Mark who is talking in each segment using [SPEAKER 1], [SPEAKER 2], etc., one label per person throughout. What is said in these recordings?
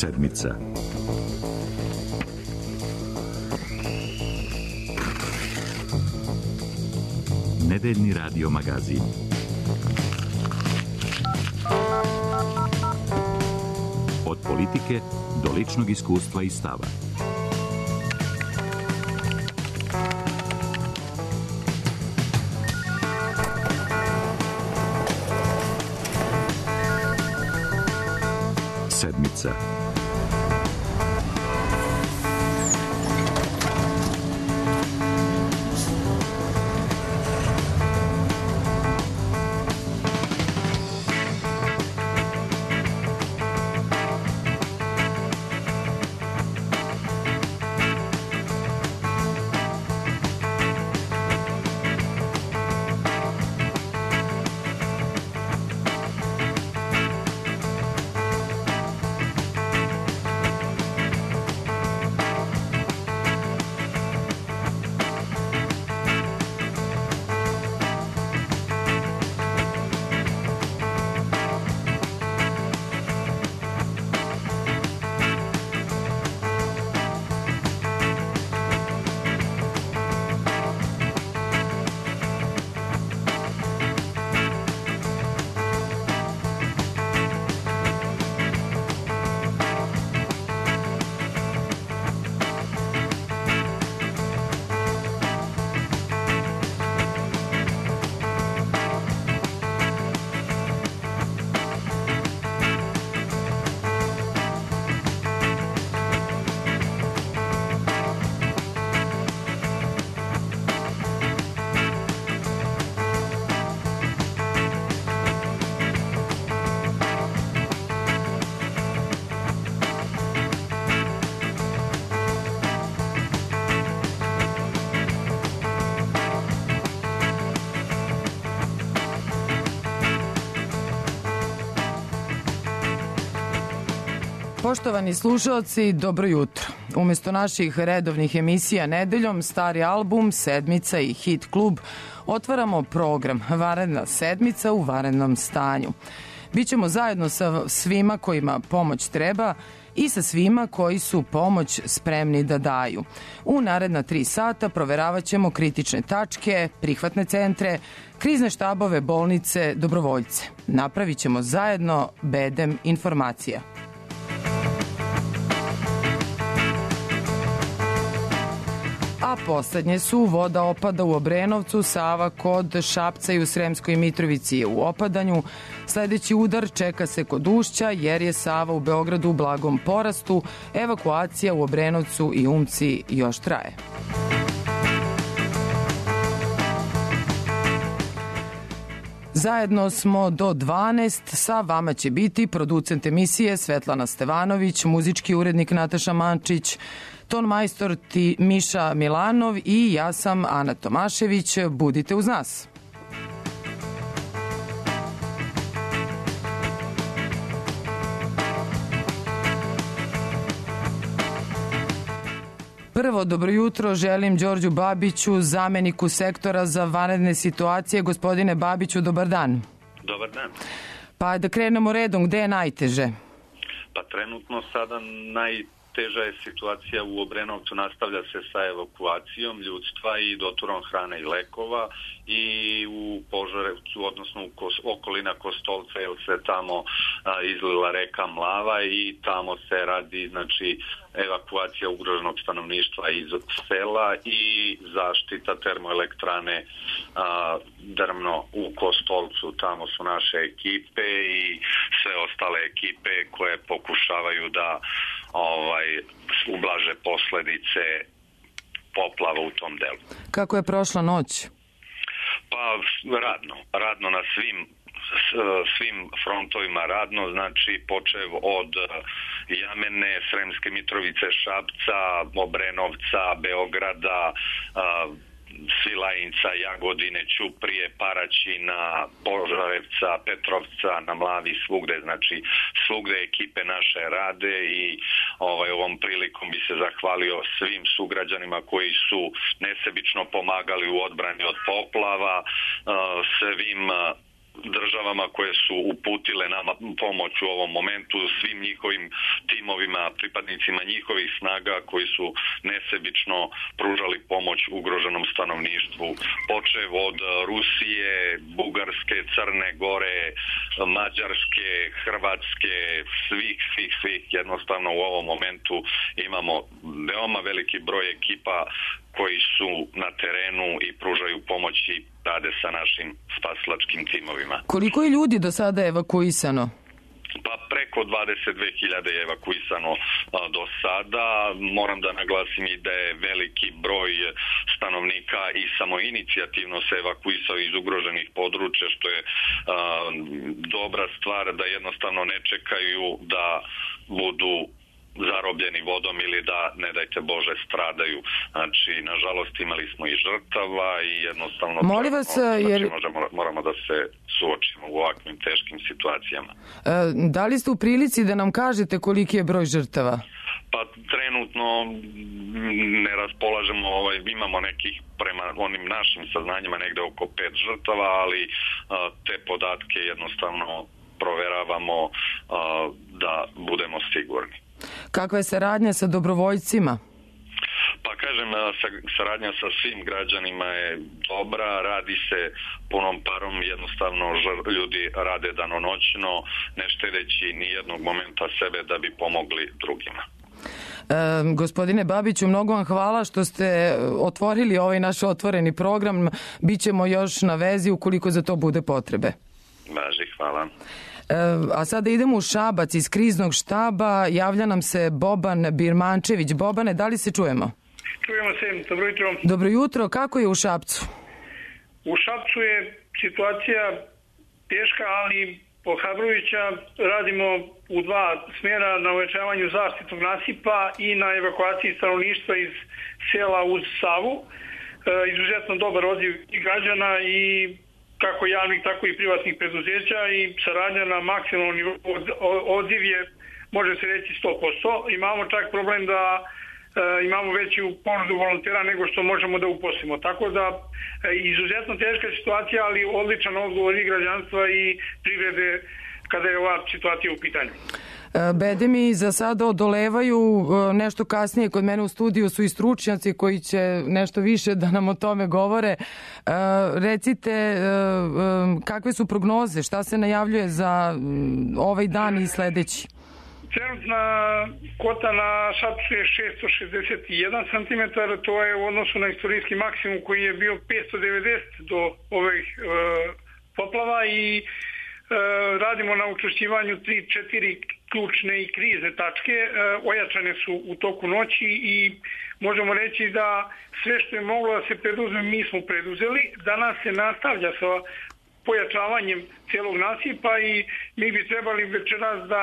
[SPEAKER 1] Sedmica. Nedeljni radio magazin. Od politike do ličnog iskustva i stava. Sedmica.
[SPEAKER 2] Poštovani slušalci, dobro jutro. Umesto naših redovnih emisija nedeljom, stari album, sedmica i hit klub, otvaramo program Vanredna sedmica u vanrednom stanju. Bićemo zajedno sa svima kojima pomoć treba i sa svima koji su pomoć spremni da daju. U naredna 3 sata proveravat ćemo kritične tačke, prihvatne centre, krizne štabove, bolnice, dobrovoljce. Napravit ćemo zajedno bedem informacija. A poslednje su voda opada u Obrenovcu, Sava kod Šapca i u Sremskoj Mitrovici je u opadanju. Sledeći udar čeka se kod Ušća jer je Sava u Beogradu u blagom porastu. Evakuacija u Obrenovcu i Umci još traje. Zajedno smo do 12, sa vama će biti producent emisije Svetlana Stevanović, muzički urednik Nataša Mančić, ton majstor Miša Milanov i ja sam Ana Tomašević. Budite uz nas. Prvo, dobro jutro, želim Đorđu Babiću, zameniku sektora za vanredne situacije. Gospodine Babiću, dobar dan.
[SPEAKER 3] Dobar dan.
[SPEAKER 2] Pa da krenemo redom, gde je najteže?
[SPEAKER 3] Pa trenutno sada najteža je situacija u Obrenovcu, nastavlja se sa evakuacijom ljudstva i doturom hrane i lekova, i u Požarevcu, odnosno u okolina Kostolca, jer se tamo izlila reka Mlava i tamo se radi, znači, evakuacija ugroženog stanovništva iz sela i zaštita termoelektrane Drmno u Kostolcu. Tamo su naše ekipe i sve ostale ekipe koje pokušavaju da ublaže posledice poplava u tom delu.
[SPEAKER 2] Kako je prošla noć?
[SPEAKER 3] Pa radno na svim frontovima radno, znači počev od Jamene, Sremske Mitrovice, Šapca, Obrenovca, Beograda, Svilajinca, Jagodine, Ćuprije, Paraćina, Požarevca, Petrovca, na Mlavi, svugde, znači svugde ekipe naše rade i ovom prilikom bi se zahvalio svim sugrađanima koji su nesebično pomagali u odbrani od poplava, svim državama koje su uputile nama pomoć u ovom momentu, svim njihovim timovima, pripadnicima njihovih snaga koji su nesebično pružali pomoć ugroženom stanovništvu, počev od Rusije, Bugarske, Crne Gore, Mađarske, Hrvatske, svih. Jednostavno u ovom momentu imamo veoma veliki broj ekipa koji su na terenu i pružaju pomoć i rade sa našim spasilačkim timovima.
[SPEAKER 2] Koliko je ljudi do sada evakuisano?
[SPEAKER 3] Pa preko 22.000 je evakuisano do sada. Moram da naglasim i da je veliki broj stanovnika i samoinicijativno se evakuisao iz ugroženih područja, što je dobra stvar, da jednostavno ne čekaju da budu zarobljeni vodom ili da, ne dajte Bože, stradaju. Znači, nažalost, imali smo i žrtava i jednostavno moramo da se suočimo u ovakvim teškim situacijama.
[SPEAKER 2] Da li ste u prilici da nam kažete koliki je broj žrtava?
[SPEAKER 3] Pa trenutno ne raspolažemo, imamo nekih prema onim našim saznanjima negde oko 5 žrtava, ali te podatke jednostavno proveravamo da budemo sigurni.
[SPEAKER 2] Kakva je saradnja sa dobrovoljcima?
[SPEAKER 3] Pa kažem, saradnja sa svim građanima je dobra, radi se punom parom, jednostavno ljudi rade danonoćno, ne štedeći ni jednog momenta sebe da bi pomogli drugima.
[SPEAKER 2] Gospodine Babiću, mnogo vam hvala što ste otvorili ovaj naš otvoreni program. Bićemo još na vezi ukoliko za to bude potrebe.
[SPEAKER 3] Važi, hvala.
[SPEAKER 2] A sada idemo u Šabac iz kriznog štaba. Javlja nam se Boban Birmančević. Bobane, da li se čujemo?
[SPEAKER 4] Čujemo se, dobro jutro.
[SPEAKER 2] Dobro jutro, kako je u Šapcu?
[SPEAKER 4] U Šapcu je situacija teška, ali ohrabrujuća. Radimo u dva smjera na uvećavanju zaštitnog nasipa i na evakuaciji stanovništva iz sela uz Savu. Izuzetno dobar odziv i građana i kako javnih, tako i privatnih preduzeća i saradnja na maksimalnom nivou. Odziv je, može se reći, 100%. Imamo čak problem da imamo veću ponudu volontera nego što možemo da uposlimo. Tako da izuzetno teška situacija, ali odličan odgovor i građanstva i privrede kada je ova situacija u pitanju.
[SPEAKER 2] Bede mi za sada odolevaju, nešto kasnije kod mene u studiju su i stručnjaci koji će nešto više da nam o tome govore. Recite, kakve su prognoze, šta se najavljuje za ovaj dan i sledeći?
[SPEAKER 4] Trenutna kota na Šapcu je 661 cm, to je u odnosu na istorijski maksimum koji je bio 590 do ovih poplava i radimo na učvršćivanju 3-4 ključne i krizne tačke, ojačane su u toku noći i možemo reći da sve što je moglo da se preduzme mi smo preduzeli. Danas se nastavlja sa pojačavanjem cijelog nasipa i mi bi trebali večeras da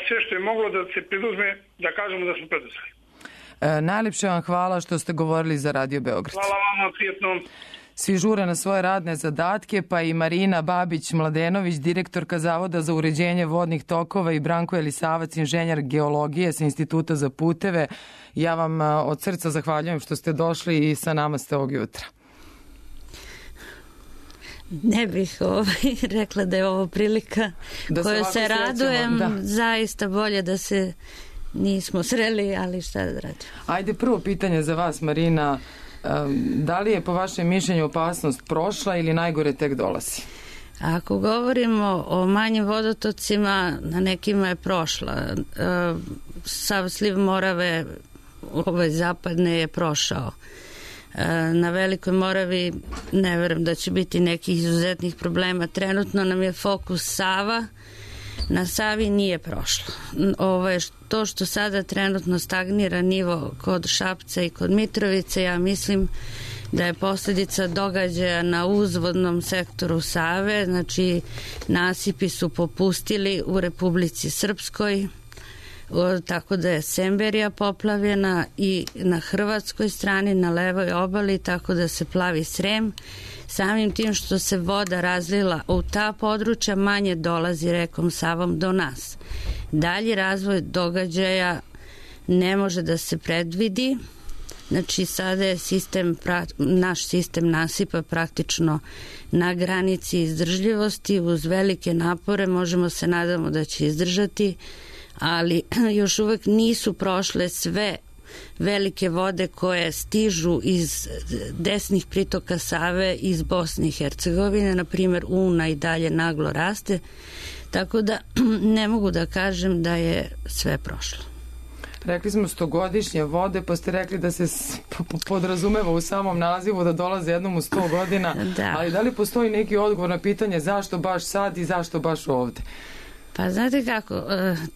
[SPEAKER 4] sve što je moglo da se preduzme, da kažemo da smo preduzeli.
[SPEAKER 2] Najlepše vam hvala što ste govorili za Radio Beograd.
[SPEAKER 4] Hvala vama, prijetno.
[SPEAKER 2] Svi žure na svoje radne zadatke, pa i Marina Babić-Mladenović, direktorka Zavoda za uređenje vodnih tokova i Branko Elisavac, inženjer geologije sa Instituta za puteve. Ja vam od srca zahvaljujem što ste došli i sa nama ste ovog jutra.
[SPEAKER 5] Ne bih rekla da je ovo prilika koju se radujem. Zaista bolje da se nismo sreli, ali šta da radimo.
[SPEAKER 2] Ajde, prvo pitanje za vas, Marina. Da li je po vašem mišljenju opasnost prošla ili najgore tek dolazi?
[SPEAKER 5] Ako govorimo o manjim vodotocima, na nekima je prošla. Sav sliv Morave zapadne je prošao. Na Velikoj Moravi ne verujem da će biti nekih izuzetnih problema. Trenutno nam je fokus Sava. Na Savi nije prošlo. To što sada trenutno stagnira nivo kod Šapca i kod Mitrovice, ja mislim da je posljedica događaja na uzvodnom sektoru Save, znači nasipi su popustili u Republici Srpskoj, tako da je Semberija poplavljena i na hrvatskoj strani, na levoj obali, tako da se plavi Srem. Samim tim što se voda razlila u ta područja, manje dolazi rekom Savom do nas. Dalji razvoj događaja ne može da se predvidi. Znači sada je naš sistem nasipa praktično na granici izdržljivosti. Uz velike napore možemo se nadamo da će izdržati, ali još uvek nisu prošle sve velike vode koje stižu iz desnih pritoka Save iz Bosne i Hercegovine. Na primjer, Una i dalje naglo raste, tako da ne mogu da kažem da je sve prošlo.
[SPEAKER 2] Rekli smo 100-godišnje vode, pa ste rekli da se podrazumeva u samom nazivu da dolaze jednom u 100 godina,
[SPEAKER 5] da.
[SPEAKER 2] Ali da li postoji neki odgovor na pitanje zašto baš sad i zašto baš ovde?
[SPEAKER 5] Pa znate kako,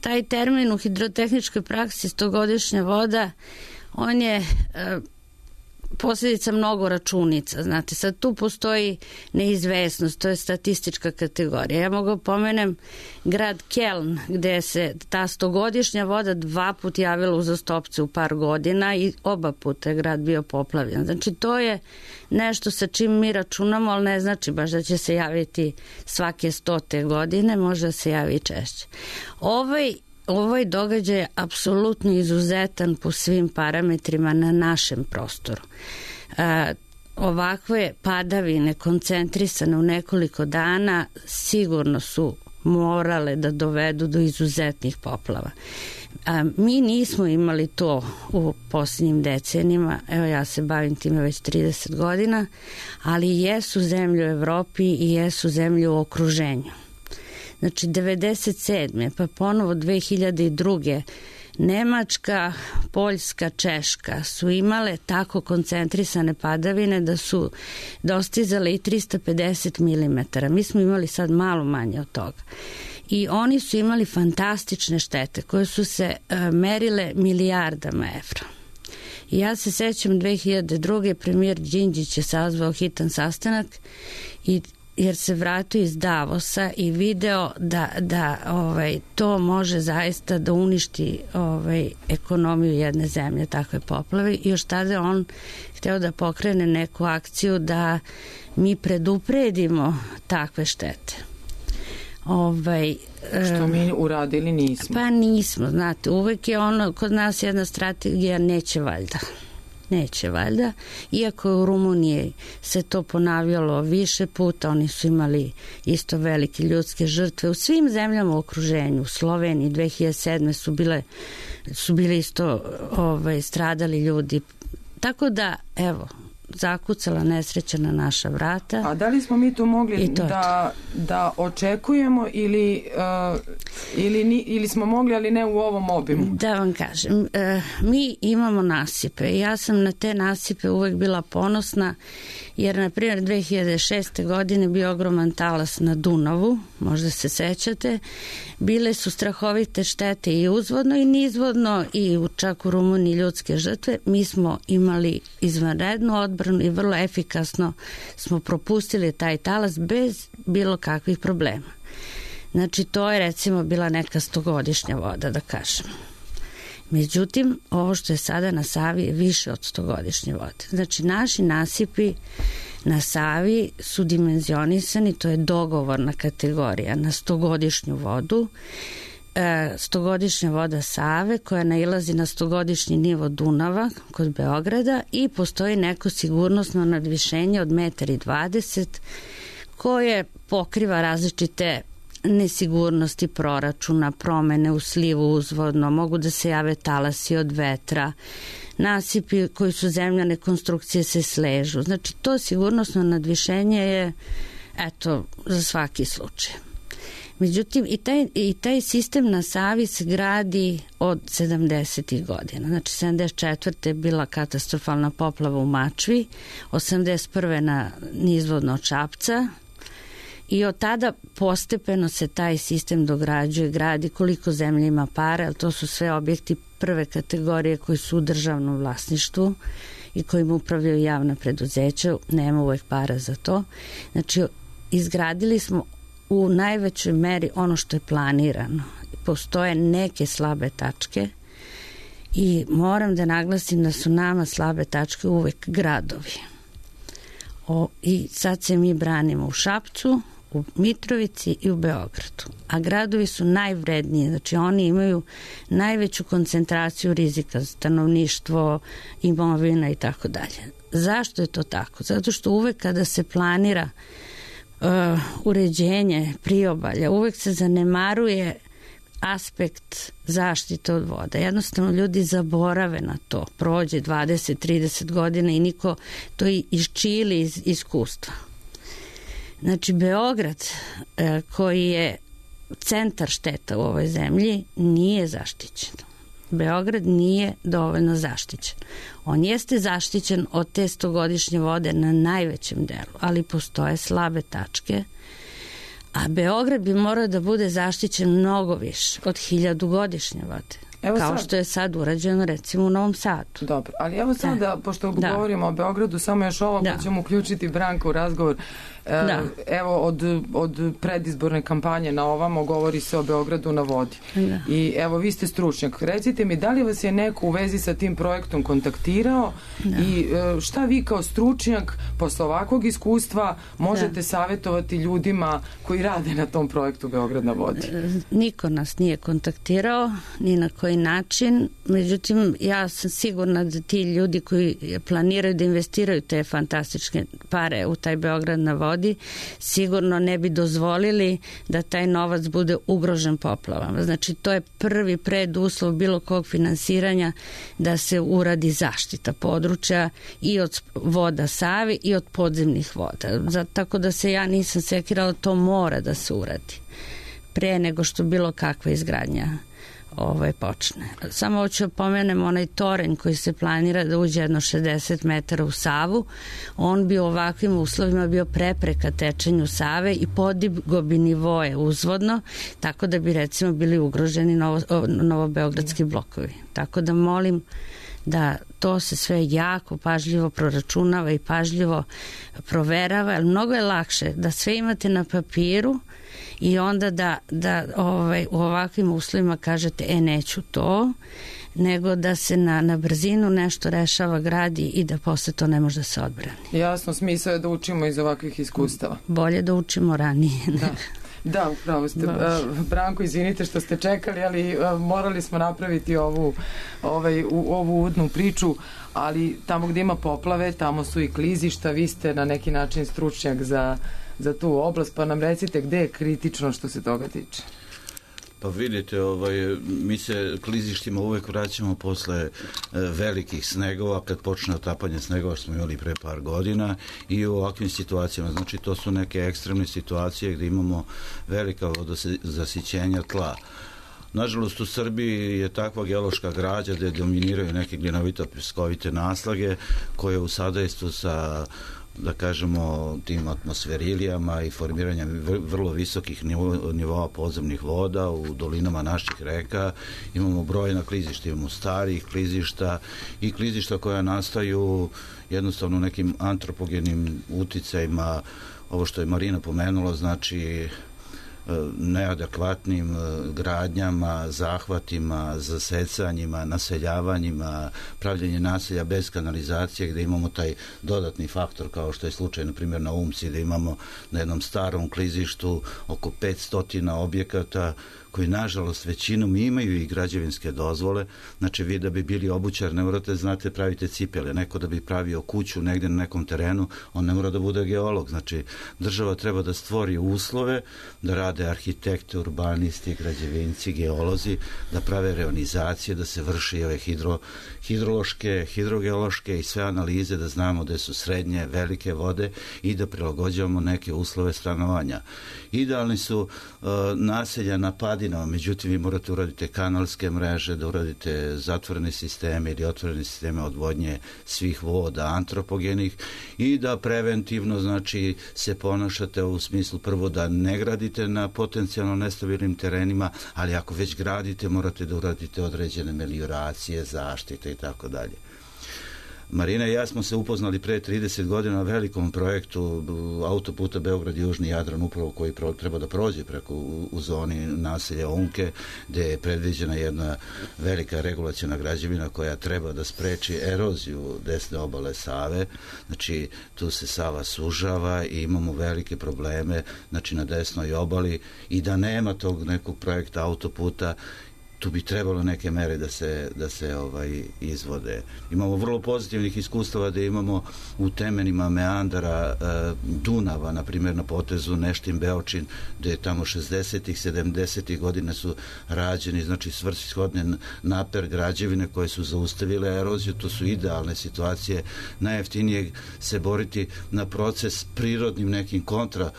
[SPEAKER 5] taj termin u hidrotehničkoj praksi 100-godišnja voda, on je posljedica mnogo računica. Znate, sad tu postoji neizvesnost, to je statistička kategorija. Ja mogu pomenem grad Keln, gde se ta 100-godišnja voda 2 puta javila uzastopce u par godina i oba puta je grad bio poplavljen. Znači, to je nešto sa čim mi računamo, ali ne znači baš da će se javiti svake 100. godine, može da se javi češće. Ovaj događaj je apsolutno izuzetan po svim parametrima na našem prostoru. Ovakve padavine koncentrisane u nekoliko dana sigurno su morale da dovedu do izuzetnih poplava. Mi nismo imali to u posljednjim decenijima, evo ja se bavim time već 30 godina, ali jesu zemlje u Evropi i jesu zemlje u okruženju. Znači 97. pa ponovo 2002. Nemačka, Poljska, Češka su imale tako koncentrisane padavine da su dostizale i 350 mm. Mi smo imali sad malo manje od toga. I oni su imali fantastične štete koje su se merile milijardama evra. I ja se sećam 2002. premijer Đinđić je sazvao hitan sastanak jer se vratio iz Davosa i video da to može zaista da uništi ekonomiju jedne zemlje, takve poplave. I još tada on hteo da pokrene neku akciju da mi predupredimo takve štete.
[SPEAKER 2] Što mi uradili nismo?
[SPEAKER 5] Pa nismo, znate, uvek je kod nas jedna strategija neće valjda, iako u Rumuniji se to ponavljalo više puta, oni su imali isto velike ljudske žrtve u svim zemljama u okruženju. U Sloveniji 2007. su bili isto stradali ljudi, tako da evo, zakucala nesreća na naša vrata.
[SPEAKER 2] A da li smo mi tu mogli da očekujemo ili smo mogli, ali ne u ovom obimu?
[SPEAKER 5] Da vam kažem, mi imamo nasipe. Ja sam na te nasipe uvek bila ponosna, jer na primjer 2006. godine bio ogroman talas na Dunavu, možda se sećate. Bile su strahovite štete i uzvodno i nizvodno i čak u Rumuniji ljudske žrtve. Mi smo imali izvanrednu odbranu i vrlo efikasno smo propustili taj talas bez bilo kakvih problema. Znači, to je recimo bila neka 100-godišnja voda, da kažem. Međutim, ovo što je sada na Savi je više od 100-godišnje vode. Znači, naši nasipi na Savi su dimenzionisani, to je dogovorna kategorija na 100-godišnju vodu. 100-godišnja voda Save koja nailazi na 100-godišnji nivo Dunava kod Beograda i postoji neko sigurnosno nadvišenje od 1,20 m koje pokriva različite nesigurnosti proračuna, promene u slivu uzvodno, mogu da se jave talasi od vetra, nasipi koji su zemljane konstrukcije se sležu. Znači, to sigurnosno nadvišenje je, eto, za svaki slučaj. Međutim, i taj sistem na Savi se gradi od 70. godina. Znači, 74. je bila katastrofalna poplava u Mačvi, 81. na nizvodno od Šapca, i od tada postepeno se taj sistem dograđuje, gradi koliko zemlje ima para, ali to su sve objekti prve kategorije koji su u državnom vlasništvu i kojim upravljaju javna preduzeća, nema uvek para za to. Znači, izgradili smo u najvećoj meri ono što je planirano. Postoje neke slabe tačke i moram da naglasim da su nama slabe tačke uvek gradovi. I sad se mi branimo u Šapcu, u Mitrovici i u Beogradu. A gradovi su najvredniji, znači oni imaju najveću koncentraciju rizika, stanovništvo, imovina i tako dalje. Zašto je to tako? Zato što uvek kada se planira uređenje priobalja, uvek se zanemaruje aspekt zaštite od voda. Jednostavno ljudi zaborave na to. Prođe 20-30 godina i niko to iščili iz iskustva. Znači, Beograd, koji je centar šteta u ovoj zemlji, nije zaštićen. Beograd nije dovoljno zaštićen. On jeste zaštićen od te 100-godišnje vode na najvećem delu, ali postoje slabe tačke, a Beograd bi morao da bude zaštićen mnogo više od 1000-godišnje vode. Evo kao sad, što je sad urađeno recimo u Novom Sadu.
[SPEAKER 2] Dobro, ali evo sad da, pošto govorimo o Beogradu, samo još ovo pa ćemo uključiti Branka u razgovor. Evo od predizborne kampanje na ovamo govori se o Beogradu na vodi. I evo vi ste stručnjak. Recite mi, da li vas je neko u vezi sa tim projektom kontaktirao i šta vi kao stručnjak posle ovakvog iskustva možete savjetovati ljudima koji rade na tom projektu Beograd na vodi?
[SPEAKER 5] Niko nas nije kontaktirao, ni na koji način. Međutim, ja sam sigurna da ti ljudi koji planiraju da investiraju te fantastične pare u taj Beograd na vodi sigurno ne bi dozvolili da taj novac bude ugrožen poplavama. Znači, to je prvi preduslov bilo kog finansiranja da se uradi zaštita područja i od voda Save i od podzemnih voda. Tako da se ja nisam sekirala, to mora da se uradi pre nego što bilo kakva izgradnja počne. Samo hoću pomenem onaj toranj koji se planira da uđe jedno 60 metara u Savu. On bi u ovakvim uslovima bio prepreka tečenju Save i podigo bi nivoe uzvodno, tako da bi recimo bili ugroženi novobeogradski blokovi. Tako da molim da to se sve jako pažljivo proračunava i pažljivo proverava, jer mnogo je lakše da sve imate na papiru i onda da u ovakvim uslovima kažete neću to, nego da se na brzinu nešto rešava, gradi i da posle to ne može da se odbrani.
[SPEAKER 2] Jasno, smisao je da učimo iz ovakvih iskustava.
[SPEAKER 5] Bolje da učimo ranije.
[SPEAKER 2] Da, upravo ste. Branko, izvinite što ste čekali, ali morali smo napraviti ovu uvodnu priču, ali tamo gdje ima poplave, tamo su i klizišta, vi ste na neki način stručnjak za tu oblast, pa nam recite gde je kritično što se toga tiče.
[SPEAKER 6] Pa vidite, mi se klizištima uvek vraćamo posle velikih snegova, kad počne otapanje snegova što smo imali pre par godina i u ovakvim situacijama. Znači, to su neke ekstremne situacije gde imamo velika vodozasićenja tla. Nažalost, u Srbiji je takva geološka građa gde dominiraju neke glinovito-pjeskovite naslage koje u sadejstvu sa, da kažemo, tim atmosferilijama i formiranjem vrlo visokih nivoa podzemnih voda u dolinama naših reka. Imamo brojna klizišta, imamo starih klizišta i klizišta koja nastaju jednostavno nekim antropogenim uticajima, ovo što je Marina pomenula, znači neadekvatnim gradnjama, zahvatima, zasecanjima, naseljavanjima, pravljenje naselja bez kanalizacije, gde imamo taj dodatni faktor, kao što je slučaj, na primjer, na Umci, gde imamo na jednom starom klizištu oko 500 objekata koji, nažalost, većinom imaju i građevinske dozvole. Znači, vi da bi bili obućar, ne morate, znate, pravite cipele. Neko da bi pravio kuću negde na nekom terenu, on ne mora da bude geolog. Znači, država treba da stvori uslove, da rade arhitekte, urbanisti, građevinci, geolozi, da prave reonizacije, da se vrši ove hidrološke, hidrogeološke i sve analize, da znamo gde su srednje, velike vode i da prilagođavamo neke uslove stanovanja. Idealni su naselja na padinama, međutim vi morate uraditi kanalske mreže, da uradite zatvorene sisteme ili otvorene sisteme odvodnje svih voda antropogenih i da preventivno, znači, se ponašate u smislu prvo da ne gradite na potencijalno nestabilnim terenima, ali ako već gradite morate da uradite određene melioracije, zaštite i tako dalje. Marina i ja smo se upoznali pre 30 godina na velikom projektu autoputa Beograd-Južni Jadran, upravo koji treba da prođe preko u zoni naselja Umke, gde je predviđena jedna velika regulaciona građevina koja treba da spreči eroziju desne obale Save. Znači, tu se Sava sužava i imamo velike probleme, znači, na desnoj obali, i da nema tog nekog projekta autoputa, tu bi trebalo neke mere da se izvode. Imamo vrlo pozitivnih iskustava da imamo u temenima meandara Dunava, na primjer na potezu Neštin-Beočin, gde je tamo 60-ih, 70-ih godina su rađeni, znači svrsishodne naper građevine koje su zaustavile eroziju. To su idealne situacije. Najjeftinije se boriti na proces prirodnim nekim kontra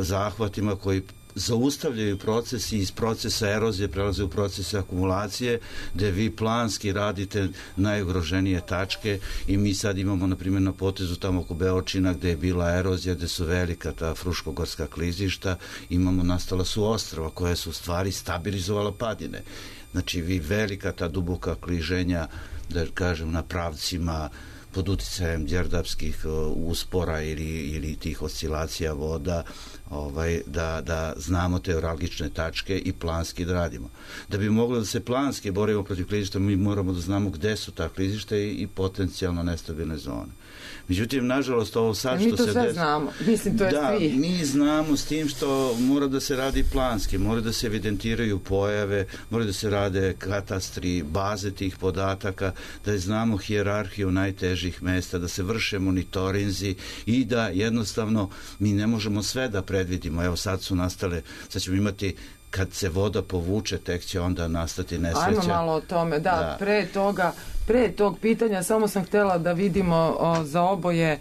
[SPEAKER 6] zahvatima koji zaustavljaju proces i iz procesa erozije prelaze u procese akumulacije, gde vi planski radite najugroženije tačke, i mi sad imamo, na primjer, na potezu tamo oko Beočina, gde je bila erozija, gde su velika ta fruškogorska klizišta, nastala su ostrva koja su u stvari stabilizovala padine. Znači, vi velika ta duboka kliženja, da kažem, na pravcima pod uticajem đerdapskih uspora ili tih oscilacija voda, da znamo te neuralgične tačke i planski da radimo. Da bi mogli da se planski borimo protiv klizišta, mi moramo da znamo gde su ta klizišta i potencijalno nestabilne zone. Međutim, nažalost, ovo sad što se...
[SPEAKER 2] Mi to sve znamo. Mislim, to je svi.
[SPEAKER 6] Da, mi znamo, s tim što mora da se radi planski, mora da se evidentiraju pojave, mora da se rade katastri, baze tih podataka, da znamo hijerarhiju najtežih mesta, da se vrše monitorinzi i da jednostavno mi ne možemo sve da predvidimo. Evo, sad ćemo imati, kad se voda povuče, tek će onda nastati nesreća.
[SPEAKER 2] Ajmo malo o tome, da. Pre tog pitanja samo sam htjela da vidimo za oboje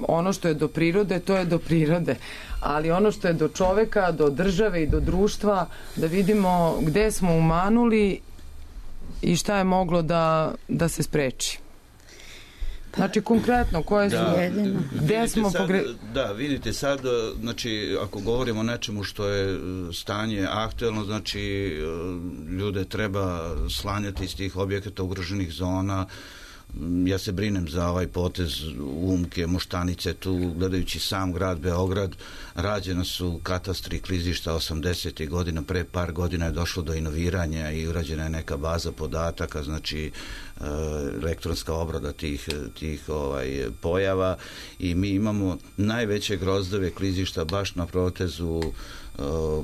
[SPEAKER 2] ono što je do prirode, to je do prirode, ali ono što je do čoveka, do države i do društva, da vidimo gde smo umanuli i šta je moglo da se spreči. Znači, konkretno, koje su... Gde smo
[SPEAKER 6] Da, vidite sad, znači, ako govorimo o nečemu što je stanje aktuelno, znači, ljude treba slanjati iz tih objekata ugroženih zona. Ja se brinem za ovaj potez Umke, Moštanice, tu gledajući sam grad Beograd, rađena su katastri klizišta 80. godina, pre par godina je došlo do inoviranja i urađena je neka baza podataka, znači elektronska obrada tih pojava, i mi imamo najveće grozdove klizišta baš na protezu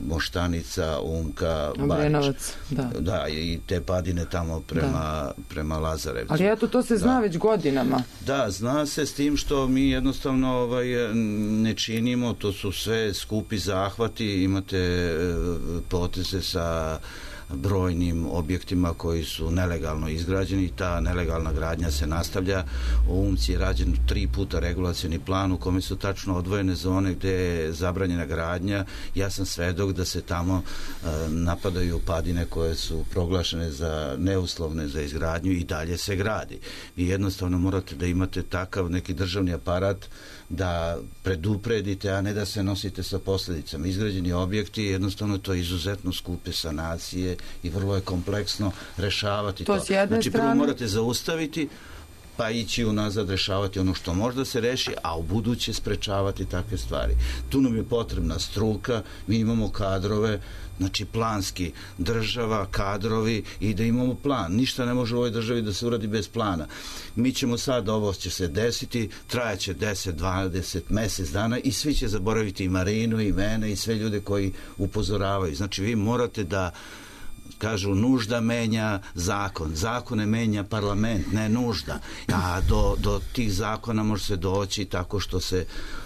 [SPEAKER 6] Moštanica, Umka,
[SPEAKER 2] Obrenovac,
[SPEAKER 6] da, i te padine tamo prema Lazarevcu.
[SPEAKER 2] Ali eto, to se zna već godinama.
[SPEAKER 6] Da, zna se, s tim što mi jednostavno ne činimo, to su sve skupi zahvati, imate poteze sa brojnim objektima koji su nelegalno izgrađeni i ta nelegalna gradnja se nastavlja. U Umci je rađen 3 puta regulacioni plan u kome su tačno odvojene zone gde je zabranjena gradnja. Ja sam svedok da se tamo napadaju padine koje su proglašene za neuslovne za izgradnju i dalje se gradi. Vi jednostavno morate da imate takav neki državni aparat da predupredite, a ne da se nosite sa posljedicama. Izgrađeni objekti, jednostavno to je izuzetno skupe sanacije i vrlo je kompleksno rešavati to. Znači, prvo morate zaustaviti, pa ići unazad rešavati ono što može da se reši, a u buduće sprečavati takve stvari. Tu nam je potrebna struka, mi imamo kadrove, znači planski, država, kadrovi, i da imamo plan. Ništa ne može u ovoj državi da se uradi bez plana. Mi ćemo sad, ovo će se desiti, trajaće 10, 20, mesec dana i svi će zaboraviti i Marinu i mene i sve ljude koji upozoravaju. Znači, vi morate da kažu, nužda menja zakon. Zakone menja parlament, ne nužda. A do tih zakona može se doći tako što se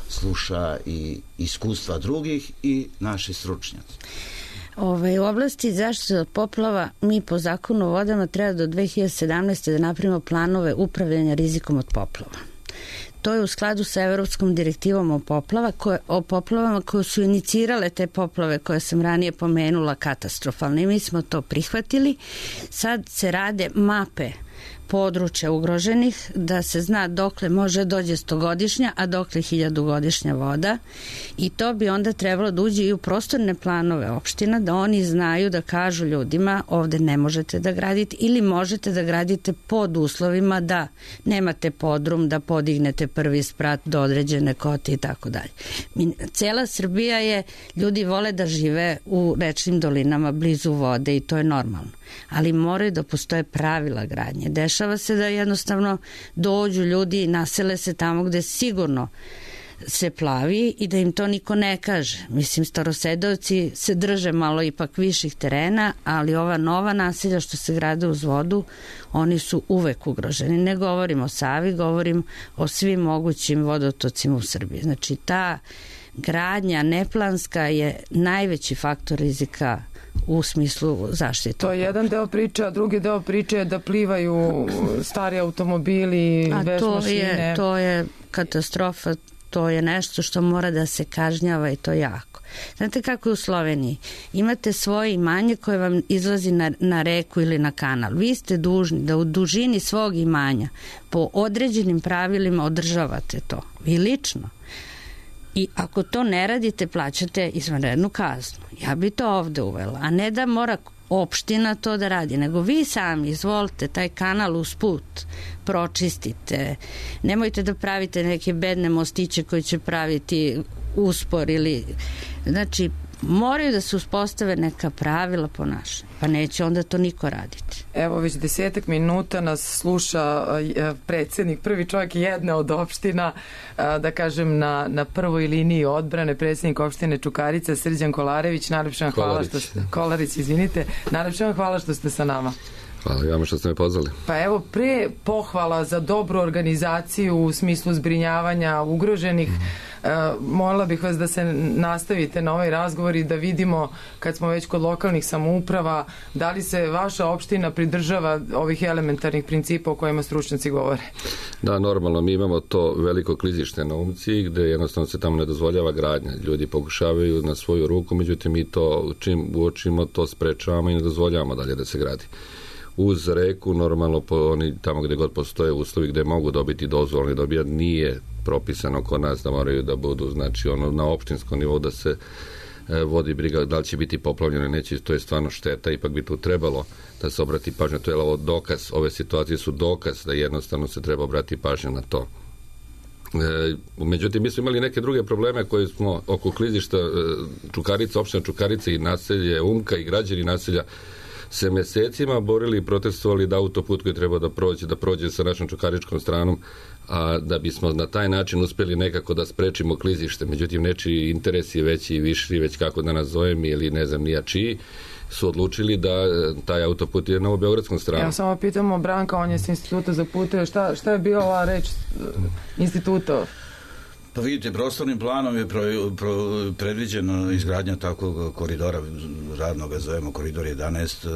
[SPEAKER 6] sluša i iskustva drugih i naši stručnjaci.
[SPEAKER 5] U oblasti zaštite od poplava mi po zakonu o vodama treba do 2017. da napravimo planove upravljanja rizikom od poplava. To je u skladu sa Evropskom direktivom o poplavama koje su inicirale te poplave koje sam ranije pomenula katastrofalne. I mi smo to prihvatili. Sad se rade mape područja ugroženih, da se zna dokle može dođe 100-godišnja, a dokle 1000-godišnja voda, i to bi onda trebalo da uđe i u prostorne planove opština, da oni znaju da kažu ljudima ovde ne možete da gradite ili možete da gradite pod uslovima da nemate podrum, da podignete prvi sprat do određene kote i tako dalje. Cela Srbija je, ljudi vole da žive u rečnim dolinama blizu vode i to je normalno, ali moraju da postoje pravila gradnje. Dešava se da jednostavno dođu ljudi i nasele se tamo gde sigurno se plavi i da im to niko ne kaže. Mislim, Starosedovci se drže malo ipak viših terena, ali ova nova naselja što se grade uz vodu, oni su uvek ugroženi. Ne govorim o Savi, govorim o svim mogućim vodotocima u Srbiji. Znači, ta gradnja neplanska je najveći faktor rizika u smislu zaštite.
[SPEAKER 2] To je jedan deo priče, a drugi deo priče je da plivaju stari automobili, veš mašine.
[SPEAKER 5] To je katastrofa, to je nešto što mora da se kažnjava i to jako. Znate kako je u Sloveniji? Imate svoje imanje koje vam izlazi na reku ili na kanal. Vi ste dužni da u dužini svog imanja po određenim pravilima održavate to. Vi lično. I ako to ne radite, plaćate izvanrednu kaznu. Ja bi to ovde uvela, a ne da mora opština to da radi, nego vi sami izvolite taj kanal usput pročistite. Nemojte da pravite neke bedne mostiće koji će praviti uspor ili... Znači, moraju da se uspostave neka pravila ponašanja, pa neće onda to niko raditi.
[SPEAKER 2] Evo, već 10 minuta nas sluša predsjednik, prvi čovjek jedne od opština, da kažem na prvoj liniji odbrane, predsjednik opštine Čukarica, Srđan Kolarević. Najlepše vam hvala što ste... Kolarić, izvinite. Najlepše vam hvala što ste sa nama.
[SPEAKER 7] Hvala i vama što ste me pozvali.
[SPEAKER 2] Pa evo, pre pohvala za dobru organizaciju u smislu zbrinjavanja ugroženih, molila bih vas da se nastavite na ovaj razgovor i da vidimo, kad smo već kod lokalnih samouprava, da li se vaša opština pridržava ovih elementarnih principa o kojima stručnjaci govore.
[SPEAKER 7] Da, normalno, mi imamo to veliko klizište na Umci gde jednostavno se tamo ne dozvoljava gradnja. Ljudi pokušavaju na svoju ruku, međutim mi to čim uočimo to sprečavamo i ne dozvoljavamo dalje da se gradi. Uz reku, normalno, oni tamo gde god postoje uslovi gde mogu dobiti dozvolu, dobijati, nije propisano kod nas da moraju da budu, znači ono na opštinskom nivou da se vodi briga da li će biti poplavljeno ili neće, to je stvarno šteta, ipak bi tu trebalo da se obrati pažnja, to je ovo dokaz, ove situacije su dokaz da jednostavno se treba obrati pažnja na to. Međutim, mi smo imali neke druge probleme koje smo oko klizišta Čukarica, opština Čukarica i naselje Umka i građani naselja se mesecima borili i protestovali da autoput koji treba da prođe sa našom čukaričkom stranom, a da bismo na taj način uspjeli nekako da sprečimo klizište. Međutim, nečiji interes je veći i viši, već kako da nazovem, ili ne znam nija čiji, su odlučili da taj autoput je na beogradskom stranu.
[SPEAKER 2] Ja samo pitamo Branka, on je s instituta za puteve, šta je bio ova reč instituta?
[SPEAKER 6] Pa vidite, prostornim planom je predviđeno izgradnja takvog koridora, radno ga zovemo koridor 11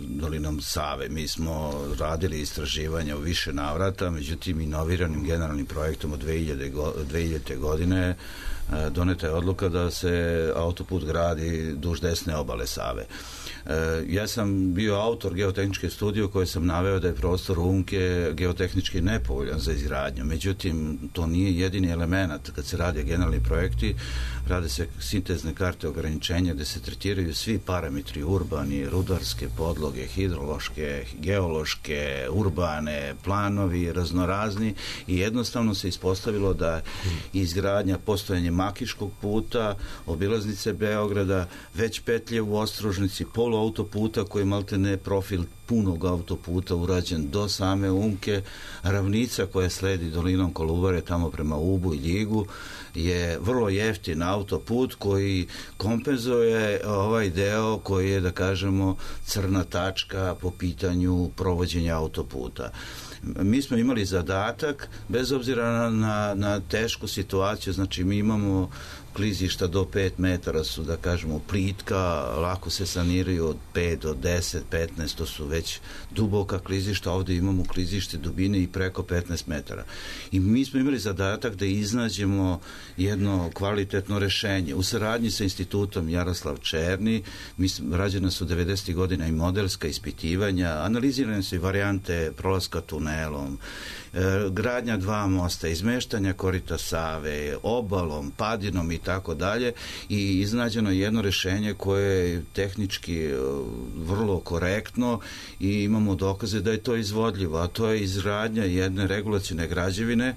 [SPEAKER 6] dolinom Save. Mi smo radili istraživanja u više navrata, međutim inoviranim generalnim projektom od 2000. godine doneta je odluka da se autoput gradi duž desne obale Save. Ja sam bio autor geotehničke studije u kojoj sam naveo da je prostor Umke geotehnički nepovoljan za izgradnju. Međutim, to nije jedini element. Kad se radi generalni projekti, rade se sintezne karte ograničenja gde se tretiraju svi parametri urbani, rudarske podloge, hidrološke, geološke, urbane, planovi, raznorazni i jednostavno se ispostavilo da izgradnja, postojanje Makiškog puta, obilaznice Beograda, već petlje u Ostrožnici, poluautoputa koji maltene profil punog autoputa urađen do same Umke, ravnica koja sledi dolinom Kolubare tamo prema Ubu i Ljigu je vrlo jeftin autoput koji kompenzuje ovaj deo koji je, da kažemo, crna tačka po pitanju provođenja autoputa. Mi smo imali zadatak, bez obzira na tešku situaciju, znači mi imamo klizišta do 5 metara su, da kažemo, plitka, lako se saniraju od 5 do 10, 15, to su već duboka klizišta, ovdje imamo klizište dubine i preko 15 metara. I mi smo imali zadatak da iznađemo jedno kvalitetno rešenje. U saradnji sa institutom Jaroslav Černi, rađena su 90. godina i modelska ispitivanja, analizirane su i varijante prolaska tunelom, gradnja 2 mosta, izmeštanja korita Save, obalom, padinom i tako dalje, i iznađeno jedno rešenje koje je tehnički vrlo korektno i imamo dokaze da je to izvodljivo, a to je izgradnja jedne regulacione građevine,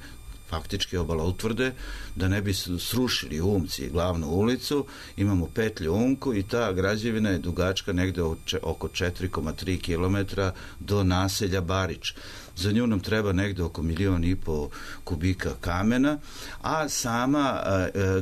[SPEAKER 6] faktički obala utvrde, da ne bi srušili Umci glavnu ulicu. Imamo petlju Umku i ta građevina je dugačka negde oko 4,3 km do naselja Barič. Za nju nam treba negde oko 1,5 miliona kubika kamena, a sama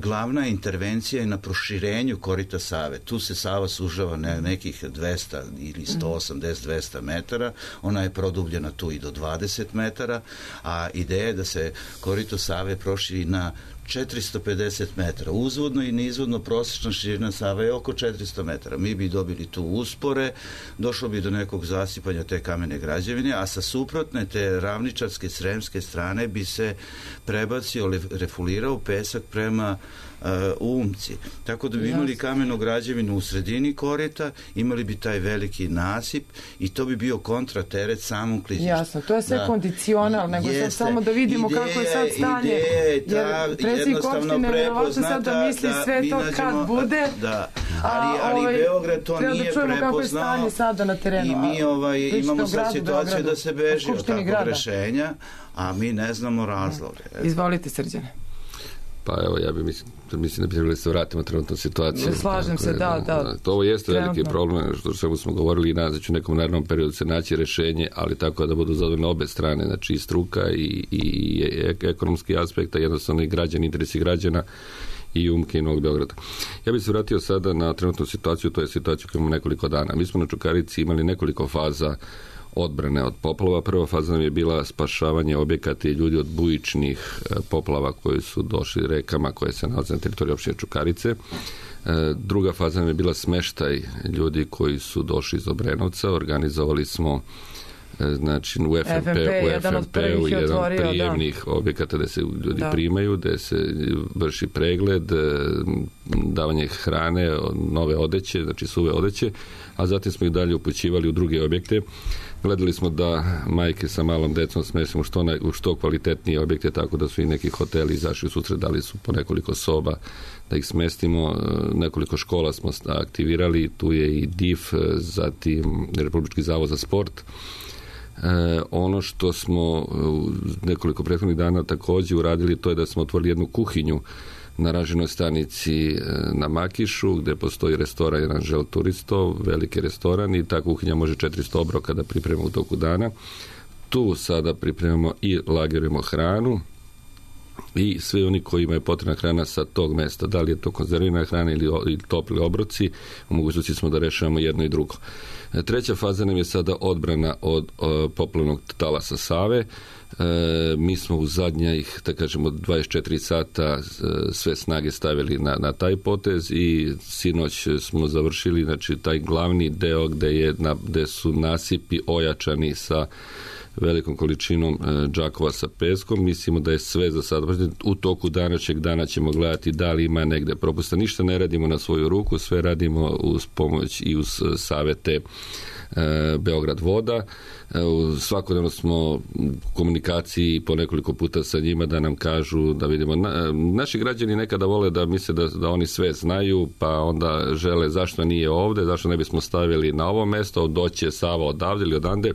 [SPEAKER 6] glavna intervencija je na proširenju korita Save. Tu se Sava sužava nekih 200 ili 180-200 metara, ona je produbljena tu i do 20 metara, a ideja je da se korito Save proširi na 450 metara. Uzvodno i neizvodno prosječna širina Save je oko 400 metara. Mi bi dobili tu uspore, došlo bi do nekog zasipanja te kamene građevine, a sa suprotne te ravničarske sremske strane bi se prebacio, refulirao pesak prema Umci. Tako da bi imali kamenu građevinu u sredini korita, imali bi taj veliki nasip i to bi bio kontrateret samom klizištu.
[SPEAKER 2] Jasno, to je sve kondicional, nego sad samo da vidimo kako je sad stanje. Jer predsjednik opštine verovatno sad da misli sve to kad bude,
[SPEAKER 6] ali Beograd to nije prepoznao.
[SPEAKER 2] Kako je stanje sada na terenu.
[SPEAKER 6] I mi imamo sad situaciju da se beži od takvog rešenja, a mi ne znamo razloge.
[SPEAKER 2] Izvolite, Srđane.
[SPEAKER 7] Pa evo, ja mislim da bi trebali se vratimo trenutnu situaciju.
[SPEAKER 2] Slažem se, da.
[SPEAKER 7] Ovo jeste veliki problem, što smo govorili i naći u nekom narednom periodu se naći rešenje, ali tako da budu zadovoljne obe strane, znači i struka i ekonomski aspekt, a jednostavno i građani, interesi građana i Umke i Novog Beograda. Ja bih se vratio sada na trenutnu situaciju, to je situacija koju imamo nekoliko dana. Mi smo na Čukarici imali nekoliko faza odbrane od poplava. Prva faza nam je bila spašavanje objekata i ljudi od bujičnih poplava koji su došli rekama koje se nalaze na teritoriji opštine Čukarice. Druga faza nam je bila smeštaj ljudi koji su došli iz Obrenovca. Organizovali smo znači u FMP-u jedan od prijemnih objekata gde se ljudi primaju, gde se vrši pregled, davanje hrane, nove odeće, znači suve odeće, a zatim smo ih dalje upućivali u druge objekte. Gledali smo da majke sa malom decom smestimo u što kvalitetnije objekte, tako da su i neki hoteli izašli u susret, dali su po nekoliko soba da ih smestimo. Nekoliko škola smo aktivirali, tu je i DIF, zatim Republički zavod za sport. Ono što smo nekoliko prethodnih dana također uradili, to je da smo otvorili jednu kuhinju na ranžirnoj stanici na Makišu, gde postoji restoran jedan Žel Turisto, veliki restoran, i ta kuhinja može 400 obroka da pripremimo u toku dana. Tu sada pripremamo i lagerujemo hranu i svi oni koji imaju potrebna hrana sa tog mesta, da li je to konzervirana hrana ili topli obroci, u mogućnosti smo da rešavamo jedno i drugo. Treća faza nam je sada odbrana od poplavnog talasa Save. Mi smo u zadnjih, da kažemo, 24 sata sve snage stavili na taj potez i sinoć smo završili, znači, taj glavni deo gde su nasipi ojačani sa velikom količinom džakova sa peskom. Mislimo da je sve za sad. U toku današnjeg dana ćemo gledati da li ima negde propusta. Ništa ne radimo na svoju ruku, sve radimo uz pomoć i uz savete Beograd voda. Svakodnevno smo u komunikaciji po nekoliko puta sa njima da nam kažu, da vidimo. Naši građani nekada vole da misle da oni sve znaju, pa onda žele zašto nije ovde, zašto ne bismo stavili na ovo mesto, doće Sava odavde ili odande.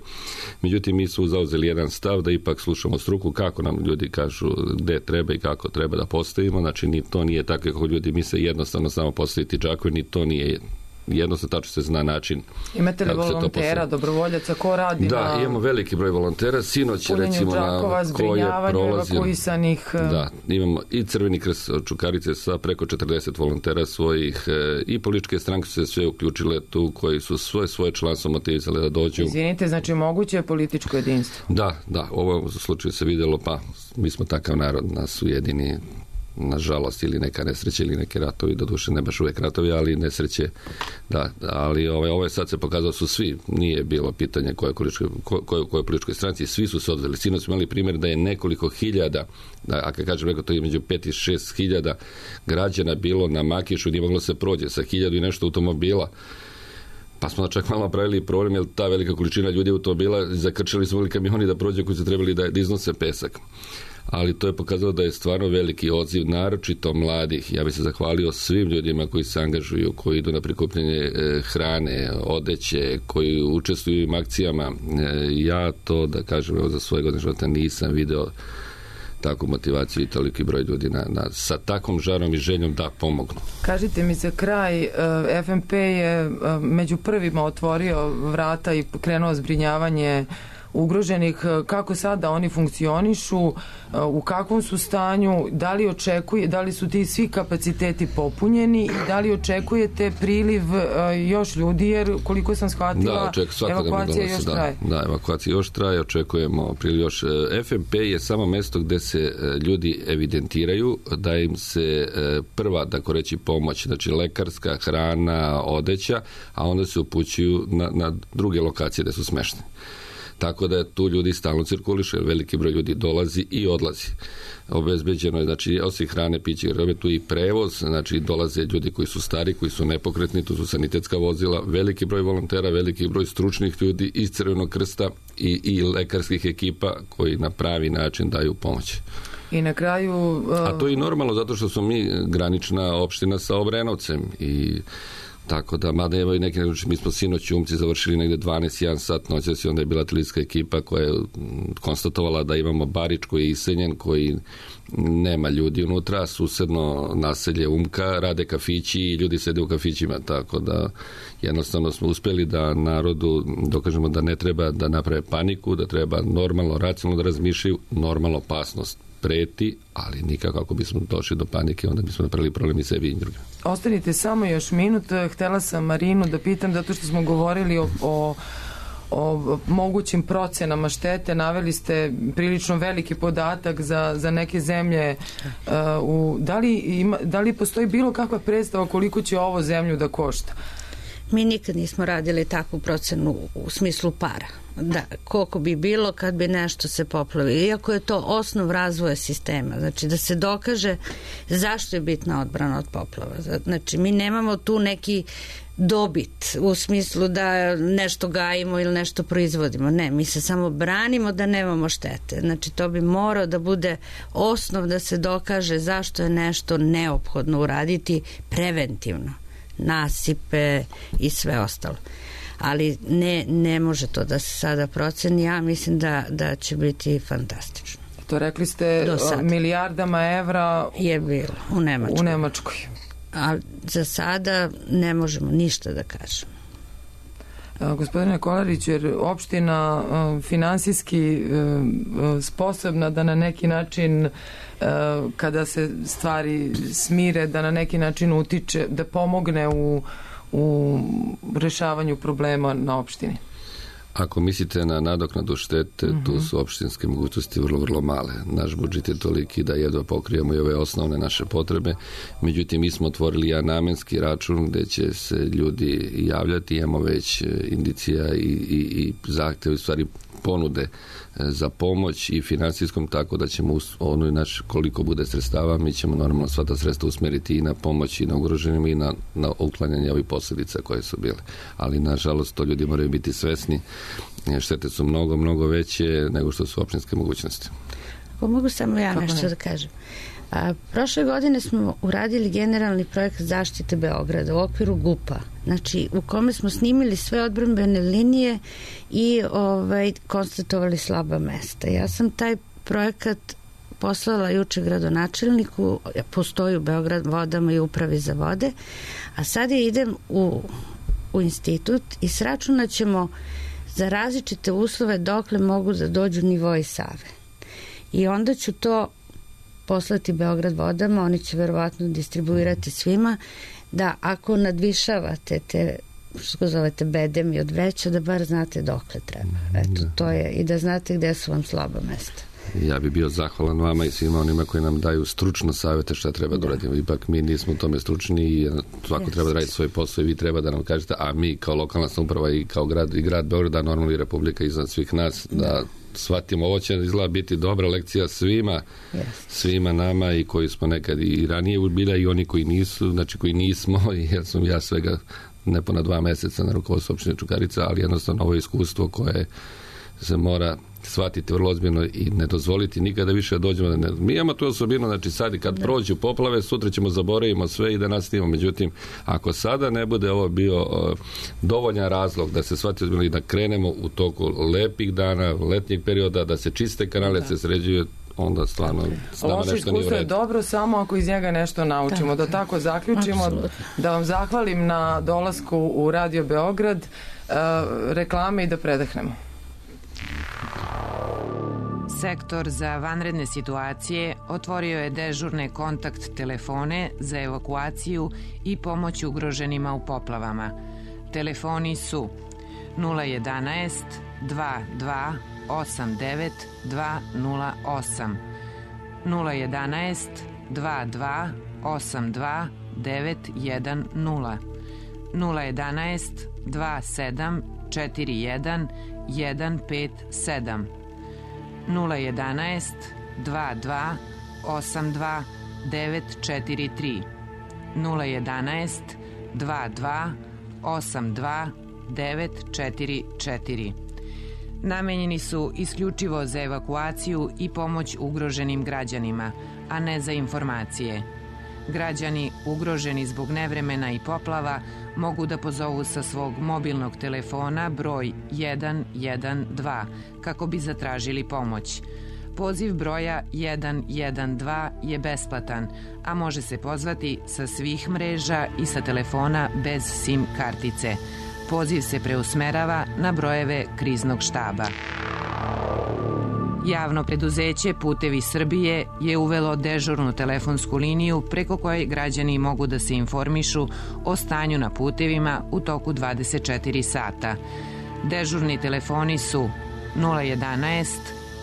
[SPEAKER 7] Međutim, mi su zauzeli jedan stav da ipak slušamo struku, kako nam ljudi kažu gde treba i kako treba da postavimo. Znači, ni to nije tako kako ljudi misle jednostavno samo postaviti džakove, ni to nije jednostavno, tačno se zna način.
[SPEAKER 2] Imate li volontera, dobrovoljaca, ko radi
[SPEAKER 7] da, imamo veliki broj volontera. Sinoć, recimo,
[SPEAKER 2] džakova, zbrinjavanje evakuisanih.
[SPEAKER 7] Da, imamo i Crveni krst od Čukarice sa preko 40 volontera svojih, i političke stranke su se sve uključile tu, koji su svoje članstvo motivizali da dođu.
[SPEAKER 2] Izvinite, znači moguće je političko jedinstvo?
[SPEAKER 7] Da, u ovom slučaju se vidjelo, pa mi smo takav narod, nas ujedini nažalost, ili neka nesreća ili neki ratovi, doduše ne baš uvijek ratovi, ali nesreće, da, ali ovo je sad se pokazalo su svi, nije bilo pitanje koje političkoj stranci, svi su se odveli. Sinoć smo imali primjer da je nekoliko hiljada, a kad kažem neko, to je među 5 i 6 hiljada građana bilo na Makišu gdje moglo se prođe sa 1000 i nešto automobila. Pa smo čak malo napravili problem, jer ta velika količina ljudi automobila, zakrčili smo kamioni da prođe koji su trebali da iznose pesak. Ali to je pokazalo da je stvarno veliki odziv, naročito mladih. Ja bih se zahvalio svim ljudima koji se angažuju, koji idu na prikupljanje hrane, odeće, koji učestvuju u akcijama. Ja to, da kažem, za svoje godine života nisam video takvu motivaciju i toliki broj ljudi sa takvom žarom i željom da pomognu.
[SPEAKER 2] Kažite mi za kraj, FNP je među prvima otvorio vrata i krenuo zbrinjavanje ugroženih. Kako sada oni funkcionišu, u kakvom su stanju, da li su ti svi kapaciteti popunjeni i da li očekujete priliv još ljudi, jer koliko sam shvatila, evakuacija još traje.
[SPEAKER 7] Da, evakuacija još traje, očekujemo priliv još. FNP je samo mjesto gdje se ljudi evidentiraju, da im se prva, tako reći, pomoć, znači lekarska, hrana, odeća, a onda se upućuju na druge lokacije gdje su smešteni. Tako da tu ljudi stalno cirkulišu, jer veliki broj ljudi dolazi i odlazi. Obezbeđeno je, znači, osim hrane, piće, tu i prevoz, znači dolaze ljudi koji su stari, koji su nepokretni, tu su sanitetska vozila, veliki broj volontera, veliki broj stručnih ljudi iz Crvenog krsta i lekarskih ekipa koji na pravi način daju pomoć.
[SPEAKER 2] I na kraju...
[SPEAKER 7] A to je i normalno, zato što smo mi granična opština sa Obrenovcem i tako da, mada evo i neki, mi smo sinoć u Umci završili negdje 12:01 sat noćas i onda je bila televizijska ekipa koja je konstatovala da imamo Barič koji je iseljen, koji nema ljudi unutra, susedno naselje Umka, rade kafići i ljudi sede u kafićima, tako da jednostavno smo uspjeli da narodu dokažemo da ne treba da naprave paniku, da treba normalno, racionalno da razmišljaju, normalno opasnost preti, ali nikako ako bismo došli do panike, onda bismo napravili problem i sebi i drugim.
[SPEAKER 2] Ostanite samo još minut. Htela sam Marinu da pitam, zato što smo govorili o mogućim procenama štete. Naveli prilično veliki podatak za neke zemlje. Da li postoji bilo kakva predstava koliko će ovo zemlju da košta?
[SPEAKER 5] Mi nikad nismo radili takvu procenu u smislu para. Da, koliko bi bilo kad bi nešto se poplavilo. Iako je to osnov razvoja sistema. Znači da se dokaže zašto je bitna odbrana od poplava. Znači mi nemamo tu neki dobit u smislu da nešto gajimo ili nešto proizvodimo. Ne, mi se samo branimo da nemamo štete. Znači to bi morao da bude osnov da se dokaže zašto je nešto neophodno uraditi preventivno. Nasipe i sve ostalo. Ali ne može to da se sada proceni. Ja mislim da će biti fantastično.
[SPEAKER 2] To rekli ste milijardama evra
[SPEAKER 5] je bilo u
[SPEAKER 2] Nemačkoj.
[SPEAKER 5] A za sada ne možemo ništa da kažemo.
[SPEAKER 2] Gospodine Kolarić, jer opština finansijski sposobna da na neki način kada se stvari smire, da na neki način utiče, da pomogne u rešavanju problema na opštini?
[SPEAKER 7] Ako mislite na nadoknadu štete, tu su opštinske mogućnosti vrlo, vrlo male. Naš budžet je toliki da jedva pokrijemo i ove osnovne naše potrebe. Međutim, mi smo otvorili jedan namenski račun gdje će se ljudi javljati. Imamo već indicija i zahtjeve, u stvari ponude za pomoć i financijskom, tako da ćemo koliko bude sredstava, mi ćemo normalno sva ta sredstva usmjeriti i na pomoć i na ugroženima i na uklanjanje ovih posljedica koje su bile. Ali nažalost to ljudi moraju biti svesni. Štete su mnogo, mnogo veće nego što su opštinske mogućnosti.
[SPEAKER 5] Mogu samo ja nešto da kažem. Prošle godine smo uradili generalni projekt zaštite Beograda u okviru GUP-a, znači u kome smo snimili sve odbrambene linije i konstatovali slaba mesta. Ja sam taj projekat poslala juče gradonačelniku, postoji u Beograd vodama i upravi za vode, a sad idem u institut i sračunat ćemo za različite uslove dokle mogu da dođu nivoi Save. I onda ću to poslati Beograd vodama, oni će verovatno distribuirati svima, da ako nadvišavate te, što zovete bedemi od veća, da bar znate dokle treba. Eto, to je, i da znate gde su vam slaba mesta.
[SPEAKER 7] Ja bi bio zahvalan vama i svima onima koji nam daju stručno savjete šta treba da uradimo. Ipak mi nismo u tome stručni i svako treba da radi svoj posao i vi treba da nam kažete, a mi kao lokalna samouprava i kao grad Beograd, normalno i Republika iznad svih nas, da shvatimo, ovo će izgleda biti dobra lekcija svima nama i koji smo nekad i ranije bila i oni koji nisu, znači koji nismo, jer sam ja svega nepuna 2 meseca na rukovodstvu opštine Čukarica, ali jednostavno ovo je iskustvo koje se mora shvatiti vrlo ozbiljno i ne dozvoliti nikada više da dođemo. Mi imamo tu osobinu, znači sad i kad prođu poplave, sutra ćemo zaboravimo sve i da nastavimo. Međutim, ako sada ne bude ovo bio dovoljan razlog da se shvati ozbiljno i da krenemo u toku lepih dana, letnjeg perioda, da se čiste kanale, da se sređuje, onda stvarno
[SPEAKER 2] loše iskustvo je dobro samo ako iz njega nešto naučimo. Da tako zaključimo. Absolutno. Da vam zahvalim na dolasku u Radio Beograd, reklame i da predahnemo.
[SPEAKER 8] Sektor za vanredne situacije otvorio je dežurne kontakt telefone za evakuaciju i pomoć ugroženima u poplavama. Telefoni su 011 22 89 208, 011 22 82 910, 011 27 41 157, 011 22 82 943, 011 22 82 944. Namenjeni su isključivo za evakuaciju i pomoć ugroženim građanima, a ne za informacije. Građani ugroženi zbog nevremena i poplava mogu da pozovu sa svog mobilnog telefona broj 112 kako bi zatražili pomoć. Poziv broja 112 je besplatan, a može se pozvati sa svih mreža i sa telefona bez SIM kartice. Poziv se preusmerava na brojeve kriznog štaba. Javno preduzeće Putevi Srbije je uvelo dežurnu telefonsku liniju preko koje građani mogu da se informišu o stanju na putevima u toku 24 sata. Dežurni telefoni su 011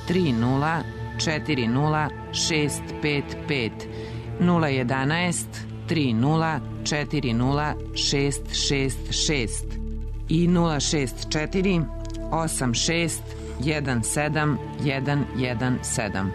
[SPEAKER 8] 30 40 655, 011 30 40 666 i 064 86 17 117.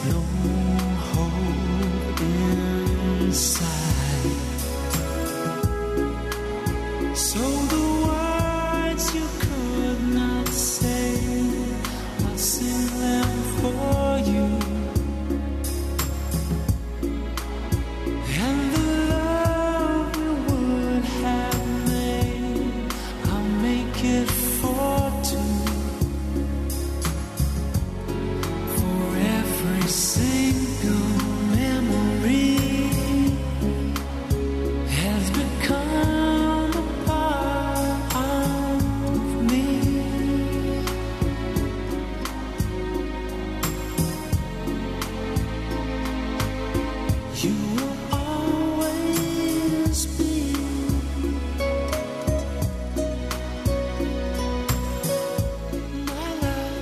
[SPEAKER 9] no hope inside. So the words you could not say, I'll sing them for you. And the love we would have made, I'll make it for two. For every single memory has become a part of me. You will always be my love.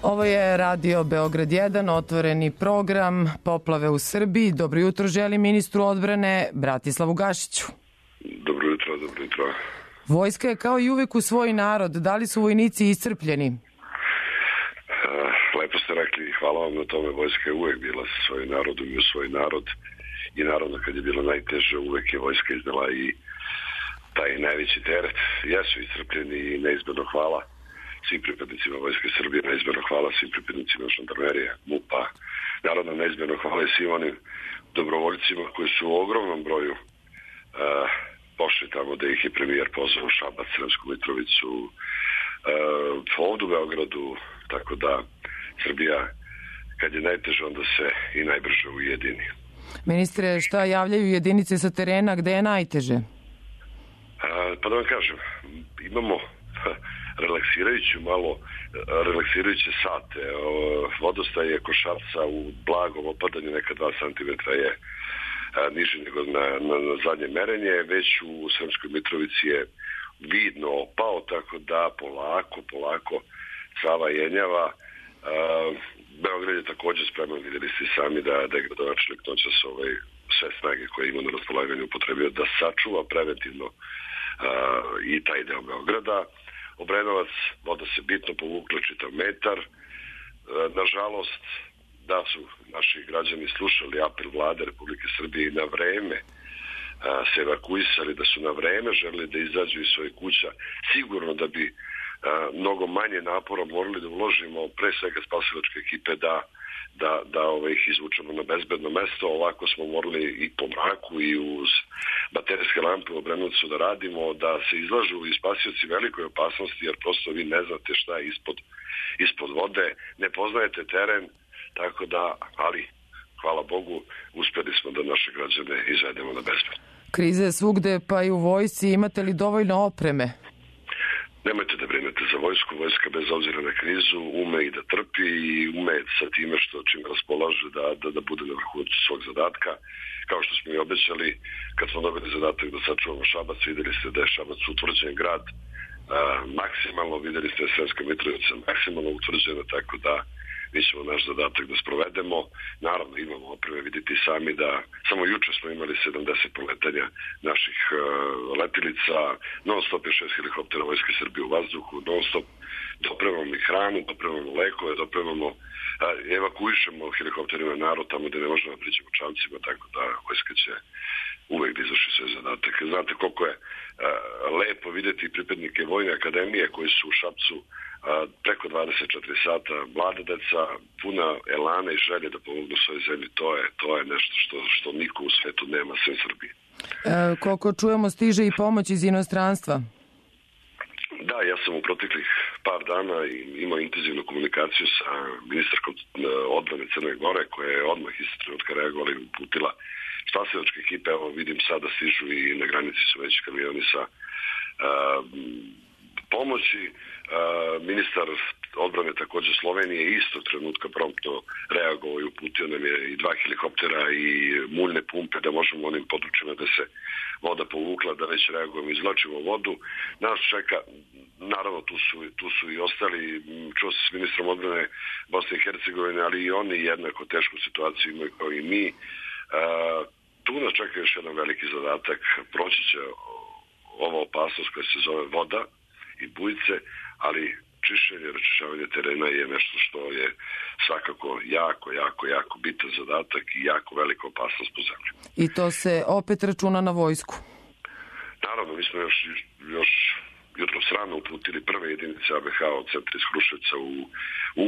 [SPEAKER 2] Ovo je Radio Beograd 1, otvoreni program Poplave u Srbiji. Dobro jutro želim ministru odbrane Bratislavu Gašiću.
[SPEAKER 10] Dobro jutro, dobro jutro.
[SPEAKER 2] Vojska je kao i uvek u svoj narod. Da li su vojnici iscrpljeni?
[SPEAKER 10] Lepo ste rekli, hvala vam na tome. Vojska je uvek bila sa svojim narodom i u svoj narod. I naravno kad je bilo najteže, uvek je vojska iznala i taj najveći teret. Jesu iscrpljeni i neizmjerno hvala svim pripadnicima Vojske Srbije, neizmjerno hvala svim pripadnicima žandarmerije, MUP-a. Naravno, neizmjerno hvala i svim onim dobrovoljcima koji su u ogromnom broju pošli tamo da ih je premijer pozvao u Šabac, Sremsku Mitrovicu, ovdje u Beogradu, tako da Srbija kad je najteže onda se i najbrže ujedini.
[SPEAKER 2] Ministre, šta javljaju jedinice sa terena, gde je najteže?
[SPEAKER 10] Pa da vam kažem, imamo relaksirajuće sate. Vodostaj je Košarca u blagom opadanju, neka 2 cm je niži nego na zadnje merenje, već u Sremskoj Mitrovici je vidno opao, tako da polako Sava jenjava. Beograd je također spreman, vidjeli ste sami da je gradonačelnik noćas sve snage koje ima na raspolaganju upotrebio da sačuva preventivno i taj deo Beograda. Obrenovac, voda se bitno povukla čitav metar. Nažalost, da su naši građani slušali apel vlade Republike Srbije i na vreme se evakuisali, da su na vreme želeli da izađu iz svojih kuća, sigurno da bi mnogo manje napora morali da uložimo, pre svega spasilačke ekipe, da ih izvučemo na bezbedno mesto. Ovako smo morali i po mraku i uz baterijske lampe u Obrenovcu da radimo, da se izlažu i spasioci velikoj opasnosti, jer prosto vi ne znate šta je ispod vode, ne poznajete teren, tako da, ali hvala Bogu, uspjeli smo da naše građane izvedemo na bezbedno.
[SPEAKER 2] Krize je svugde, pa i u vojsci. Imate li dovoljno opreme?
[SPEAKER 10] Nemojte da brinete za vojsku. Vojska bez obzira na krizu ume i da trpi i ume sa time čim raspolaže da bude na vrhuncu svog zadatka. Kao što smo i obećali, kad smo dobili zadatak da sačuvamo Šabac, vidjeli ste da je Šabac utvrđen grad maksimalno, vidjeli ste Sremska Mitrovica maksimalno utvrđena, tako da mi ćemo naš zadatak da sprovedemo. Naravno, imamo opreme, vidite sami da samo juče smo imali 70 poletanja naših letilica, non stop je 6 helikoptera Vojske Srbije u vazduhu, non stop dopremamo i hranu, dopremamo lekove, evakuišemo helikopterima narod tamo gde ne možemo da priđemo čamcima, tako da Vojska će uvek da izvrši sve zadatak. Znate koliko je lepo videti pripadnike Vojne akademije koji su u Šapcu preko 24 sata, mlada deca, puna elana i želje da pomognu svojoj zemlji. To je nešto što niko u svetu nema, sem Srbije.
[SPEAKER 2] Koliko čujemo, stiže i pomoć iz inostranstva?
[SPEAKER 10] Da, ja sam u proteklih par dana imao intenzivnu komunikaciju sa ministarkom odbrane Crne Gore, koja je odmah iz trenutka reagovala i uputila spasilačke ekipe. Evo vidim sada stižu i na granici su već kamioni sa pomoći. Ministar odbrane također Slovenije istog trenutka promptno reagovao i uputio nam je i 2 helikoptera i muljne pumpe da možemo onim područjima da se voda povukla, da već reagujemo, izvlačimo vodu. Nas čeka, naravno tu su i ostali, čuo se s ministrom odbrane Bosne i Hercegovine, ali i oni jednako tešku situaciju imaju kao i mi. Tu nas čeka još jedan veliki zadatak, proći će ova opasnost koja se zove voda i bujice, ali čišćenje, raščišćavanje terena je nešto što je svakako jako bitan zadatak i jako velika opasnost po zemlji.
[SPEAKER 2] I to se opet računa na vojsku?
[SPEAKER 10] Naravno, mi smo još jutros rano uputili prve jedinice ABH od centra iz Kruševca u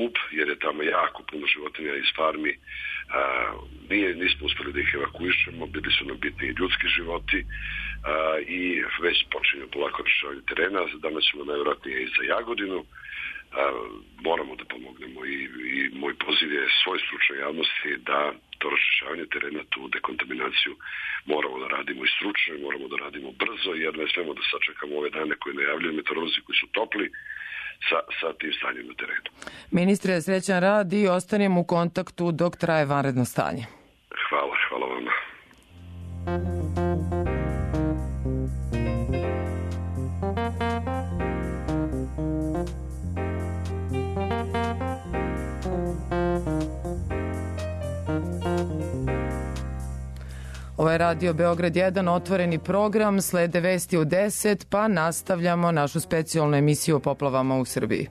[SPEAKER 10] Ub, jer je tamo jako puno životinja iz farmi. Nismo uspeli da ih evakuišemo, bili su nam bitni ljudski životi i već počinju polako rešavanje terena. Danas ćemo najvjerojatnije i za Jagodinu. Moramo da pomognemo i moj poziv je svoj stručnoj javnosti da to raščišćavanje terena, tu dekontaminaciju moramo da radimo i stručno i moramo da radimo brzo, jer ne smemo da sačekamo ove dane koje najavljuju meteorolozi koji su topli sa tim stanjem na terenu.
[SPEAKER 2] Ministre, srećan rad i ostanemo u kontaktu dok traje vanredno stanje.
[SPEAKER 10] Hvala vama.
[SPEAKER 2] Ovo je Radio Beograd 1, otvoreni program, slede vesti u 10, pa nastavljamo našu specijalnu emisiju o poplavama u Srbiji.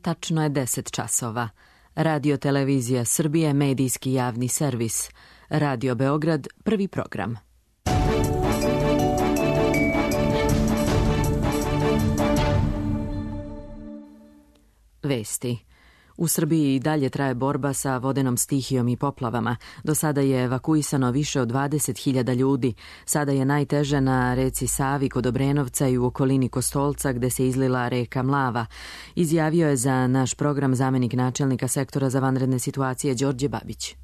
[SPEAKER 11] Tačno je 10 časova. Radio Televizija Srbije, medijski javni servis. Radio Beograd, prvi program. Vesti. U Srbiji i dalje traje borba sa vodenom stihijom i poplavama. Do sada je evakuisano više od 20.000 ljudi. Sada je najteže na reci Savi kod Obrenovca i u okolini Kostolca gde se izlila reka Mlava. Izjavio je za naš program zamenik načelnika sektora za vanredne situacije Đorđe Babić.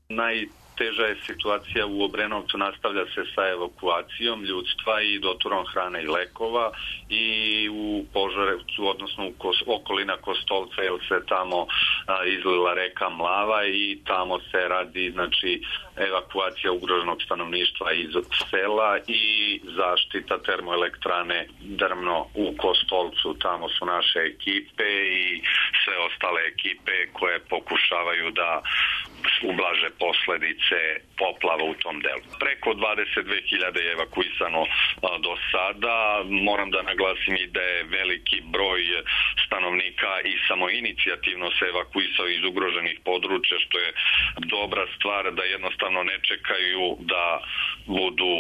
[SPEAKER 3] Najteža je situacija u Obrenovcu, nastavlja se sa evakuacijom ljudstva i doturom hrane i lekova, i u Požarevcu, odnosno u okolina Kostolca, jer se tamo izlila reka Mlava i tamo se radi evakuacija ugroženog stanovništva iz sela i zaštita termoelektrane Drmno u Kostolcu. Tamo su naše ekipe i sve ostale ekipe koje pokušavaju da ublaže posledice poplava u tom delu. Preko 22.000 je evakuisano do sada. Moram da naglasim i da je veliki broj stanovnika i samoinicijativno se evakuisao iz ugroženih područja, što je dobra stvar, da jednostavno ne čekaju da budu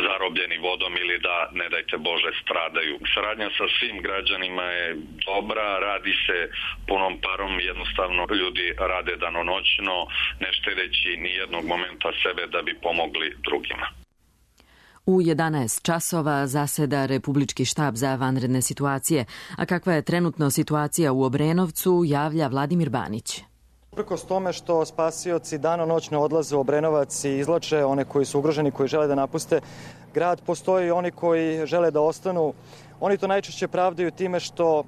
[SPEAKER 3] zarobljeni vodom ili da, ne dajte Bože, stradaju. Saradnja sa svim građanima je dobra, radi se punom parom, jednostavno ljudi rade danonoćno, ne štedeći ni jednog momenta sebe da bi pomogli drugima.
[SPEAKER 11] U 11 časova zaseda Republički štab za vanredne situacije, a kakva je trenutno situacija u Obrenovcu, javlja Vladimir Banić.
[SPEAKER 12] Uprkos tome što spasioci danonoćno odlaze u Obrenovac i izvlače one koji su ugroženi, koji žele da napuste grad, postoje i oni koji žele da ostanu. Oni to najčešće pravdaju time što,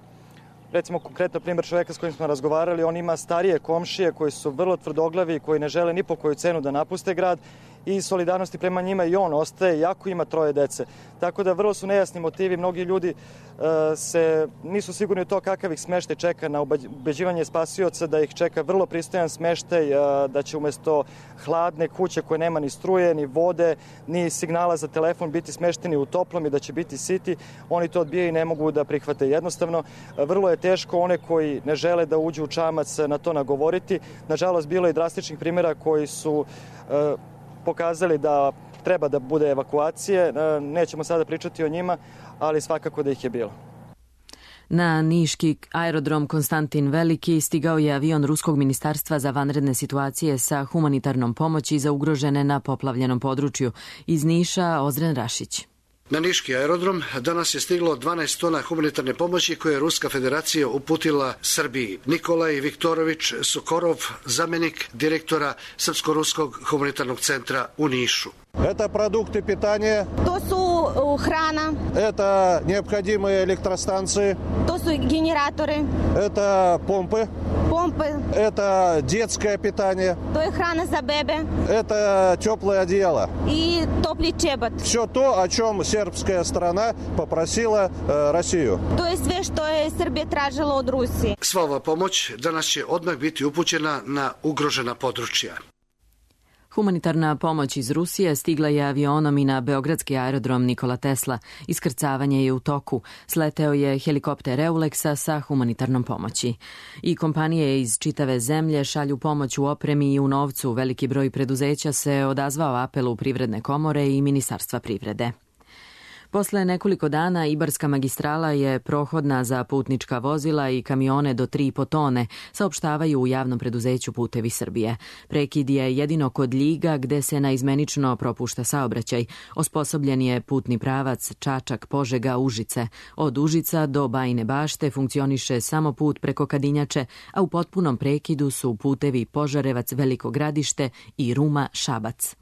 [SPEAKER 12] recimo konkretno primjer čoveka s kojim smo razgovarali, on ima starije komšije koji su vrlo tvrdoglavi i koji ne žele ni po koju cenu da napuste grad i solidarnosti prema njima i on ostaje, jako ima 3 dece. Tako da vrlo su nejasni motivi, mnogi ljudi nisu sigurni u to kakav ih smeštaj čeka, na ubeđivanje spasioca da ih čeka vrlo pristojan smeštaj, da će umesto hladne kuće koje nema ni struje, ni vode, ni signala za telefon biti smešteni u toplom i da će biti siti. Oni to odbijaju i ne mogu da prihvate. Jednostavno, vrlo je teško one koji ne žele da uđu u čamac na to nagovoriti. Nažalost, bilo je drastičnih primjera koji su pokazali da treba da bude evakuacije. Nećemo sada pričati o njima, ali svakako da ih je bilo.
[SPEAKER 11] Na niški aerodrom Konstantin Veliki stigao je avion Ruskog ministarstva za vanredne situacije sa humanitarnom pomoći za ugrožene na poplavljenom području. Iz Niša Ozren Rašić.
[SPEAKER 13] Na niški aerodrom danas je stiglo 12 tona humanitarne pomoći koje je Ruska federacija uputila Srbiji. Nikolaj Viktorović Sokorov, zamjenik direktora Srpsko-ruskog humanitarnog centra u Nišu.
[SPEAKER 14] Это продукты питания.
[SPEAKER 15] То su hrana.
[SPEAKER 14] Это необходимые электростанции.
[SPEAKER 15] To su генераторы.
[SPEAKER 14] Это помпы.
[SPEAKER 15] Помпы.
[SPEAKER 14] Это детское питание.
[SPEAKER 15] To je hrana za bebe.
[SPEAKER 14] Это теплое одеяло.
[SPEAKER 15] И топли чебот.
[SPEAKER 14] Все то, о чем сербская сторона попросила Россию.
[SPEAKER 15] To je sve što je Srbija tražila od Rusije.
[SPEAKER 13] Sva ova pomoć danas će odmah biti upućena na ugrožena područja.
[SPEAKER 11] Humanitarna pomoć iz Rusije stigla je avionom i na beogradski aerodrom Nikola Tesla. Iskrcavanje je u toku. Sleteo je helikopter Euleksa sa humanitarnom pomoći. I kompanije iz čitave zemlje šalju pomoć u opremi i u novcu. Veliki broj preduzeća se odazvao apelu Privredne komore i Ministarstva privrede. Posle nekoliko dana Ibarska magistrala je prohodna za putnička vozila i kamione do 3,5 tone, saopštavaju u javnom preduzeću Putevi Srbije. Prekid je jedino kod Ljiga gde se naizmenično propušta saobraćaj. Osposobljen je putni pravac Čačak-Požega-Užice. Od Užica do Bajine Bašte funkcioniše samo put preko Kadinjače, a u potpunom prekidu su putevi Požarevac-Veliko Gradište i Ruma-Šabac.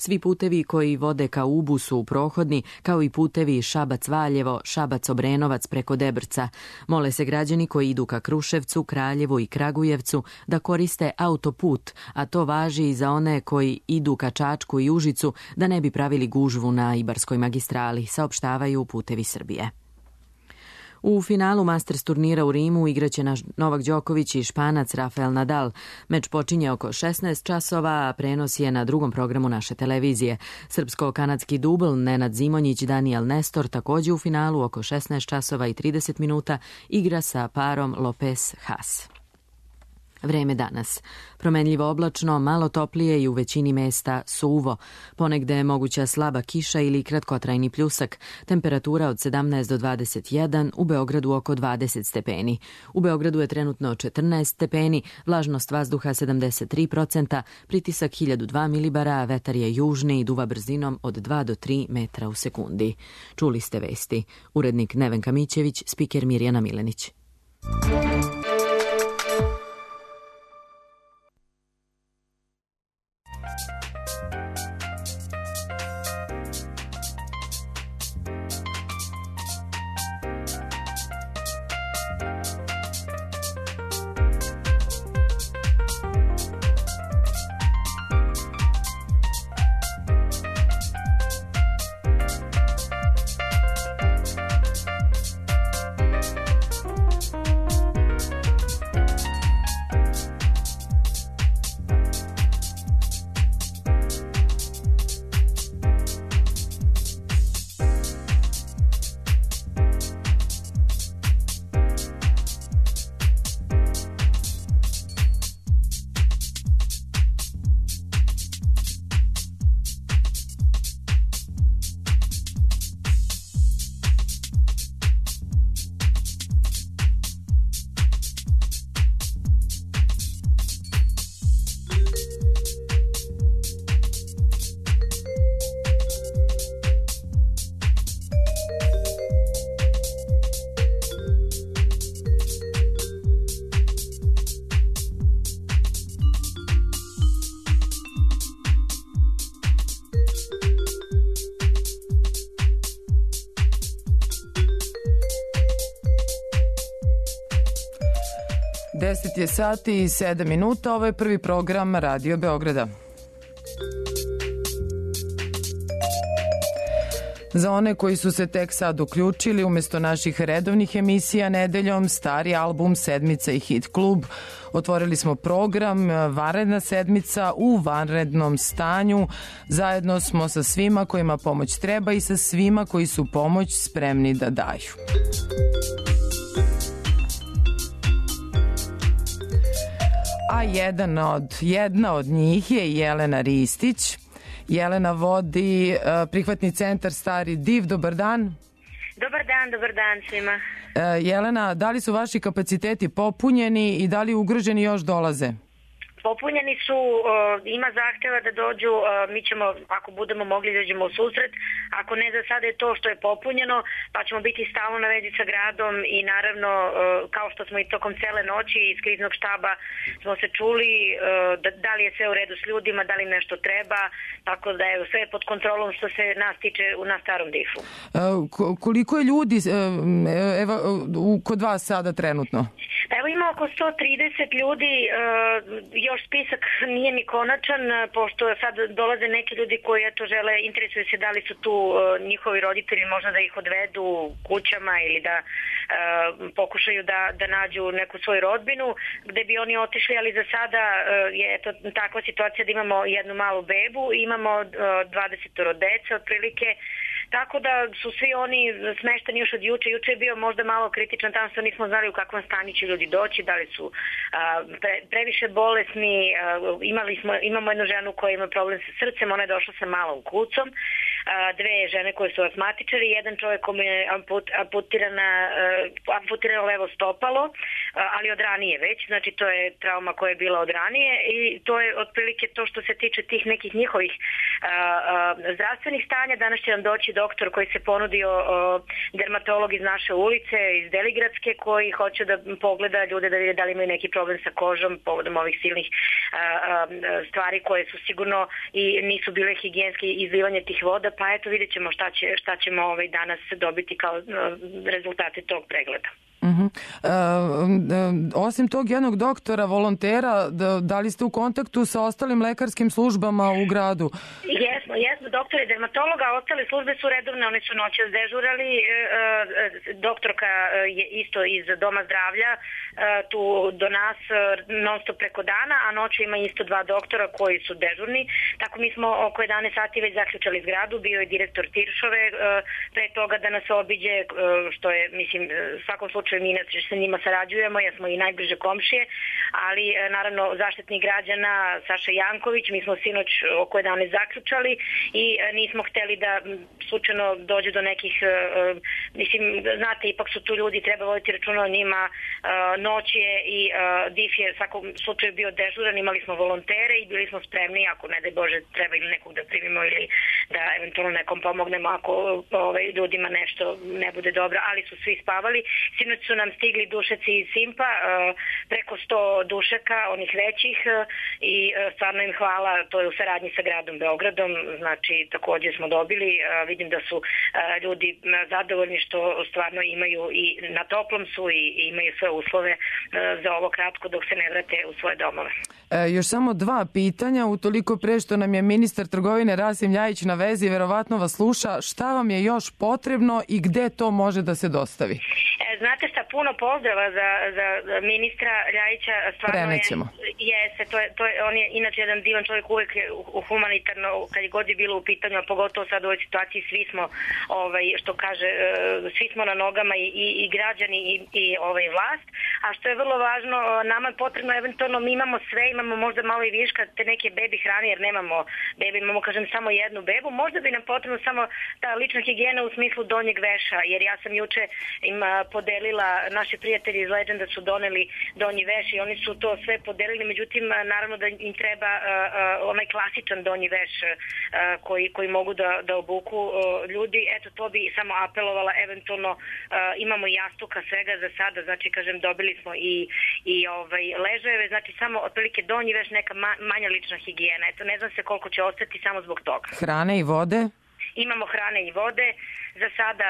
[SPEAKER 11] Svi putevi koji vode ka Ubu su prohodni, kao i putevi Šabac-Valjevo, Šabac-Obrenovac preko Debrca. Mole se građani koji idu ka Kruševcu, Kraljevu i Kragujevcu da koriste autoput, a to važi i za one koji idu ka Čačku i Užicu da ne bi pravili gužvu na Ibarskoj magistrali, saopštavaju Putevi Srbije. U finalu Masters turnira u Rimu igraće Novak Đoković i Španac Rafael Nadal. Meč počinje oko 16 časova, a prenos je na drugom programu naše televizije. Srpsko-kanadski dubl Nenad Zimonjić, Daniel Nestor također u finalu oko 16 časova i 30 minuta igra sa parom Lopez-Haas. Vreme danas. Promenljivo oblačno, malo toplije i u većini mesta suvo. Ponegde je moguća slaba kiša ili kratkotrajni pljusak. Temperatura od 17 do 21, u Beogradu oko 20 stepeni. U Beogradu je trenutno 14 stepeni, vlažnost vazduha 73%, pritisak 1002 milibara, a vetar je južni i duva brzinom od 2 do 3 metra u sekundi. Čuli ste vesti. Urednik Nevenka Mićević, spiker Mirjana Milenić.
[SPEAKER 2] Deset je sati i 7 minuta, ovo je prvi program Radio Beograda. Za one koji su se tek sad uključili, umjesto naših redovnih emisija nedeljom, stari album Sedmica i Hit klub, otvorili smo program Vanredna sedmica u vanrednom stanju. Zajedno smo sa svima kojima pomoć treba i sa svima koji su pomoć spremni da daju. A jedna od njih je Jelena Ristić. Jelena vodi prihvatni centar Stari Div. Dobar dan.
[SPEAKER 16] Dobar dan svima.
[SPEAKER 2] Jelena, da li su vaši kapaciteti popunjeni i da li ugroženi još dolaze?
[SPEAKER 16] Popunjeni su, ima zahteva da dođu, mi ćemo, ako budemo mogli, dođemo u susret, ako ne, za sada je to što je popunjeno, pa ćemo biti stalno na vezi sa gradom i naravno, kao što smo i tokom cele noći iz kriznog štaba smo se čuli da li je sve u redu s ljudima, da li nešto treba, tako da je sve pod kontrolom što se nas tiče na Starom Difu.
[SPEAKER 2] Koliko je ljudi kod vas sada trenutno?
[SPEAKER 16] Evo ima oko 130 ljudi, još spisak nije ni konačan, pošto sad dolaze neki ljudi koji žele, interesuju se da li su tu njihovi roditelji, možda da ih odvedu kućama ili da pokušaju da nađu neku svoju rodbinu gde bi oni otišli, ali za sada je to takva situacija da imamo jednu malu bebu, imamo 20 dece otprilike. Tako da su svi oni smešteni još od juče. Juče je bio možda malo kritičan, tamo što nismo znali u kakvom stanju će ljudi doći, da li su previše bolesni. Imamo jednu ženu koja ima problem sa srcem, ona je došla sa malom kucom, dve žene koje su astmatičari, jedan čovjek kome je amputirano levo stopalo, ali od ranije već, znači to je trauma koja je bila od ranije i to je otprilike to što se tiče tih nekih njihovih zdravstvenih stanja. Danas će nam doći doktor koji se ponudio, dermatolog iz naše ulice, iz Deligradske, koji hoće da pogleda ljude da vide da li imaju neki problem sa kožom povodom ovih silnih stvari koje su sigurno i nisu bile higijenske, izlivanje tih voda, pa eto vidjet ćemo šta ćemo danas dobiti kao rezultate tog pregleda.
[SPEAKER 2] Osim tog jednog doktora, volontera, da li ste u kontaktu sa ostalim lekarskim službama u gradu?
[SPEAKER 16] Jesmo, doktori dermatologa, ostale službe su redovne, one su noćas dežurali, doktorka je isto iz Doma zdravlja, tu do nas non stop preko dana, a noću ima isto dva doktora koji su dežurni, tako mi smo oko 11 sati već zaključali zgradu, bio je direktor Tiršove, pre toga da nas obiđe, što je, mislim, u svakom slučaju mi sa njima sarađujemo, jer smo i najbliže komšije, ali naravno zaštitnik građana Saša Janković, mi smo sinoć oko 11 zaključali i nismo hteli da slučajno dođe do nekih, mislim, znate, ipak su tu ljudi, treba voditi računa o njima, noć je i DIF je u svakom slučaju bio dežuran, imali smo volontere i bili smo spremni, ako ne daj Bože treba ili nekog da primimo ili da eventualno nekom pomognemo ako ljudima nešto ne bude dobro, ali su svi spavali. Sinoć su nam stigli dušeci iz Simpa, preko 100 dušaka, onih većih, i stvarno im hvala, to je u saradnji sa gradom Beogradom, znači također smo dobili, vidim da su ljudi zadovoljni što stvarno imaju i na toplom su i imaju sve uslove za ovo kratko dok se ne vrate u svoje domove.
[SPEAKER 2] Još samo dva pitanja, utoliko pre što nam je ministar trgovine Rasim Ljajić na vezi, verovatno vas sluša, šta vam je još potrebno i gde to može da se dostavi?
[SPEAKER 16] Znate šta, puno pozdrava za ministra Ljajića, stvarno on je inače jedan divan čovjek, uvijek humanitarno, kad je god je bilo u pitanju, a pogotovo sad u ovoj situaciji, svi smo, što kaže, svi smo na nogama i građani i vlast, a što je vrlo važno, nama je potrebno, eventualno mi imamo sve, imamo možda malo i viška te neke bebi hrane, jer nemamo bebi, imamo, kažem, samo jednu bebu, možda bi nam potrebno samo ta lična higijena u smislu donjeg veša, jer ja sam juče im podelila, naši prijatelji iz Legenda su doneli donji veš i oni su to sve podelili, međutim naravno da im treba onaj klasičan donji veš koji mogu da obuku ljudi, eto to bi samo apelovala, eventualno imamo i jastuka svega za sada, znači kažem dobili smo i ležajeve, znači samo otprilike donji veš, neka manja lična higijena, eto ne znam se koliko će ostati samo zbog toga.
[SPEAKER 2] Hrane i vode?
[SPEAKER 16] Imamo hrane i vode, za sada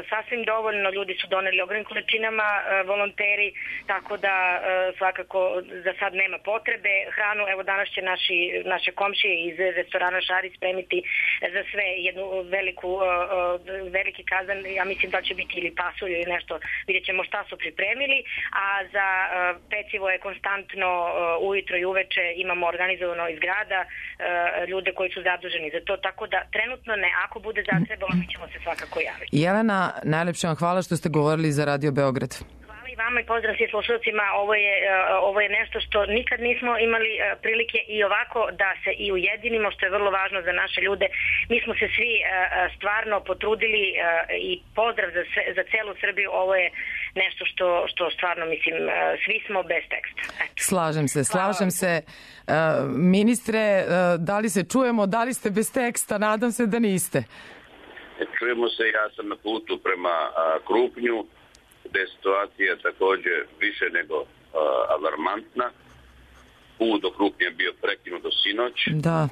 [SPEAKER 16] sasvim dovoljno, ljudi su doneli ogromnim količinama, volonteri, tako da svakako za sad nema potrebe. Hranu, evo danas će naše komšije iz restorana Šari spremiti za sve jednu veliki kazan, ja mislim da će biti ili pasulj ili nešto, vidjet ćemo šta su pripremili, a za pecivo je konstantno ujutro i uveče, imamo organizovano iz grada ljude koji su zaduženi za to, tako da trenutno ne, ako bude zatrebalo mi ćemo se svakako javiti.
[SPEAKER 2] Jelena, najlepše vam hvala što ste govorili za Radio Beograd.
[SPEAKER 16] Hvala i vama i pozdrav svim slušalcima, ovo je nešto što nikad nismo imali prilike i ovako da se i ujedinimo, što je vrlo važno za naše ljude. Mi smo se svi stvarno potrudili i pozdrav za celu Srbiju, ovo je nešto što stvarno mislim, svi smo bez teksta.
[SPEAKER 2] Slažem se. Ministre, da li se čujemo, da li ste bez teksta? Nadam se da niste.
[SPEAKER 17] Čujemo se, ja sam na putu prema Krupnju, gde je situacija također više nego alarmantna. Put do Krupnja je bio prekinut do sinoć.
[SPEAKER 2] Da.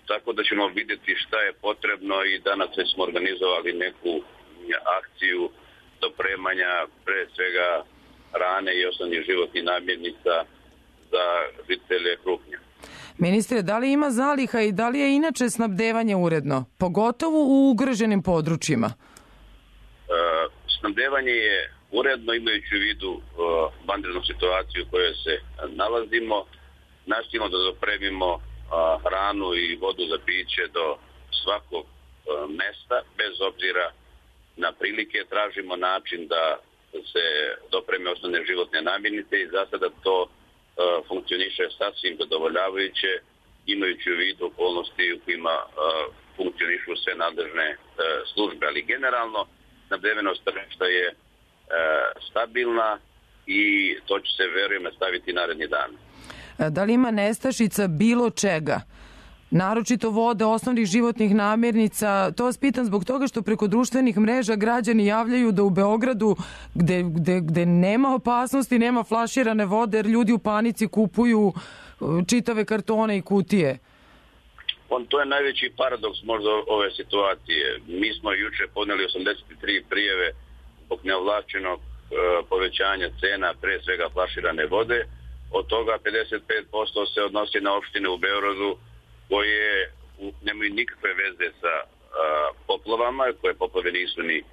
[SPEAKER 17] Tako da ćemo vidjeti šta je potrebno i danas smo organizovali neku akciju dopremanja pre svega hrane i osnovnih životnih namirnica za žitelje Krupnja.
[SPEAKER 2] Ministre, da li ima zaliha i da li je inače snabdevanje uredno, pogotovo u ugroženim područjima?
[SPEAKER 17] Snabdevanje je uredno, imajući u vidu vanrednu situaciju u kojoj se nalazimo. Nastojimo da dopremimo hranu i vodu za piće do svakog mesta, bez obzira na prilike. Tražimo način da se dopreme osnovne životne namirnice i za sada to funkcioniše sasvim zadovoljavajuće, imajući u vidu okolnosti u kojima funkcionišu sve nadležne službe. Ali generalno snabdevenost tržišta je stabilna i to će se, verujem, nastaviti naredni dan.
[SPEAKER 2] Da li ima nestašica bilo čega? Naročito vode, osnovnih životnih namirnica. To vas pitam zbog toga što preko društvenih mreža građani javljaju da u Beogradu, gde nema opasnosti, nema flaširane vode, jer ljudi u panici kupuju čitave kartone i kutije.
[SPEAKER 17] To je najveći paradoks možda ove situacije. Mi smo juče podneli 83 prijeve zbog neovlašćenog povećanja cena, pre svega flaširane vode. Od toga 55% se odnosi na opštine u Beogradu koje nemaju nikakve veze sa poplavama, koje poplave nisu ni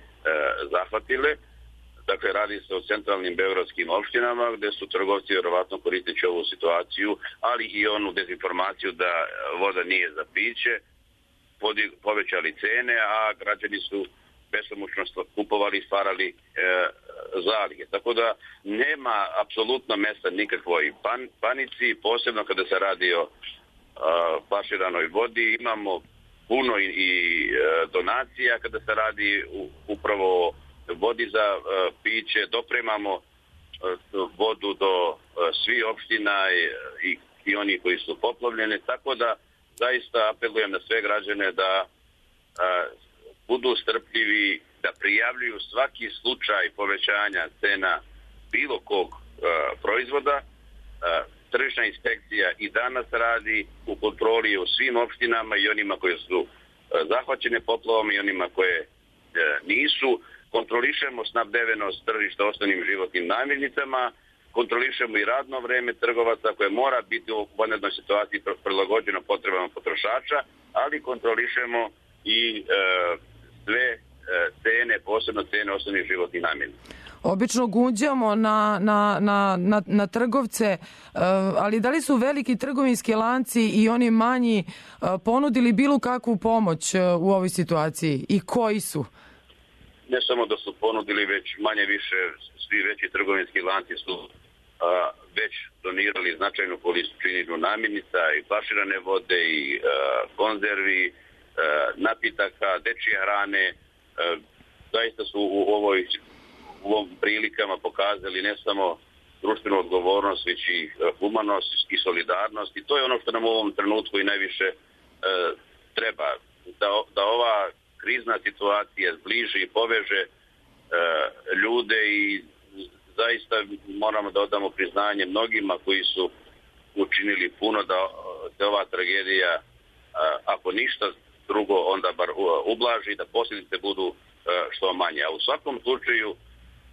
[SPEAKER 17] zahvatile. Dakle, radi se o centralnim beogradskim opštinama gde su trgovci vjerovatno koristeći ovu situaciju, ali i onu dezinformaciju da voda nije za piće, povećali cene, a građani su besomučno kupovali i stvarali zalihe. Tako da nema apsolutno mesta nikakvoj panici, posebno kada se radi o flaširanoj vodi. Imamo puno i donacija kada se radi upravo o vodi za piće. Dopremamo vodu do svih opština i oni koji su poplavljene. Tako da zaista apelujem na sve građane da budu strpljivi, da prijavljuju svaki slučaj povećanja cena bilo kog proizvoda. Tržišna inspekcija i danas radi u kontroli u svim opštinama i onima koje su zahvaćene poplavom i onima koje nisu. Kontrolišemo snabdevenost tržišta osnovnim životnim namirnicama, kontrolišemo i radno vreme trgovaca koje mora biti u vanrednoj situaciji prilagođeno potrebama potrošača, ali kontrolišemo i sve cene, posebno cene osnovnih životnih namirnica.
[SPEAKER 2] Obično gunđamo na trgovce, ali da li su veliki trgovinski lanci i oni manji ponudili bilo kakvu pomoć u ovoj situaciji i koji su?
[SPEAKER 17] Ne samo da su ponudili, već manje više svi veći trgovinski lanci su već donirali značajnu količinu namirnica i flaširane vode i konzervi, napitaka, dečje hrane. Zaista su u ovom prilikama pokazali ne samo društvenu odgovornost, već i humanost i solidarnost. I to je ono što nam u ovom trenutku i najviše treba. Da ova krizna situacija zbliži i poveže ljude i zaista moramo da odamo priznanje mnogima koji su učinili puno da se ova tragedija, ako ništa drugo, onda bar ublaži, da posljedice budu što manje. A u svakom slučaju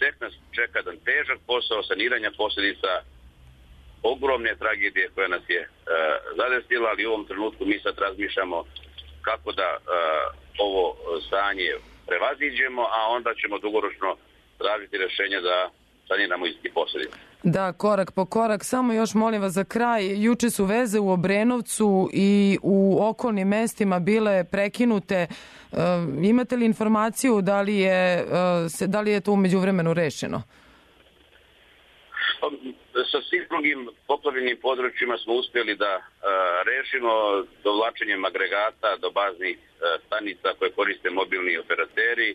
[SPEAKER 17] tek nas čeka jedan težak posao saniranja posljedica ogromne tragedije koja nas je zadesila, ali u ovom trenutku mi sad razmišljamo kako da ovo stanje prevaziđemo, a onda ćemo dugoročno tražiti rješenje da saniramo isti posljedice.
[SPEAKER 2] Da, korak po korak. Samo još molim vas za kraj. Juče su veze u Obrenovcu i u okolnim mestima bile prekinute. Imate li informaciju da li je to umeđu vremenu rešeno?
[SPEAKER 17] Sa svim drugim poplavljenim područjima smo uspjeli da rešimo dovlačenjem agregata do baznih stanica koje koriste mobilni operateri.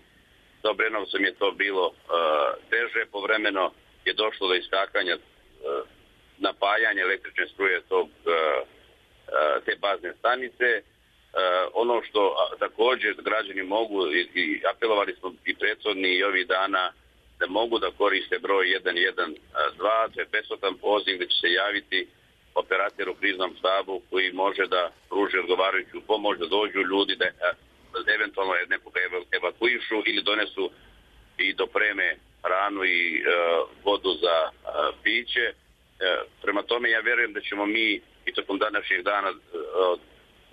[SPEAKER 17] Sa Obrenovcem je to bilo teže, povremeno je došlo do iskakanja napajanja električne struje te bazne stanice. Ono što također građani mogu, i apelovali smo i prethodni i ovih dana, da mogu da koriste broj 112, to je besplatan poziv gdje će se javiti operator u kriznom štabu koji može da pruži odgovarajuću pomoć, da dođu ljudi, da eventualno nekoga evakuišu ili donesu i dopreme hranu i vodu za piće. Prema tome ja vjerujem da ćemo mi i tokom današnjeg dana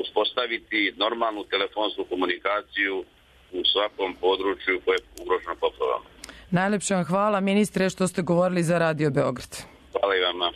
[SPEAKER 17] uspostaviti normalnu telefonsku komunikaciju u svakom području koje je ugroženo poplavama.
[SPEAKER 2] Najlepše vam hvala, ministre, što ste govorili za Radio Beograd.
[SPEAKER 17] Hvala i vama.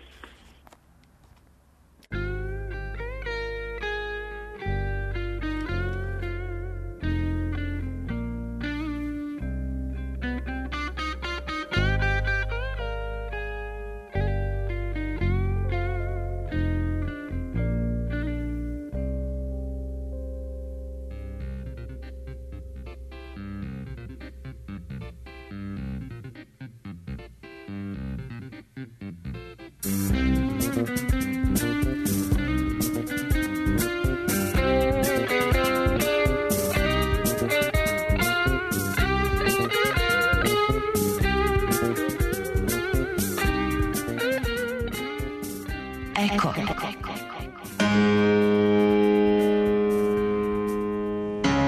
[SPEAKER 18] Eko.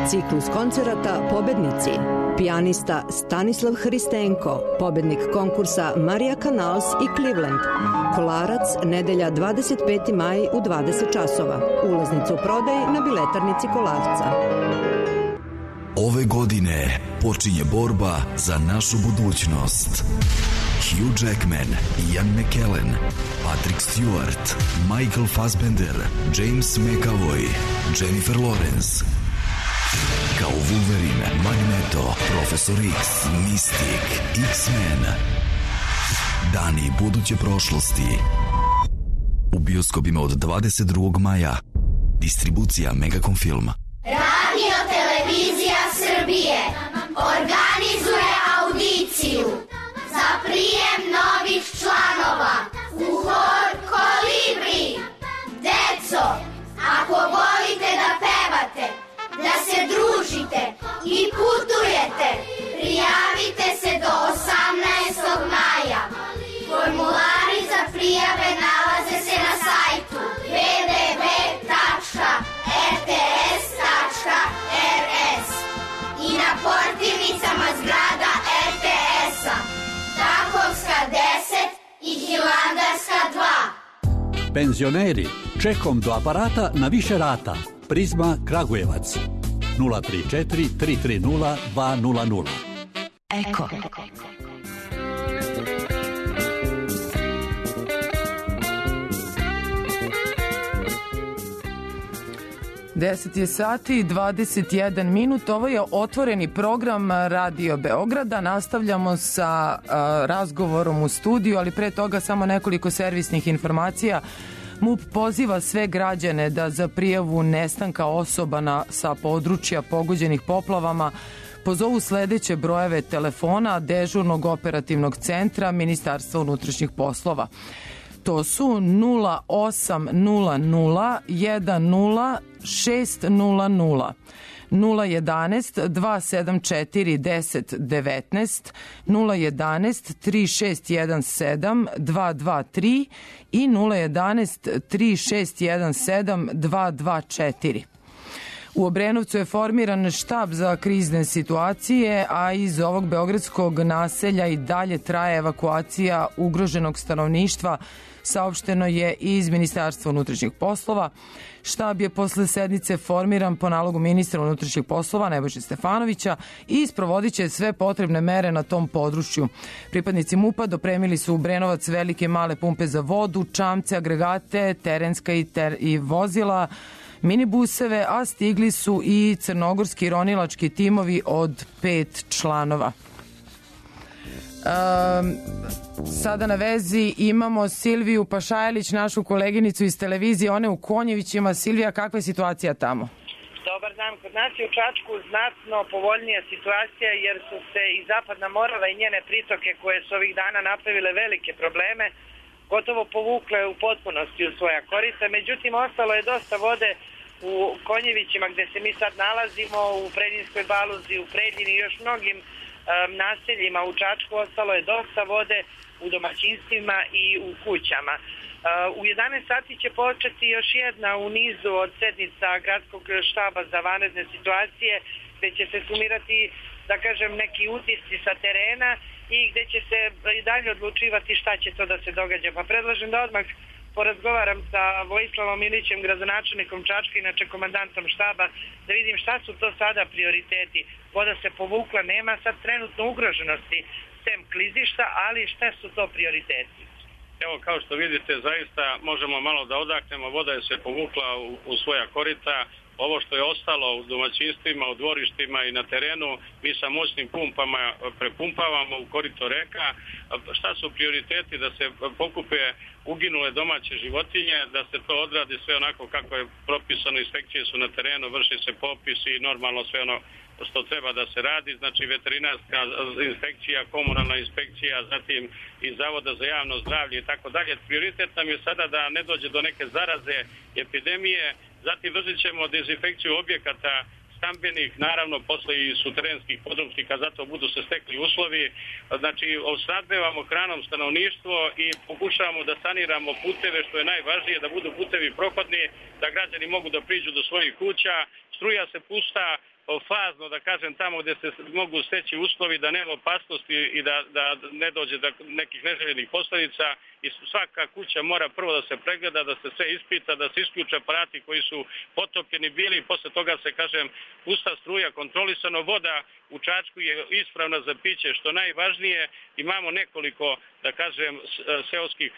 [SPEAKER 18] Ciklus koncerata Pobednici. Pijanista Stanislav Hristenko, pobednik konkursa Marija Canals i Cleveland. Kolarac, nedelja 25. maj u 20 časova. Ulaznicu u prodaj na biletarnici Kolarca.
[SPEAKER 19] Ove godine počinje borba za našu budućnost. Hugh Jackman, Ian McKellen, Patrick Stewart, Michael Fassbender, James McAvoy, Jennifer Lawrence. Kao Wolverine, Magneto, Profesor X, Mystic, X-Men. Dani buduće prošlosti. U bioskopima od 22. maja. Distribucija Megacom Film.
[SPEAKER 20] Radio Televizija Srbije organizuje audiciju za prijem novih članova u hor Kolibri. Deco, ako volite da pevate, da se družite i putujete, prijavite se do 18. maja. Formulari za prijave nalaze se na sajtu www.rts.rs i na portirnicama zgrada RTS-a, Takovska 10 i Hilandarska 2.
[SPEAKER 21] Penzioneri, čekom do aparata na više rata. Prizma Kragujevac 034 330 200.
[SPEAKER 18] Eko.
[SPEAKER 2] 10 je sati i 21 minut. Ovo je otvoreni program Radio Beograda. Nastavljamo sa razgovorom u studiju, ali pre toga samo nekoliko servisnih informacija. MUP poziva sve građane da za prijavu nestanka osoba sa područja pogođenih poplavama pozovu sledeće brojeve telefona dežurnog operativnog centra Ministarstva unutrašnjih poslova. To su 0800 10 600, 011 274 10 19, 011 3617 223 i 011 3617 224. U Obrenovcu je formiran štab za krizne situacije, a iz ovog beogradskog naselja i dalje traje evakuacija ugroženog stanovništva, saopšteno je i iz Ministarstva unutrašnjih poslova. Štab je posle sednice formiran po nalogu ministra unutrašnjih poslova Nebojše Stefanovića i sprovodit će sve potrebne mere na tom području. Pripadnici MUP-a dopremili su u Obrenovac velike male pumpe za vodu, čamce, agregate, terenska i vozila, minibuseve, a stigli su i crnogorski ronilački timovi od 5 članova. Sada na vezi imamo Silviju Pašajlić, našu koleginicu iz televizije, one u Konjevićima. Silvija, kakva je situacija tamo?
[SPEAKER 1] Dobar dan, kod nas je u Čačku znatno povoljnija situacija jer su se i Zapadna Morava i njene pritoke koje su ovih dana napravile velike probleme gotovo povukle u potpunosti u svoja korita. Međutim, ostalo je dosta vode u Konjevićima gde se mi sad nalazimo, u Preljinskoj Baluzi, u Preljini i još mnogim naseljima u Čačku. Ostalo je dosta vode u domaćinstvima i u kućama. U 11 sati će početi još jedna u nizu od sednica Gradskog štaba za vanredne situacije gde će se sumirati, da kažem, neki utisci sa terena i gde će se i dalje odlučivati šta će to da se događa. Pa predlažem da odmah porazgovaram sa Vojislavom Ilićem, gradonačelnikom Čačka, inače komandantom štaba, da vidim šta su to sada prioriteti. Voda se povukla, nema sad trenutno ugroženosti sem klizišta, ali šta su to prioriteti?
[SPEAKER 22] Evo, kao što vidite, zaista možemo malo da odahnemo, voda je se povukla u svoja korita. Ovo što je ostalo u domaćinstvima, u dvorištima i na terenu, mi sa moćnim pumpama prepumpavamo u korito reka. Šta su prioriteti? Da se pokupe uginule domaće životinje, da se to odradi sve onako kako je propisano, inspekcije su na terenu, vrši se popis i normalno sve ono što treba da se radi, znači veterinarska inspekcija, komunalna inspekcija, zatim i Zavoda za javno zdravlje i tako dalje. Prioritet nam je sada da ne dođe do neke zaraze, epidemije, zatim vršit ćemo dezinfekciju objekata stambenih, naravno posle i suterenskih podrumstika, zato budu se stekli uslovi. Znači, osnabdevamo hranom stanovništvo i pokušavamo da saniramo puteve, što je najvažnije, da budu putevi prohodni, da građani mogu da priđu do svojih kuća. Struja se pušta fazno, da kažem, tamo gde se mogu steći uslovi da nema opasnosti i da ne dođe do nekih neželjenih posledica i svaka kuća mora prvo da se pregleda, da se sve ispita, da se isključe aparati koji su potopljeni bili i posle toga se, kažem, pusta struja, kontrolisano. Voda u Čačku je ispravna za piće, što najvažnije. Imamo nekoliko, da kažem, seoskih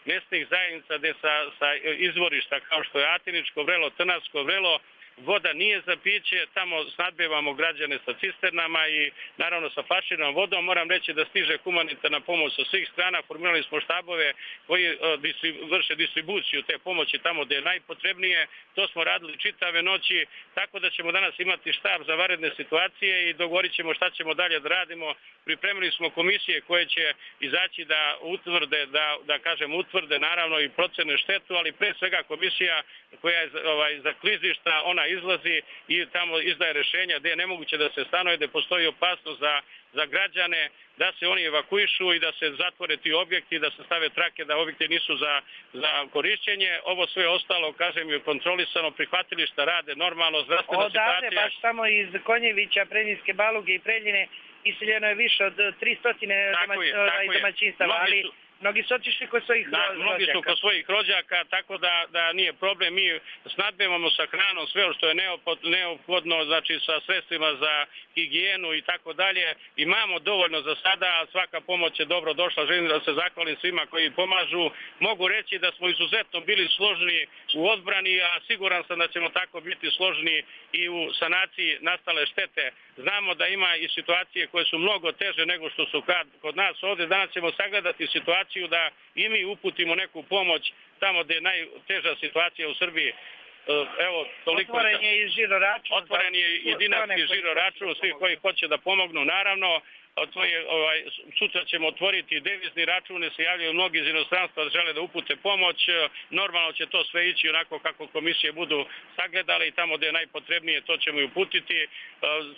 [SPEAKER 22] mesnih zajednica gde sa izvorišta kao što je Atiničko vrelo, Trnavsko vrelo, voda nije za piće, tamo snadbevamo građane sa cisternama i naravno sa flaširanom vodom. Moram reći da stiže humanitarna pomoć sa svih strana, formirali smo štabove koji vrše distribuciju te pomoći tamo gde je najpotrebnije. To smo radili čitave noći, tako da ćemo danas imati štab za vanredne situacije i dogovorit ćemo šta ćemo dalje da radimo. Pripremili smo komisije koje će izaći da utvrde, utvrde naravno i procene štetu, ali pre svega komisija koja je za klizišta, ona izlazi i tamo izdaje rešenja gde je nemoguće da se stanuje, gde postoji opasnost za građane, da se oni evakuišu i da se zatvore ti objekti, da se stave trake da objekti nisu za korišćenje. Ovo sve ostalo, kažem, je kontrolisano, prihvatilišta rade normalno, zdravstvena situacija.
[SPEAKER 1] Odavde, baš samo iz Konjevića, Preljinske Baluge i Preljine iseljeno je više od 300 domaćinstava, ali mnogi su otišli kod svojih rođaka.
[SPEAKER 22] Mnogi su kod svojih rođaka, tako da nije problem. Mi snadbevamo sa hranom sve što je neophodno, znači sa sredstvima za higijenu i tako dalje. Imamo dovoljno za sada, svaka pomoć je dobro došla. Želim da se zahvalim svima koji pomažu. Mogu reći da smo izuzetno bili složni u odbrani, a siguran sam da ćemo tako biti složni i u sanaciji nastale štete. Znamo da ima i situacije koje su mnogo teže nego što su kod nas ovde. Danas ćemo sagledati situaciju da i mi uputimo neku pomoć tamo gde je najteža situacija u Srbiji. Evo, toliko.
[SPEAKER 1] Otvoren je i žiro račun.
[SPEAKER 22] Otvoren je i dinarski žiro račun, svi koji hoće da pomognu, naravno. sutra ćemo otvoriti devizni račune, se javljaju mnogi iz inostranstva da žele da upute pomoć. Normalno će to sve ići onako kako komisije budu sagledale i tamo gde je najpotrebnije to ćemo i uputiti.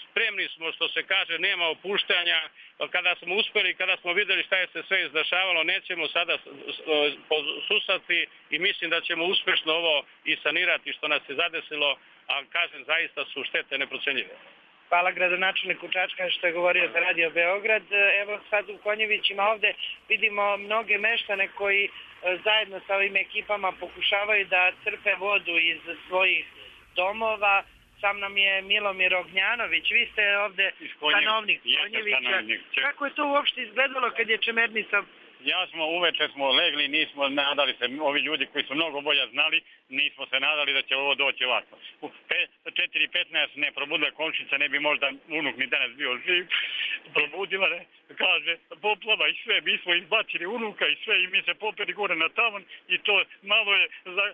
[SPEAKER 22] Spremni smo, što se kaže, nema opuštanja. Kada smo uspeli, kada smo videli šta je se sve izdešavalo, nećemo sada posusati i mislim da ćemo uspešno ovo i sanirati što nas je zadesilo, a kažem, zaista su štete neprocenjive.
[SPEAKER 1] Hvala gradonačelniku Čačka što je govorio za Radio Beograd. Evo sad u Konjevićima ovde vidimo mnoge meštane koji zajedno sa ovim ekipama pokušavaju da crpe vodu iz svojih domova. Sam nam je Milomir Ognjanović. Vi ste ovde stanovnik Konjevića. Kako je to uopšte izgledalo kad je Čemernica?
[SPEAKER 4] Ja smo uveče legli, nismo nadali se, ovi ljudi koji su mnogo bolje znali, nismo se nadali da će ovo doći ovako. U 4:15 ne probudila komšinica, ne bi možda unuk ni danas bio živ. Probudila, ne, kaže, poplava i sve, mi smo izbacili unuka i sve i mi se popeli gore na tavan i to malo je za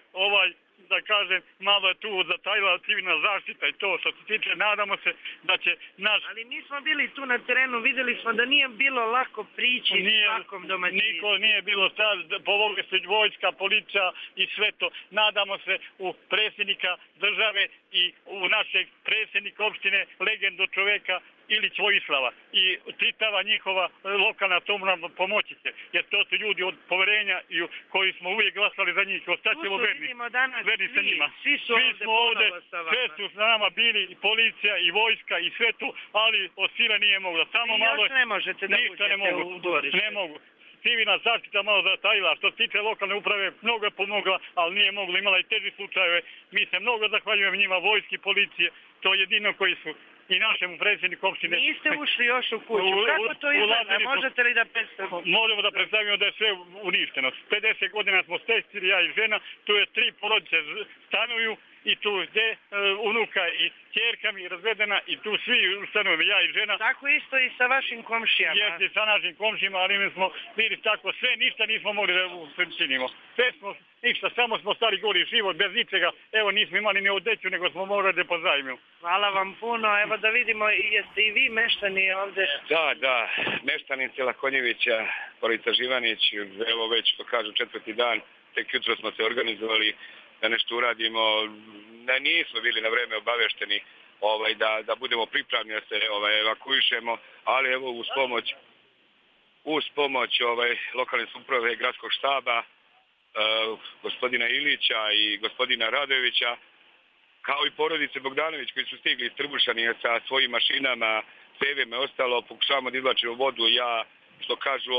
[SPEAKER 4] da kažem, malo je tu zatajila civilna zaštita i to što se tiče, nadamo se da će naš...
[SPEAKER 1] Ali mi smo bili tu na terenu, videli smo da nije bilo lako prići svakom domaćinstvu.
[SPEAKER 4] Niko nije bilo sad, povogli se vojska, policija i sve to. Nadamo se u predsjednika države i u našeg predsjednika opštine, legendu čoveka Ilić Vojislava i čitava njihova lokalna samouprava pomoći će, jer to su ljudi od poverenja i koji smo uvijek glasali za njih, ostaćemo verni sa njima.
[SPEAKER 1] Svi smo ovde,
[SPEAKER 4] sve su s nama bili i policija i vojska i sve to, ali od sile nije mogla. Samo malo
[SPEAKER 1] još ne možete da uđete u dvorište.
[SPEAKER 4] Ne mogu. Civilna zaštita malo zatajila, što se tiče lokalne uprave, mnogo je pomogla, ali nije mogla, imala i teži slučajeve. Mi se mnogo zahvaljujemo njima, vojski, policije, to je jedino koji su i našemu predsjedniku opštine.
[SPEAKER 1] Niste ušli još u kuću, kako to izgleda? Možete li da predstavimo?
[SPEAKER 4] Možemo da predstavimo da je sve uništeno. 50 godina smo stečili, ja i žena, tu je 3 porodice stanuju i tu gde unuka i ćerka mi razvedena i tu svi stanovi, ja i žena.
[SPEAKER 1] Tako isto i sa vašim komšijama.
[SPEAKER 4] Jeste, sa našim komšijama, ali mi smo bili tako, sve ništa nismo mogli da učinimo. Sve smo, ništa, samo smo stali goli život, bez ničega. Evo, nismo imali ni odeću, nego smo morali da pozajmimo.
[SPEAKER 1] Hvala vam puno, evo da vidimo, jeste i vi meštani ovde?
[SPEAKER 6] Da, meštani sela Konjevića, porodica Živanić, evo već, što kažu, 4. dan, tek jutro smo se organizovali da nešto uradimo, nismo bili na vreme obavešteni da budemo pripravni da se evakuišemo, ali evo uz pomoć lokalne samouprave gradskog štaba, gospodina Ilića i gospodina Radojevića, kao i porodice Bogdanović koji su stigli iz Trbušani sa svojim mašinama, cevima i ostalo, pokušavamo da izvlačimo vodu. Ja, što kažu,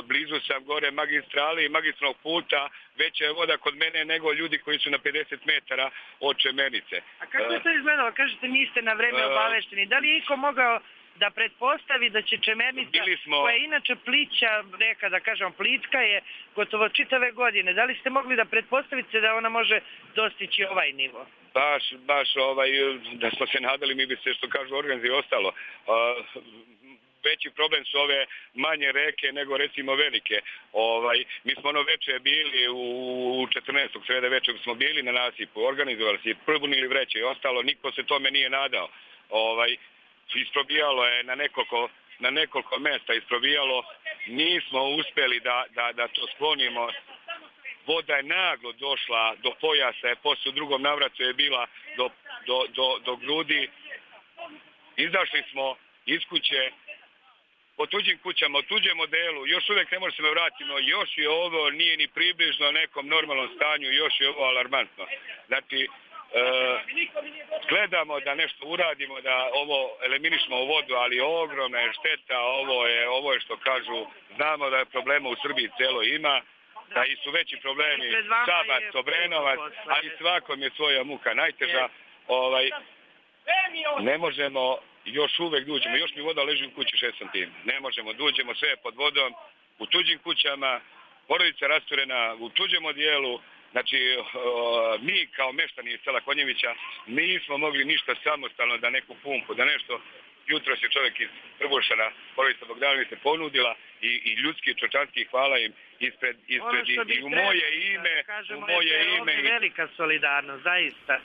[SPEAKER 6] blizu sam gore magistrali i magistralnog puta, veća je voda kod mene nego ljudi koji su na 50 metara od Čemernice.
[SPEAKER 1] A kako je to izgledalo? Kažete, niste na vreme obavešteni. Da li je iko mogao da pretpostavi da će Čemernica, koja je inače plića reka, da kažem, plitka je gotovo čitave godine. Da li ste mogli da pretpostavite da ona može dostići ovaj nivo?
[SPEAKER 6] Baš, da smo se nadali, mi bi se, što kažu, organizuje ostalo. Veći problem su ove manje reke nego recimo velike. Mi smo ono veče bili u 14. sreda večer smo bili na nasipu, organizovali se, probunili vreće i ostalo, niko se tome nije nadao. Isprobijalo je na nekoliko mesta, isprobijalo, nismo uspeli da to sklonimo. Voda je naglo došla do pojasa, posle u drugom navratu je bila do grudi. Izašli smo iz kuće, po tuđim kućama, u tuđem modelu, još uvijek ne možemo se vratiti, još je ovo, nije ni približno nekom normalnom stanju, još je ovo alarmantno. Znači, gledamo da nešto uradimo, da ovo eliminišemo u vodu, ali ogromna je šteta, ovo je što kažu, znamo da je problema u Srbiji celo ima, da i su veći problemi, Šabac, Obrenovac, ali svakom je svoja muka najteža. Ne možemo još uvek duđemo, još mi voda leži u kući 6 cm. Ne možemo, duđemo sve pod vodom, u tuđim kućama, porodica rasturena, u tuđem odijelu. Znači, mi kao meštani iz sela Konjevića nismo mogli ništa samostalno da neku pumpu, da nešto. Jutro se čovjek iz Trbušana, porodica Bogdanović se ponudila i ljudski, čočanski, hvala im ispred i u moje ime.
[SPEAKER 1] Kažemo, u moje ime. Velika solidarnost, zaista.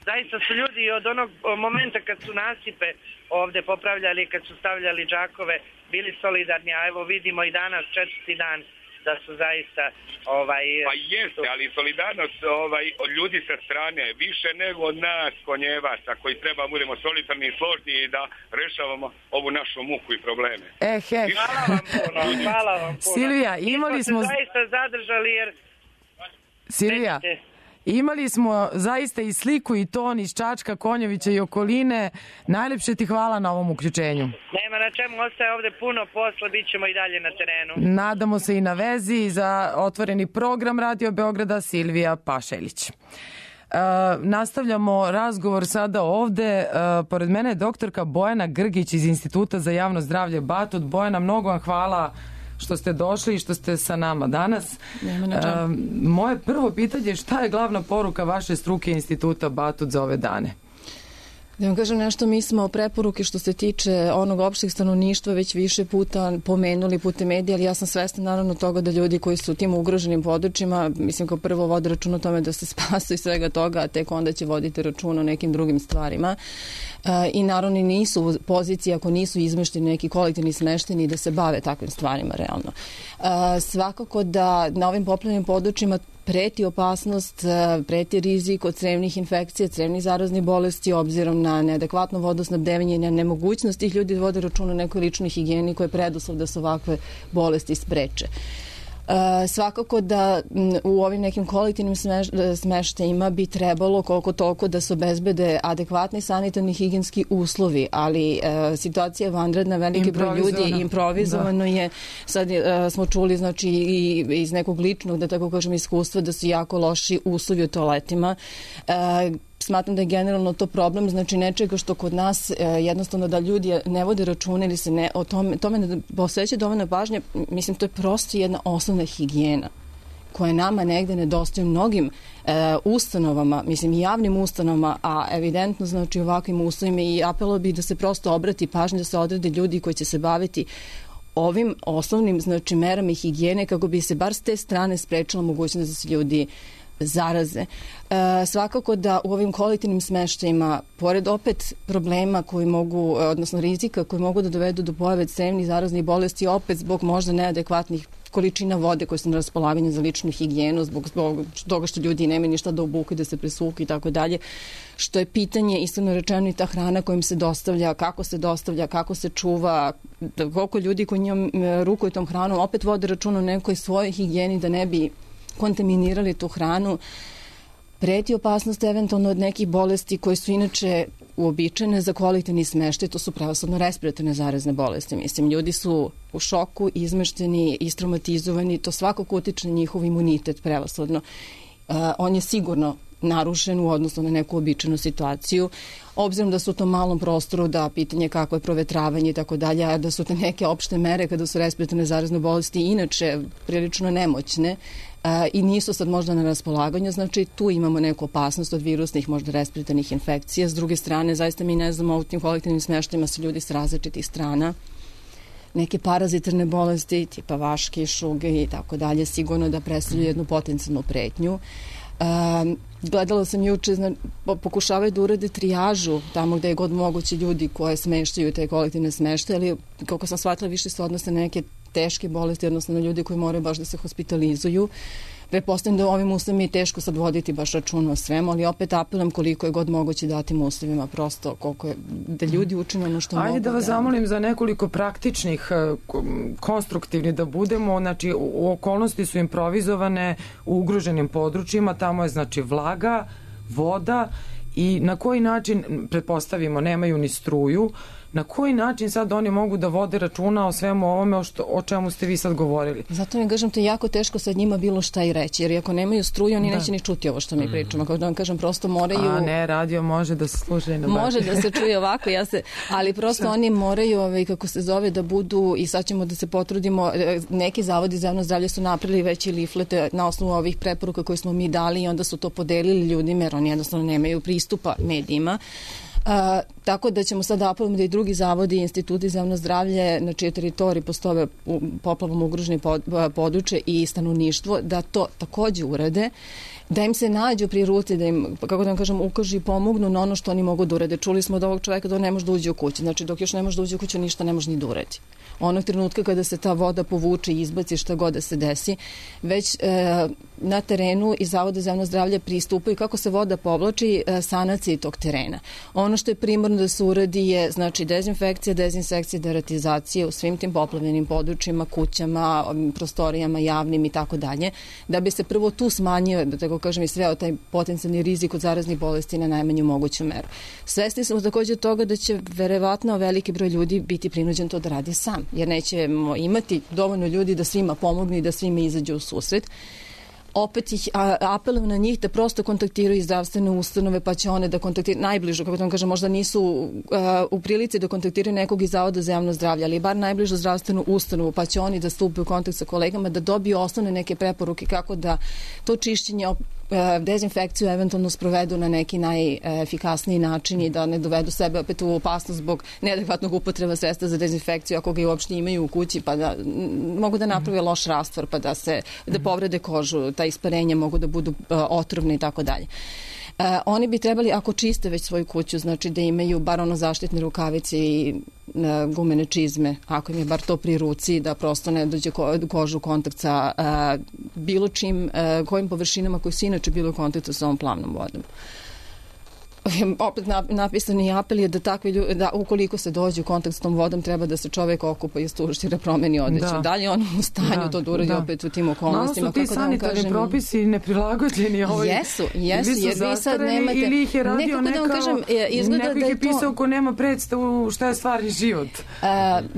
[SPEAKER 1] Zaista su ljudi od onog momenta kad su nasipe ovde popravljali, kad su stavljali džakove, bili solidarni, a evo vidimo i danas, 4. dan, da su zaista...
[SPEAKER 6] Pa jeste, ali solidarnost od ljudi sa strane, više nego od nas konjevaca, koji treba budemo solidarni i složni i da rešavamo ovu našu muku i probleme.
[SPEAKER 1] Hvala vam puno.
[SPEAKER 2] Silvija, imali smo...
[SPEAKER 1] zaista zadržali jer...
[SPEAKER 2] Silvija, imali smo zaista i sliku i ton iz Čačka, Konjovića i okoline. Najlepše ti hvala na ovom uključenju.
[SPEAKER 1] Nema na čemu, ostaje ovde puno posla, bit ćemo i dalje na terenu.
[SPEAKER 2] Nadamo se i na vezi za otvoreni program Radio Beograda, Silvija Pašeljić. Nastavljamo razgovor sada ovde. Pored mene je doktorka Bojana Grgić iz Instituta za javno zdravlje Batut. Bojana, mnogo vam hvala što ste došli i što ste sa nama danas. Moje prvo pitanje je šta je glavna poruka vaše struke Instituta Batut za ove dane?
[SPEAKER 5] Da vam kažem nešto, mi smo preporuke što se tiče onog opšteg stanovništva već više puta pomenuli putem medija, ali ja sam svesna naravno toga da ljudi koji su u tim ugroženim područjima, mislim kao prvo vode račun o tome da se spasu i svega toga, a tek onda će voditi račun o nekim drugim stvarima. I naravno nisu u poziciji ako nisu izmešteni neki kolektivni smešteni da se bave takvim stvarima realno. Svakako da na ovim poplavljenim područjima preti opasnost, preti rizik od crevnih infekcija, crevnih zaraznih bolesti obzirom na neadekvatno vodosnabdevanje i na nemogućnost tih ljudi da vode računa o nekoj ličnoj higijeni koja je preduslov da se ovakve bolesti spreče. Svakako da u ovim nekim kolektivnim smeštajima bi trebalo koliko toliko da se obezbede adekvatni sanitarni higijenski uslovi, ali situacija je vanredna, veliki broj ljudi improvizovano je. Sad smo čuli znači i iz nekog ličnog, da tako kažem, iskustva da su jako loši uslovi u toaletima. Smatram da je generalno to problem, znači nečega što kod nas jednostavno da ljudi ne vode računa ili se ne o tome ne posveća dovoljno pažnje, mislim to je prosto jedna osnovna higijena koja nama negde nedostaje u mnogim ustanovama, mislim i javnim ustanovama, a evidentno znači ovakvim uslovima i apelo bi da se prosto obrati pažnje, da se odrede ljudi koji će se baviti ovim osnovnim znači merama i higijene kako bi se bar s te strane sprečila mogućnost da se ljudi zaraze. Svakako da u ovim kolektivnim smeštajima, pored opet problema koji mogu, odnosno rizika koji mogu da dovedu do pojave crevnih zaraznih bolesti, opet zbog možda neadekvatnih količina vode koje su na raspolaganju za ličnu higijenu, zbog toga što ljudi nemaju ništa da obuku, da se presuku i tako dalje, što je pitanje, iskreno rečeno, i ta hrana kojim se dostavlja, kako se čuva, koliko ljudi koji njom rukuju tom hranom, opet vode račun o nekoj svojoj higijeni da ne bi kontaminirali tu hranu. Preti opasnost eventualno od nekih bolesti koje su inače uobičajene za kolektivni smeštaj, to su prevashodno respiratorne zarazne bolesti. Mislim, ljudi su u šoku, izmešteni, istraumatizovani, to svakako utiče na njihov imunitet prevashodno. On je sigurno narušen u odnosu na neku običajnu situaciju. Obzirom da su u tom malom prostoru, da pitanje kako je provetravanje i tako dalje, a da su te neke opšte mere kada su respiratorne zarazne bolesti inače prilično nemoćne i nisu sad možda na raspolaganju, znači tu imamo neku opasnost od virusnih, možda respiratornih infekcija. S druge strane, zaista mi ne znamo, u tim kolektivnim smeštajima su ljudi s različitih strana. Neke parazitarne bolesti, tipa vaške, šuge i tako dalje, sigurno da predstavljaju jednu potencijalnu pretnju. Gledala sam juče, pokušavaju da urade trijažu tamo gde je god moguće ljudi koje smeštaju te kolektivne smeštaje, ali kako sam shvatila više se odnose na neke teške bolesti, odnosno na ljudi koji moraju baš da se hospitalizuju. Pretpostavljam da u ovim uslovima je teško sad voditi baš račun o svemu, ali opet apelujem koliko je god moguće datim uslovima, prosto koliko je, da ljudi učine ono što mogu.
[SPEAKER 2] Ajde da vas zamolim za nekoliko praktičnih, konstruktivnih da budemo, znači okolnosti su improvizovane u ugroženim područjima, tamo je znači vlaga, voda i na koji način, pretpostavimo, nemaju ni struju, na koji način sad oni mogu da vode računa o svemu ovome o čemu ste vi sad govorili?
[SPEAKER 5] Zato mi kažem, to je jako teško sad njima bilo šta i reći, jer ako nemaju struju, oni neće ni čuti ovo što mi pričamo. Kako da vam kažem, prosto moraju...
[SPEAKER 2] A ne, radio može da se sluša i na
[SPEAKER 5] može da se čuje ovako, ali prosto oni moraju, kako se zove, da budu, i sad ćemo da se potrudimo, neki zavodi za javno zdravlje su napravili već i liflete na osnovu ovih preporuka koje smo mi dali i onda su to podelili ljudima, jer oni jednostavno nemaju pristupa medijima. Tako da ćemo sad apelom da i drugi zavodi i instituti za javno zdravlje na čijoj teritoriji postoje poplavom ugroženi područje i stanovništvo da to takođe urade da im se nađu pri ruci, da im, kako da vam kažem, ukažu i pomognu na ono što oni mogu da urade. Čuli smo od ovog čoveka da on ne može da uđe u kuću. Znači, dok još ne može da uđe u kuću, ništa ne može ni da uradi. Onog trenutka kada se ta voda povuče i izbaci, šta god da se desi, već na terenu i Zavoda za javno zdravlje pristupaju kako se voda povlači sanaciji tog terena. Ono što je primarno da se uradi je, znači, dezinfekcija, dezinsekcija, deratizacija u svim tim poplavljenim područjima, kućama, prostorijama javnim i tako dalje, da bi se prvo tu smanjio, da tako kažem, i sveo taj potencijalni rizik od zaraznih bolesti na najmanju moguću meru. Svesni smo također toga da će verovatno veliki broj ljudi biti prinuđen to da radi sam, jer nećemo imati dovoljno ljudi da svima pomognu i da svima izađu u susret. Opet ih apelujem na njih da prosto kontaktiraju zdravstvene ustanove, pa će one da kontaktiraju najbližu, kako da vam kažem, možda nisu u prilici da kontaktiraju nekog iz Zavoda za javno zdravlje, ali bar najbližu zdravstvenu ustanovu, pa će oni da stupe u kontakt sa kolegama, da dobiju osnovne neke preporuke kako da to čišćenje, dezinfekciju eventualno sprovedu na neki najefikasniji način i da ne dovedu sebe opet u opasnost zbog neadekvatnog upotreba sredstva za dezinfekciju, ako ga i uopšte imaju u kući, pa da mogu da naprave loš rastvor, pa da povrede kožu, ta isparenja mogu da budu otrovne i tako dalje. Oni bi trebali, ako čiste već svoju kuću, znači da imaju bar ono zaštitne rukavice i gumene čizme, ako im je bar to pri ruci, da prosto ne dođe kožu u kontakt sa bilo čim, kojim površinama koji su inače bili u kontaktu sa ovom plavnom vodom. Opet napisani apel je da takvi ljudi, da ukoliko se dođe u kontakt s tom vodom, treba da se čovjek okupa i stuštira, promeni odeću. Da li je on u stanju to da uradi opet u tim okolnostima?
[SPEAKER 2] Malo su ti sanitarni propisi neprilagođeni ovoj.
[SPEAKER 5] Jesu, jer vi sad nemate...
[SPEAKER 2] Ili ih je radio neko ih je pisao ko nema predstavu šta je stvarni život.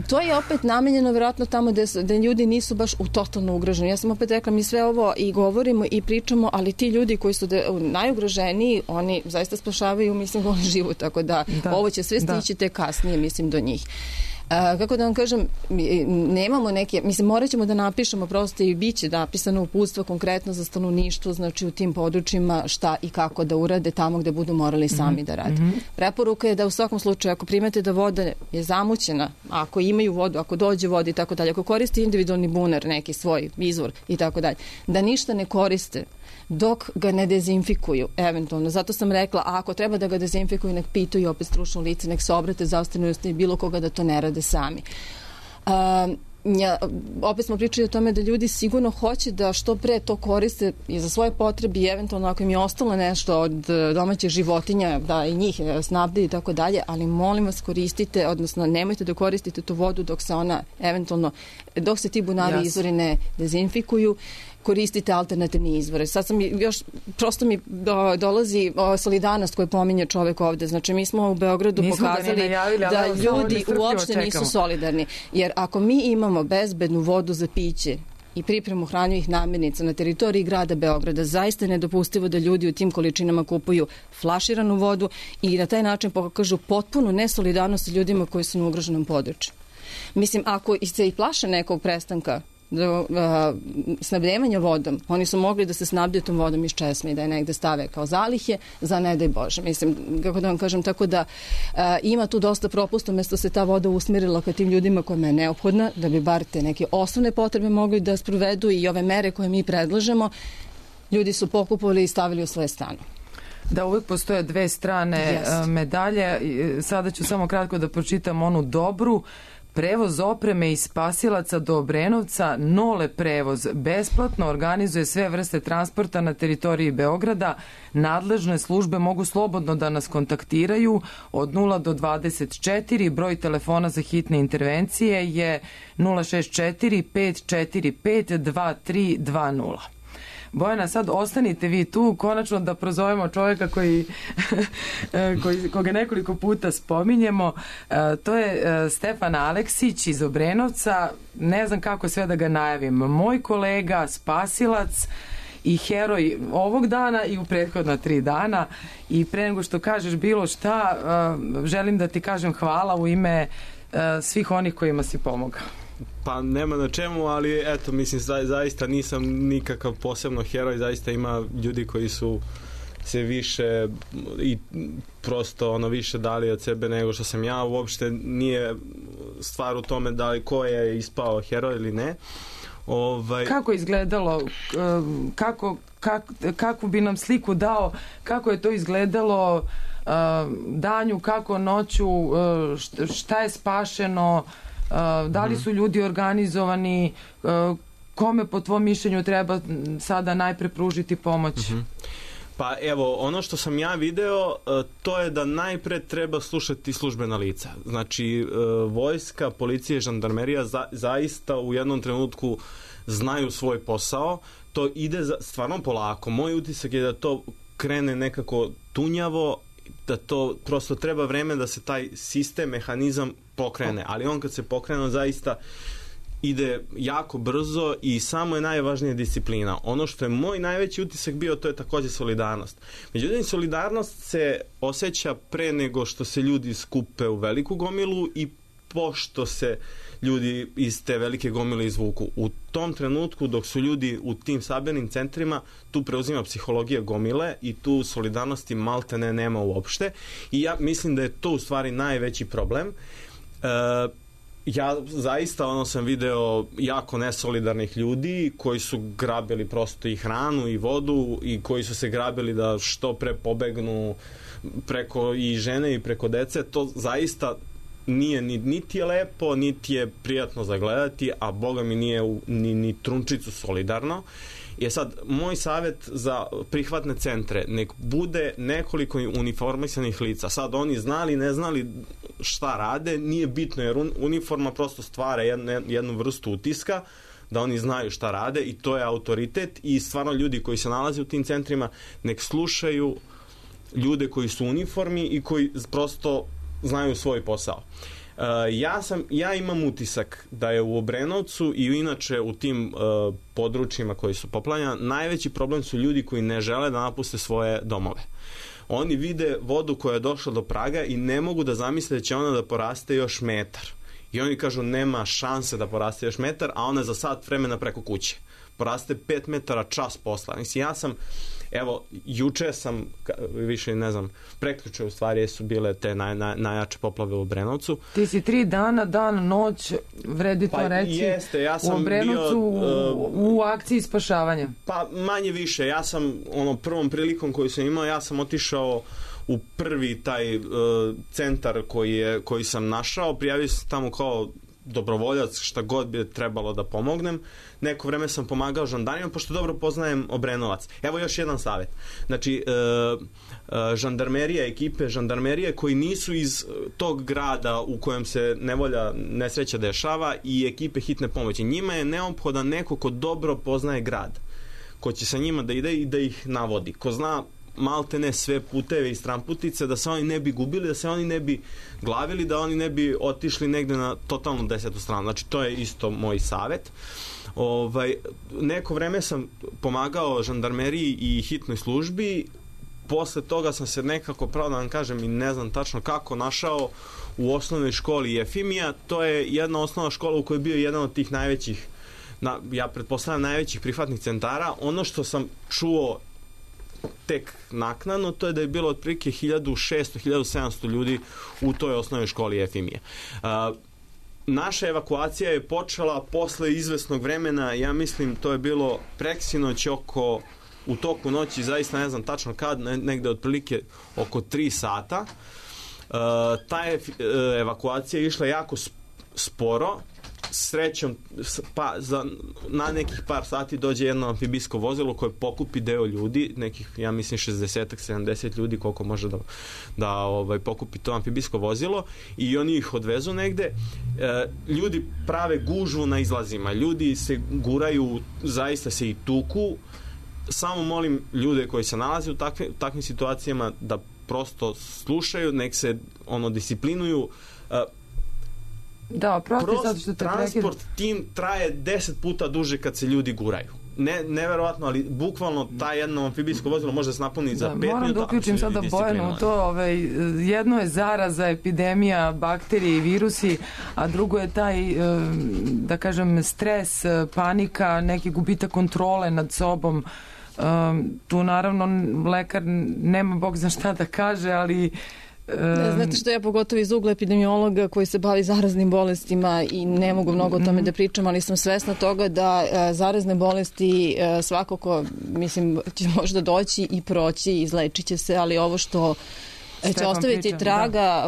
[SPEAKER 5] To je opet namenjeno vjerojatno tamo da ljudi nisu baš u totalno ugroženi. Ja sam opet rekla, mi sve ovo i govorimo i pričamo, ali ti ljudi koji su najugroženiji, oni zaista spašavaju mislim goli život, tako da ovo će sve stići te kasnije, mislim, do njih. Kako da vam kažem, nemamo neke, mislim, morat ćemo da napišemo prosto i bit će napisano uputstvo konkretno za stanovništvo, znači u tim područjima šta i kako da urade tamo gde budu morali sami da rade. Preporuka je da u svakom slučaju, ako primete da voda je zamućena, ako imaju vodu, ako dođe voda i tako dalje, ako koriste individualni bunar, neki svoj izvor i tako dalje, da ništa ne koriste dok ga ne dezinfikuju, eventualno. Zato sam rekla, a ako treba da ga dezinfikuju, nek pitaju opet stručno lice, nek se obrate zdravstvenoj ustanovi, bilo koga da to ne rade sami. Opet smo pričali o tome da ljudi sigurno hoće da što pre to koriste i za svoje potrebe i eventualno ako im je ostalo nešto od domaćih životinja, da i njih snabde i tako dalje, ali molim vas koristite, odnosno nemojte da koristite tu vodu dok se ona eventualno, dok se ti bunari izvori ne dezinfikuju, koristite alternativne izvore. Sad sam još, prosto mi dolazi solidarnost koju pominje čovek ovde. Znači, mi smo u Beogradu pokazali da ljudi uopšte nisu solidarni. Jer ako mi imamo bezbednu vodu za piće i pripremu hranjivih namirnica na teritoriji grada Beograda, zaista je nedopustivo da ljudi u tim količinama kupuju flaširanu vodu i na taj način pokažu potpunu nesolidarnost ljudima koji su na ugroženom području. Mislim, ako se i plaše nekog prestanka snabdevanja vodom, oni su mogli da se snabdiju tom vodom iz česme i da je negde stave kao zalihe za ne daj Bože. Mislim, kako da vam kažem, tako da ima tu dosta propusta, umjesto se ta voda usmjerila ka tim ljudima kojima je neophodna, da bi bar te neke osnovne potrebe mogli da sprovedu i ove mere koje mi predlažemo, ljudi su pokupovali i stavili u svoje stanu.
[SPEAKER 2] Da, uvijek postoje dve strane medalje. Sada ću samo kratko da pročitam onu dobru. Prevoz opreme i spasilaca do Obrenovca, Nole prevoz, besplatno organizuje sve vrste transporta na teritoriji Beograda. Nadležne službe mogu slobodno da nas kontaktiraju od 0 do 24. Broj telefona za hitne intervencije je 064 545 2320. Bojana, sad ostanite vi tu, konačno da prozovemo čovjeka koga nekoliko puta spominjemo. To je Stefan Aleksić iz Obrenovca. Ne znam kako sve da ga najavim. Moj kolega, spasilac i heroj ovog dana i u prethodna 3 dana. I pre nego što kažeš bilo šta, želim da ti kažem hvala u ime svih onih kojima si pomogao.
[SPEAKER 7] Pa nema na čemu, ali eto, mislim, zaista nisam nikakav posebno heroj, zaista ima ljudi koji su se više i prosto više dali od sebe nego što sam ja. Uopšte nije stvar u tome da li ko je ispao heroj ili ne.
[SPEAKER 2] Kako je izgledalo, kakvu bi nam sliku dao, kako je to izgledalo danju, kako noću, šta je spašeno, da li su ljudi organizovani, kome po tvom mišljenju treba sada najpre pružiti pomoć?
[SPEAKER 7] Pa evo, ono što sam ja video, to je da najpre treba slušati službena lica. Znači, vojska, policija i žandarmerija zaista u jednom trenutku znaju svoj posao. To ide stvarno polako. Moj utisak je da to krene nekako tunjavo, da to prosto treba vreme da se taj sistem, mehanizam pokrene. Ali on kad se pokrene, zaista ide jako brzo i samo je najvažnija disciplina. Ono što je moj najveći utisak bio, to je takođe solidarnost. Međutim, solidarnost se osjeća pre nego što se ljudi skupe u veliku gomilu i pošto se ljudi iz te velike gomile izvuku. U tom trenutku, dok su ljudi u tim sabranim centrima, tu preuzima psihologija gomile i tu solidarnosti maltene nema uopšte. I ja mislim da je to u stvari najveći problem. Ja zaista sam video jako nesolidarnih ljudi koji su grabili prosto i hranu i vodu i koji su se grabili da što pre pobegnu preko i žene i preko dece. To zaista nije niti je lepo, niti je prijatno zagledati, a boga mi nije ni trunčicu solidarno. Je sad, moj savjet za prihvatne centre, nek bude nekoliko uniformisanih lica. Sad, oni znali, ne znali šta rade, nije bitno, jer uniforma prosto stvara jednu vrstu utiska, da oni znaju šta rade i to je autoritet i stvarno ljudi koji se nalaze u tim centrima nek slušaju ljude koji su u uniformi i koji prosto znaju svoj posao. Ja imam utisak da je u Obrenovcu i inače u tim područjima koji su poplavljena, najveći problem su ljudi koji ne žele da napuste svoje domove. Oni vide vodu koja je došla do praga i ne mogu da zamisle da će ona da poraste još metar. I oni kažu nema šanse da poraste još metar, a ona je za sat vremena preko kuće. Poraste 5 metara čas posla. Mislim, ja sam, evo, juče sam, više ne znam, prekjuče u stvari su bile te najjače poplave u Obrenovcu.
[SPEAKER 2] Ti si 3 dana, dan, noć, vredi to reći,
[SPEAKER 7] jeste, ja sam
[SPEAKER 2] u Obrenovcu u akciji spašavanja.
[SPEAKER 7] Pa manje više, ja sam prvom prilikom koju sam imao, ja sam otišao u prvi taj centar koji sam našao, prijavio sam tamo kao dobrovoljac, šta god bi trebalo da pomognem. Neko vreme sam pomagao žandarima, pošto dobro poznajem Obrenovac. Evo još jedan savjet. Znači, žandarmerija, ekipe žandarmerije koji nisu iz tog grada u kojem se nevolja, nesreća dešava i ekipe hitne pomoći. Njima je neophodan neko ko dobro poznaje grad, ko će sa njima da ide i da ih navodi. Ko zna maltene sve puteve i stranputice, da se oni ne bi gubili, da se oni ne bi glavili, da oni ne bi otišli negde na totalno 10. stranu. Znači, to je isto moj savjet. Neko vreme sam pomagao žandarmeriji i hitnoj službi, posle toga sam se nekako, pravo da vam kažem i ne znam tačno kako, našao u osnovnoj školi Jefimija. To je jedna osnovna škola u kojoj je bio jedan od tih najvećih, ja pretpostavljam najvećih prihvatnih centara. Ono što sam čuo tek naknadno, to je da je bilo otprilike 1600-1700 ljudi u toj osnovnoj školi Jefimije. Naša evakuacija je počela posle izvesnog vremena, ja mislim to je bilo preksinoć u toku noći, zaista ne znam tačno kad, negde otprilike oko 3 sata. Ta evakuacija je išla jako sporo, srećom na nekih par sati dođe jedno amfibijsko vozilo koje pokupi deo ljudi, nekih, ja mislim 60-70 ljudi koliko može da pokupi to amfibijsko vozilo i oni ih odvezu negde. Ljudi prave gužvu na izlazima, ljudi se guraju, zaista se i tuku. Samo molim ljude koji se nalaze u takvim situacijama da prosto slušaju, nek se disciplinuju.
[SPEAKER 2] Da,
[SPEAKER 7] transport tim traje 10 puta duže kad se ljudi guraju. Neverovatno, ali bukvalno ta jedno amfibijsko vozilo može se napuniti za 5 minuta.
[SPEAKER 2] Moram da uključim sada Bojanu u to. Jedno je zaraza, epidemija, bakterije i virusi, a drugo je taj, da kažem, stres, panika, neki gubitak kontrole nad sobom. Tu naravno lekar nema bog zna šta da kaže, ali
[SPEAKER 5] Znate što, ja pogotovo iz ugla epidemiologa koji se bavi zaraznim bolestima i ne mogu mnogo o tome da pričam, ali sam svesna toga da zarazne bolesti svakako, mislim, će možda doći i proći, izlečit će se, ali ovo što će ostaviti traga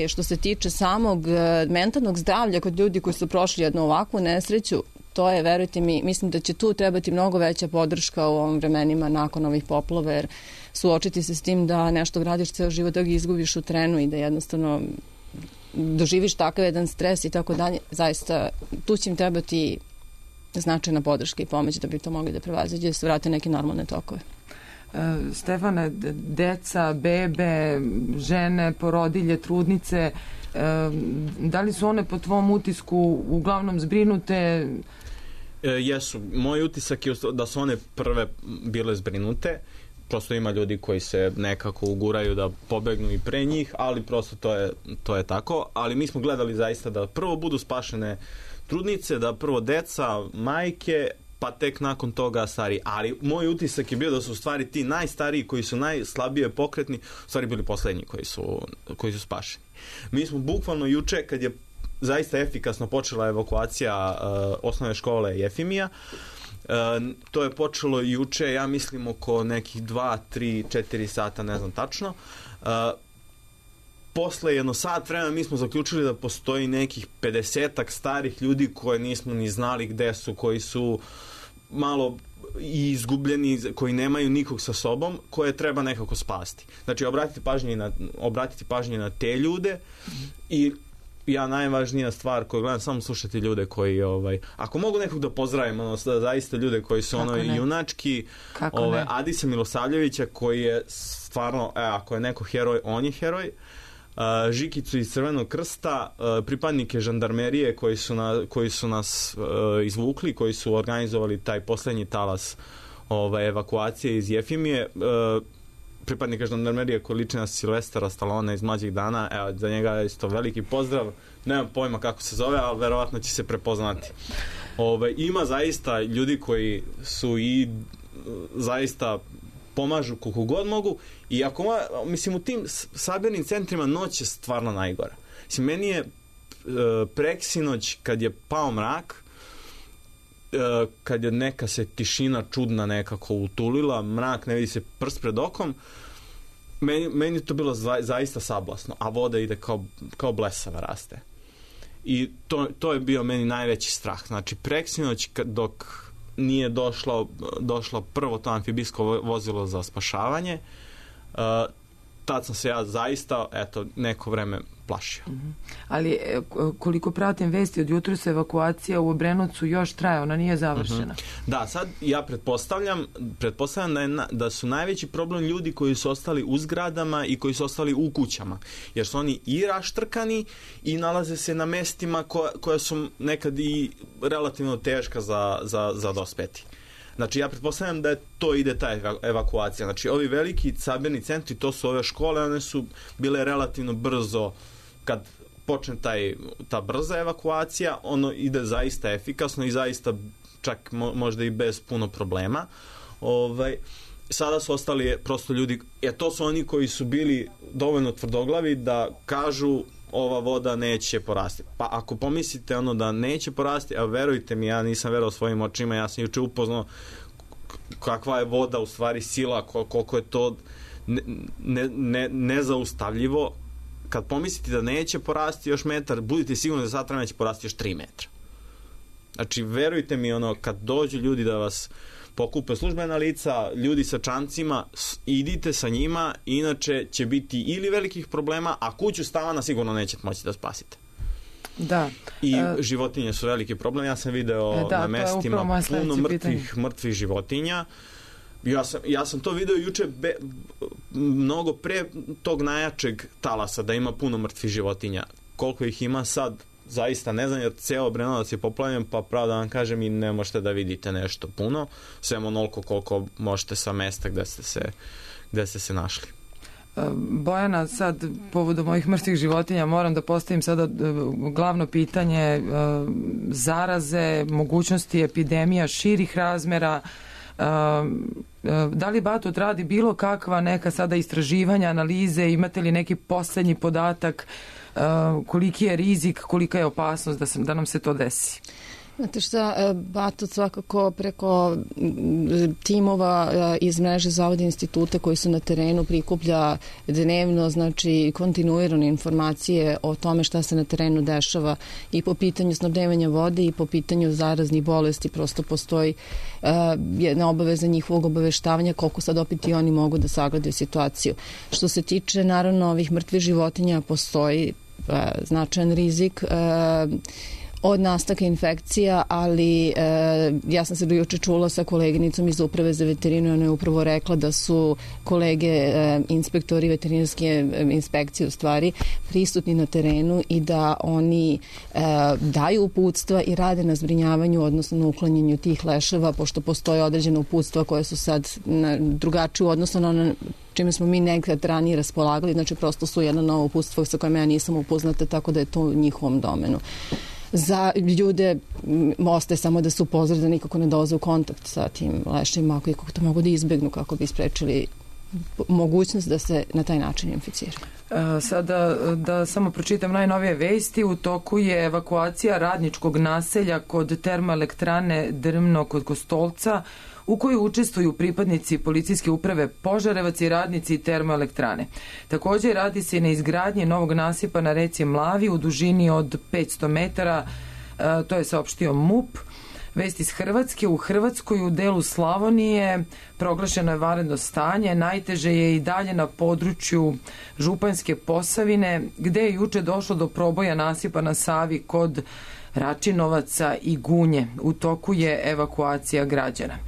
[SPEAKER 5] što se tiče samog mentalnog zdravlja kod ljudi koji su prošli jednu ovakvu nesreću, to je, verujte mi, mislim da će tu trebati mnogo veća podrška u ovim vremenima nakon ovih poplava, jer suočiti se s tim da nešto gradiš ceo život, da ga izgubiš u trenu i da jednostavno doživiš takav jedan stres i tako dalje, zaista tu će im trebati značajna podrška i pomoć da bi to mogli da prevaziđe, da se vrate neke normalne tokove.
[SPEAKER 2] Stefane, deca, bebe, žene, porodilje, trudnice, da li su one po tvom utisku uglavnom zbrinute?
[SPEAKER 7] Jesu. Moj utisak je da su one prve bile zbrinute. Prosto ima ljudi koji se nekako uguraju da pobegnu i pre njih, ali prosto to je tako. Ali mi smo gledali zaista da prvo budu spašene trudnice, da prvo deca, majke, pa tek nakon toga stariji. Ali moj utisak je bio da su u stvari ti najstariji koji su najslabije pokretni, u stvari bili poslednji koji su spašeni. Mi smo bukvalno juče, kad je zaista efikasno počela evakuacija osnovne škole Jefimija, to je počelo juče, ja mislim oko nekih 2, 3, 4 sata, ne znam tačno. Posle jedno sat vremena mi smo zaključili da postoji nekih 50-ak starih ljudi koje nismo ni znali gde su, koji su malo i izgubljeni, koji nemaju nikog sa sobom, koje treba nekako spasti. Znači, obratiti pažnje na te ljude i ja najvažnija stvar koju gledam, samo slušati ljude koji, ako mogu nekog da pozdravim, zaista ljude koji su junački, Adisa Milosavljevića koji je stvarno, ako je neko heroj, on je heroj, Žikicu iz Crvenog krsta, pripadnike žandarmerije koji su nas izvukli, koji su organizovali taj poslednji talas evakuacije iz Jefimije, pripadnika žandarmerije koji liči na Silvestera Stallone iz Mlađih dana, evo, za njega je isto veliki pozdrav, nemam pojma kako se zove, ali verovatno će se prepoznati. Ima zaista ljudi koji su i zaista pomažu koliko god mogu i mislim u tim sabirnim centrima noć je stvarno najgora. Mislim, meni je preksinoć kad je pao mrak, kad je neka se tišina čudna nekako utulila, mrak, ne vidi se prst pred okom, meni je to bilo zaista sablasno, a voda ide kao blesava raste. I to je bio meni najveći strah. Znači, preksinoć dok nije došlo prvo to amfibijsko vozilo za spašavanje, tad sam se ja zaista, neko vreme plašio.
[SPEAKER 2] Ali koliko pratim vesti od jutros, evakuacija u Obrenovcu još traje, ona nije završena.
[SPEAKER 7] Da, sad ja pretpostavljam da su najveći problem ljudi koji su ostali u zgradama i koji su ostali u kućama, jer su oni i raštrkani i nalaze se na mestima koja su nekad i relativno teška za dospeti. Znači, ja pretpostavljam da to ide ta evakuacija. Znači, ovi veliki sabirni centri, to su ove škole, one su bile relativno brzo, kad počne ta brza evakuacija, ono ide zaista efikasno i zaista čak možda i bez puno problema. Sada su ostali prosto ljudi, to su oni koji su bili dovoljno tvrdoglavi da kažu ova voda neće porasti. Pa ako pomislite da neće porasti, a verujte mi, ja nisam verovao svojim očima, ja sam juče upoznao kakva je voda u stvari sila, koliko je to nezaustavljivo. Kad pomislite da neće porasti još metar, budite sigurni da sad neće porasti još 3 metra. Znači, verujte mi, kad dođu ljudi da vas pokupe službena lica, ljudi sa čamcima, idite sa njima, inače će biti ili velikih problema, a kuću stamana sigurno nećete moći da spasite.
[SPEAKER 2] Da.
[SPEAKER 7] I životinje su veliki problem. Ja sam video na mestima puno mrtvih životinja. Ja sam to video juče mnogo pre tog najjačeg talasa, da ima puno mrtvih životinja. Koliko ih ima sad, zaista ne znam, jer ceo Obrenovac je poplavljen, pa pravo da vam kažem, i ne možete da vidite nešto puno, sem onoliko koliko možete sa mesta gde ste se našli.
[SPEAKER 2] Bojana, sad povodom ovih mrtvih životinja moram da postavim sada glavno pitanje zaraze, mogućnosti epidemija širih razmera. Da li Batut radi bilo kakva neka sada istraživanja, analize, imate li neki poslednji podatak koliki je rizik, kolika je opasnost da nam se to desi?
[SPEAKER 5] Znate šta, Batut svakako preko timova iz mreže Zavoda instituta koji su na terenu prikuplja dnevno, znači kontinuirane informacije o tome šta se na terenu dešava i po pitanju snabdevanja vode i po pitanju zaraznih bolesti. Prosto postoji jedna obaveza njihovog obaveštavanja koliko sad opet i oni mogu da sagledaju situaciju. Što se tiče naravno ovih mrtvih životinja, postoji značajan rizik od nastanka infekcija, ali ja sam se juče čula sa koleginicom iz Uprave za veterinu i ona je upravo rekla da su kolege inspektori veterinarske inspekcije u stvari prisutni na terenu i da oni daju uputstva i rade na zbrinjavanju, odnosno na uklanjanju tih leševa, pošto postoje određene uputstva koje su sad drugačije u odnosu na ono čime smo mi nekad ranije raspolagali, znači prosto su jedno novo uputstvo sa kojima ja nisam upoznata, tako da je to u njihovom domenu. Za ljude ostaje samo da se upozore da nikako ne dolaze u kontakt sa tim leševima, ako to mogu da izbegnu kako bi sprečili mogućnost da se na taj način inficiraju.
[SPEAKER 2] Sada da samo pročitam najnovije vesti. U toku je evakuacija radničkog naselja kod termoelektrane Drmno kod Kostolca, u kojoj učestvuju pripadnici policijske uprave Požarevac i radnici termoelektrane. Također radi se i na izgradnji novog nasipa na reci Mlavi u dužini od 500 metara, to je saopštio MUP. Vest iz Hrvatske. U Hrvatskoj u delu Slavonije proglašeno je vanredno stanje. Najteže je i dalje na području Županjske Posavine, gde je juče došlo do proboja nasipa na Savi kod Račinovaca i Gunje. U toku je evakuacija građana.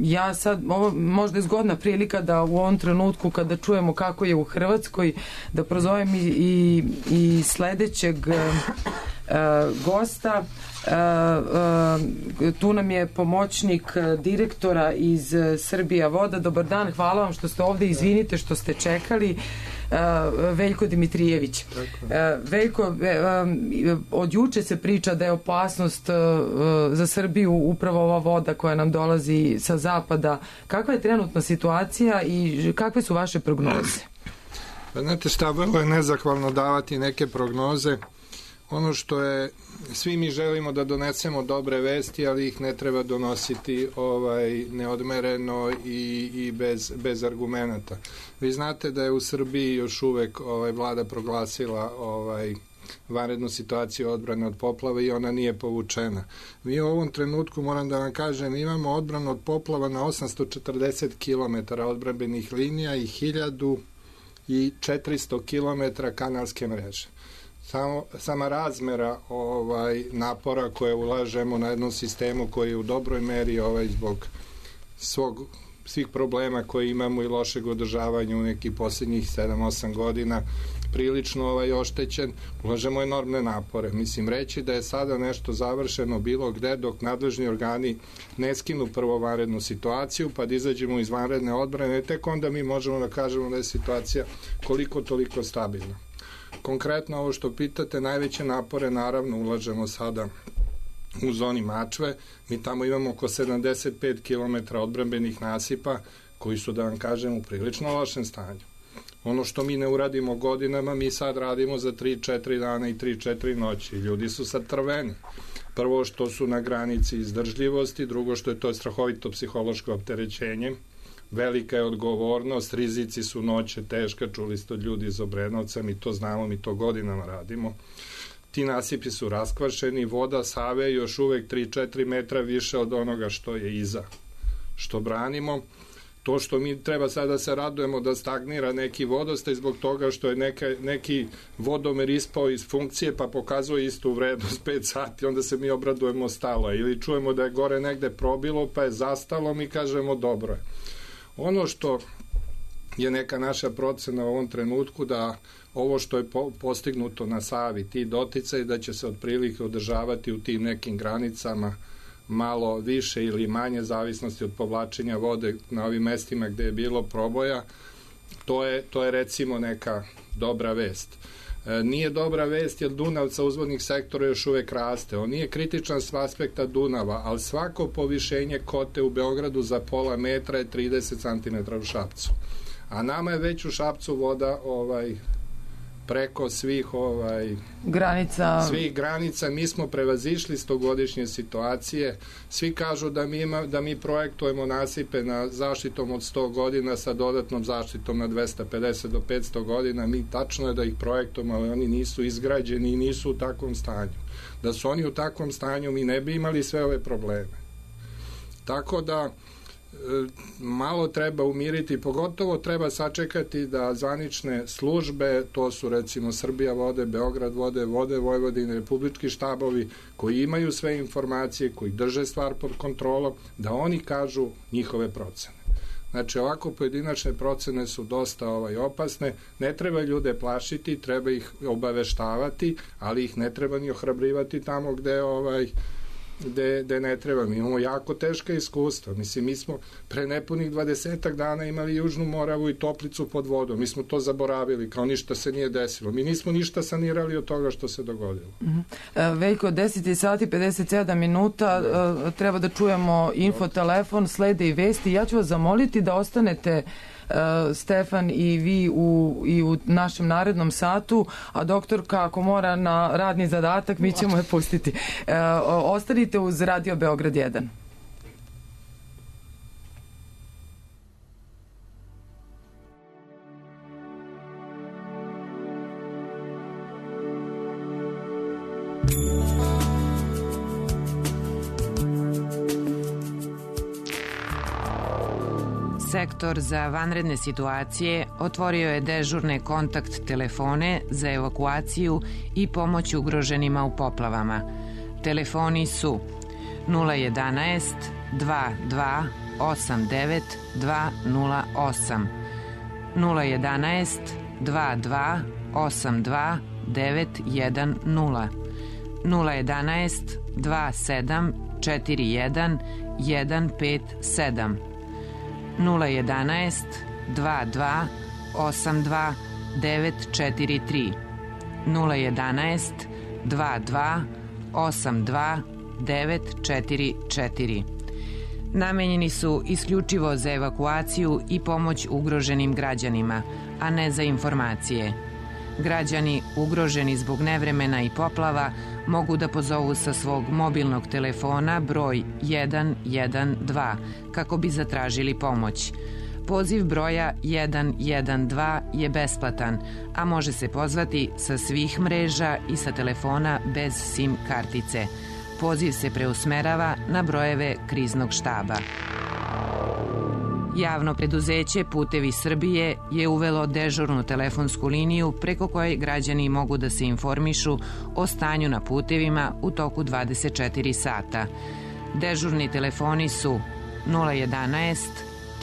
[SPEAKER 2] Ja sad, ovo možda je zgodna prilika da u ovom trenutku kada čujemo kako je u Hrvatskoj, da prozovem i sledećeg gosta. Tu nam je pomoćnik direktora iz Srbija voda. Dobar dan, hvala vam što ste ovde, izvinite što ste čekali. Veljko Dimitrijević. Veljko, od juče se priča da je opasnost za Srbiju upravo ova voda koja nam dolazi sa zapada. Kakva je trenutna situacija i kakve su vaše prognoze?
[SPEAKER 8] Pa znate šta, vrlo je nezahvalno davati neke prognoze. Ono što je, svi mi želimo da donesemo dobre vesti, ali ih ne treba donositi neodmereno i bez argumenata. Vi znate da je u Srbiji još uvek vlada proglasila vanrednu situaciju odbrane od poplava i ona nije povučena. Mi u ovom trenutku, moram da vam kažem, imamo odbranu od poplava na 840 km odbrambenih linija i 1400 km kanalske mreže. Sama razmera napora koje ulažemo na jednom sistemu koji je u dobroj meri zbog svih problema koje imamo i lošeg održavanja u nekih posljednjih 7-8 godina prilično oštećen, ulažemo enormne napore. Mislim, reći da je sada nešto završeno bilo gde dok nadležni organi ne skinu prvo vanrednu situaciju pa da izađemo iz vanredne odbrane, tek onda mi možemo da kažemo da je situacija koliko toliko stabilna. Konkretno ovo što pitate, najveće napore naravno ulažemo sada u zoni Mačve. Mi tamo imamo oko 75 km odbrambenih nasipa koji su, da vam kažem, u prilično lošem stanju. Ono što mi ne uradimo godinama, mi sad radimo za 3-4 dana i 3-4 noći. Ljudi su sad trveni. Prvo što su na granici izdržljivosti, drugo što je to strahovito psihološko opterećenje. Velika je odgovornost, rizici su noće teška, čuli ste od ljudi iz Obrenovca, mi to znamo, mi to godinama radimo. Ti nasipi su raskvašeni, voda Save je još uvek 3-4 metra više od onoga što je iza, što branimo. To što mi treba sada da se radujemo da stagnira neki vodostaj zbog toga što je neki vodomer ispao iz funkcije pa pokazuje istu vrednost 5 sati, onda se mi obradujemo stalo. Ili čujemo da je gore negde probilo pa je zastalo, mi kažemo dobro je. Ono što je neka naša procena u ovom trenutku da ovo što je postignuto na Savi, ti doticaj da će se otprilike održavati u tim nekim granicama malo više ili manje zavisnosti od povlačenja vode na ovim mestima gde je bilo proboja, to je recimo neka dobra vest. Nije dobra vest jer Dunav sa uzvodnih sektora još uvek raste. On nije kritičan s aspekta Dunava, ali svako povišenje kote u Beogradu za pola metra je 30 cm u Šapcu. A nama je već u Šapcu voda preko svih granica. Mi smo prevazišli 100-godišnje situacije. Svi kažu da mi projektujemo nasipe na zaštitom od 100 godina sa dodatnom zaštitom na 250 do 500 godina. Mi tačno je da ih projektujemo, ali oni nisu izgrađeni i nisu u takvom stanju. Da su oni u takvom stanju, mi ne bi imali sve ove probleme. Tako da malo treba umiriti, pogotovo treba sačekati da zvanične službe, to su recimo Srbija vode, Beograd vode, Vode Vojvodine, republički štabovi koji imaju sve informacije, koji drže stvar pod kontrolom, da oni kažu njihove procene. Znači ovako pojedinačne procene su dosta opasne, ne treba ljude plašiti, treba ih obaveštavati, ali ih ne treba ni ohrabrivati tamo gde ne treba. Mi imamo jako teška iskustva. Mislim, mi smo pre nepunih 20 dana imali Južnu Moravu i Toplicu pod vodom. Mi smo to zaboravili, kao ništa se nije desilo. Mi nismo ništa sanirali od toga što se dogodilo.
[SPEAKER 2] Veljko, 10 sati 57 minuta, treba da čujemo infotelefon, slede i vesti. Ja ću vas zamoliti da ostanete Stefan i vi i u našem narednom satu, a doktorka ako mora na radni zadatak, mi ćemo je pustiti. Ostanite uz Radio Beograd 1.
[SPEAKER 9] Sektor za vanredne situacije otvorio je dežurne kontakt telefone za evakuaciju i pomoć ugroženima u poplavama. Telefoni su 011 22 89 208, 011 22 82 910, 011 27 41 157, 011 22 82 943, 011 22 82 944. Namenjeni su isključivo za evakuaciju i pomoć ugroženim građanima, a ne za informacije. Građani ugroženi zbog nevremena i poplava mogu da pozovu sa svog mobilnog telefona broj 112 kako bi zatražili pomoć. Poziv broja 112 je besplatan, a može se pozvati sa svih mreža i sa telefona bez SIM kartice. Poziv se preusmerava na brojeve kriznog štaba. Javno preduzeće Putevi Srbije je uvelo dežurnu telefonsku liniju preko koje građani mogu da se informišu o stanju na putevima u toku 24 sata. Dežurni telefoni su 011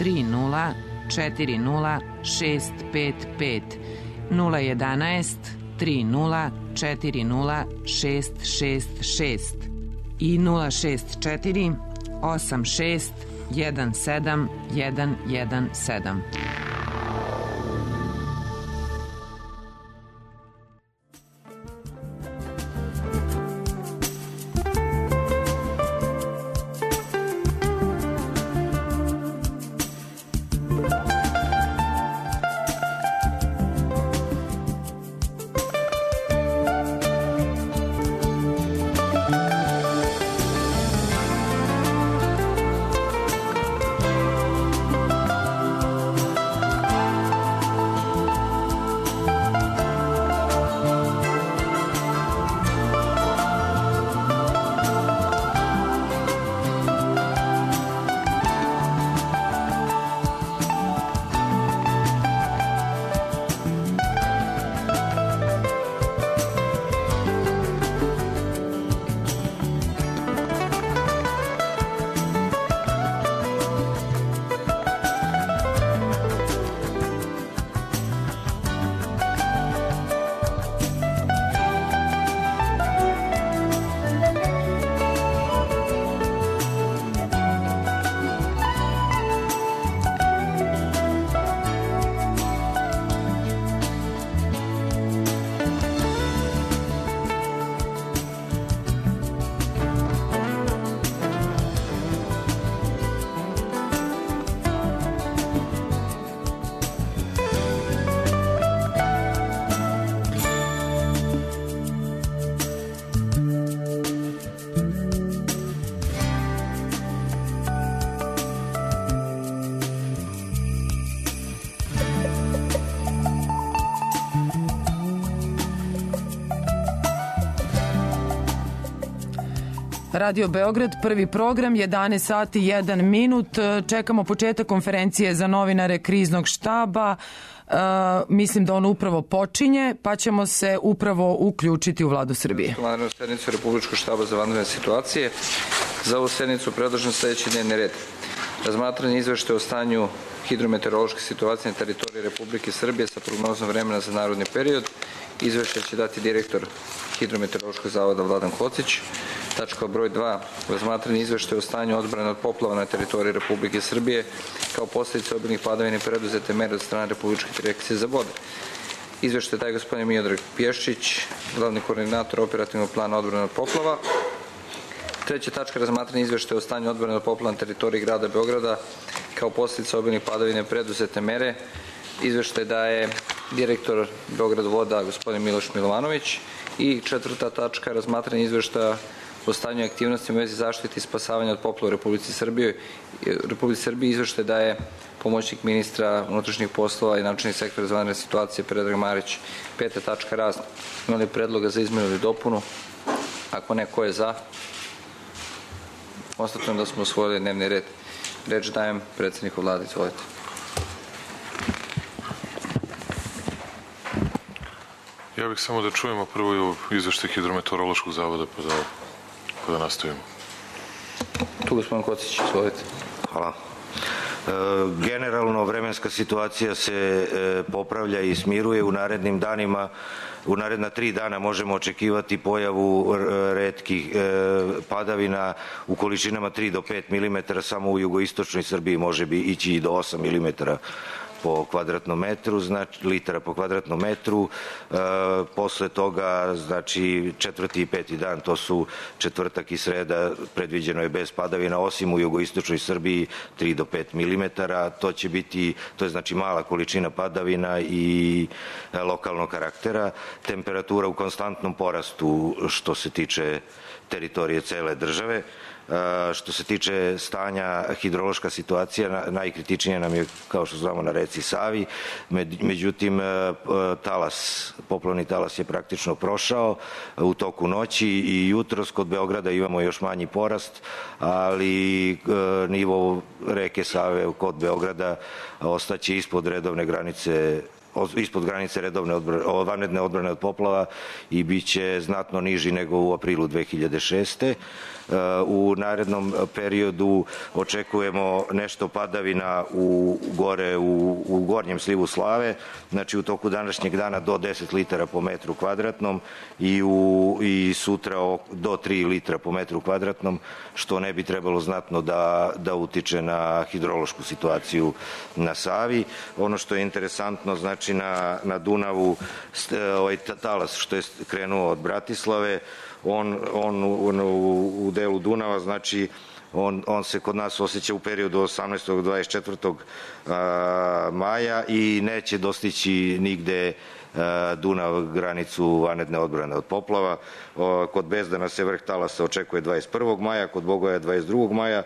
[SPEAKER 9] 30 40 655, 011 30 40 666 i 064 86 17117.
[SPEAKER 2] Radio Beograd, prvi program, 11 sati 1 minut. Čekamo početak konferencije za novinare kriznog štaba. Mislim da on upravo počinje, pa ćemo se upravo uključiti u Vladu Srbije.
[SPEAKER 3] Vanrednu sednicu Republičkog štaba za vanredne situacije. Za ovu sednicu predložen sledeći dnevni red. Razmatranje izveštaja o stanju hidrometeorološke situacije na teritoriji Republike Srbije sa prognozom vremena za narodni period. Izveštaj će dati direktor Hidrometeorološkog zavoda Vladan Kocić. Tačka broj 2. Razmatranje izveštaja o stanju odbrane od poplava na teritoriji Republike Srbije kao posledica obilnih padavina i preduzete mere od strane Republičke direkcije za vode. Izveštaj daje gospodin Miodrag Pješčić, glavni koordinator operativnog plana odbrane od poplava. Treća tačka, razmatranje izveštaja o stanju odbrane od poplava na teritoriji grada Beograda kao posledica obilnih padavina i preduzete mere. Izveštaj daje direktor Beograd voda gospodin Miloš Milovanović. I četvrta tačka, razmatranje izveštaja o stanju i aktivnostima u vezi zaštite i spasavanja od poplava u Republici Srbiji. Izveštaj daje pomoćnik ministra unutrašnjih poslova i načelnik sektora za vanredne situacije Predrag Marić. Peta tačka, razno. Ima li predloga za izmenu ili dopunu? Ako ne, ko je za? Konstatujem da smo usvojili dnevni red. Reč dajem predsedniku Vlade. Izvolite.
[SPEAKER 10] Ja bih samo da čujemo prvo izveštaj Hidrometeorološkog zavoda pa da nastavimo.
[SPEAKER 3] Tu gospodin Kocić, izvolite.
[SPEAKER 23] Hvala. Generalno vremenska situacija se popravlja i smiruje u narednim danima. U naredna 3 dana možemo očekivati pojavu retkih padavina u količinama 3 do 5 mm, samo u jugoistočnoj Srbiji može ići i do 8 mm po kvadratnom metru, znači litara po kvadratnom metru. Posle toga, znači 4. i 5. dan, to su četvrtak i sreda, predviđeno je bez padavina, osim u jugoistočnoj Srbiji 3 do 5 mm. To je znači mala količina padavina i lokalnog karaktera. Temperatura u konstantnom porastu što se tiče teritorije cele države. Što se tiče stanja, hidrološka situacija najkritičnija nam je, kao što znamo, na reci Savi. Međutim, poplavni talas je praktično prošao u toku noći i jutros. Kod Beograda imamo još manji porast, ali nivo reke Save kod Beograda ostaće ispod redovne granice, ispod granice vanredne odbrane od poplava i bit će znatno niži nego u aprilu 2006. U narednom periodu očekujemo nešto padavina u gornjem slivu Slave, znači u toku današnjeg dana do 10 litara po metru kvadratnom i sutra do 3 litra po metru kvadratnom, što ne bi trebalo znatno da utiče na hidrološku situaciju na Savi. Ono što je interesantno, znači na Dunavu, ovaj talas što je krenuo od Bratislave, on u delu Dunava, znači on se kod nas osjeća u periodu 18. do 24. maja i neće dostići nigde Dunav granicu vanredne odbrane od poplava. Kod Bezdana se vrh talasa očekuje 21. maja, kod Bogoja 22. maja,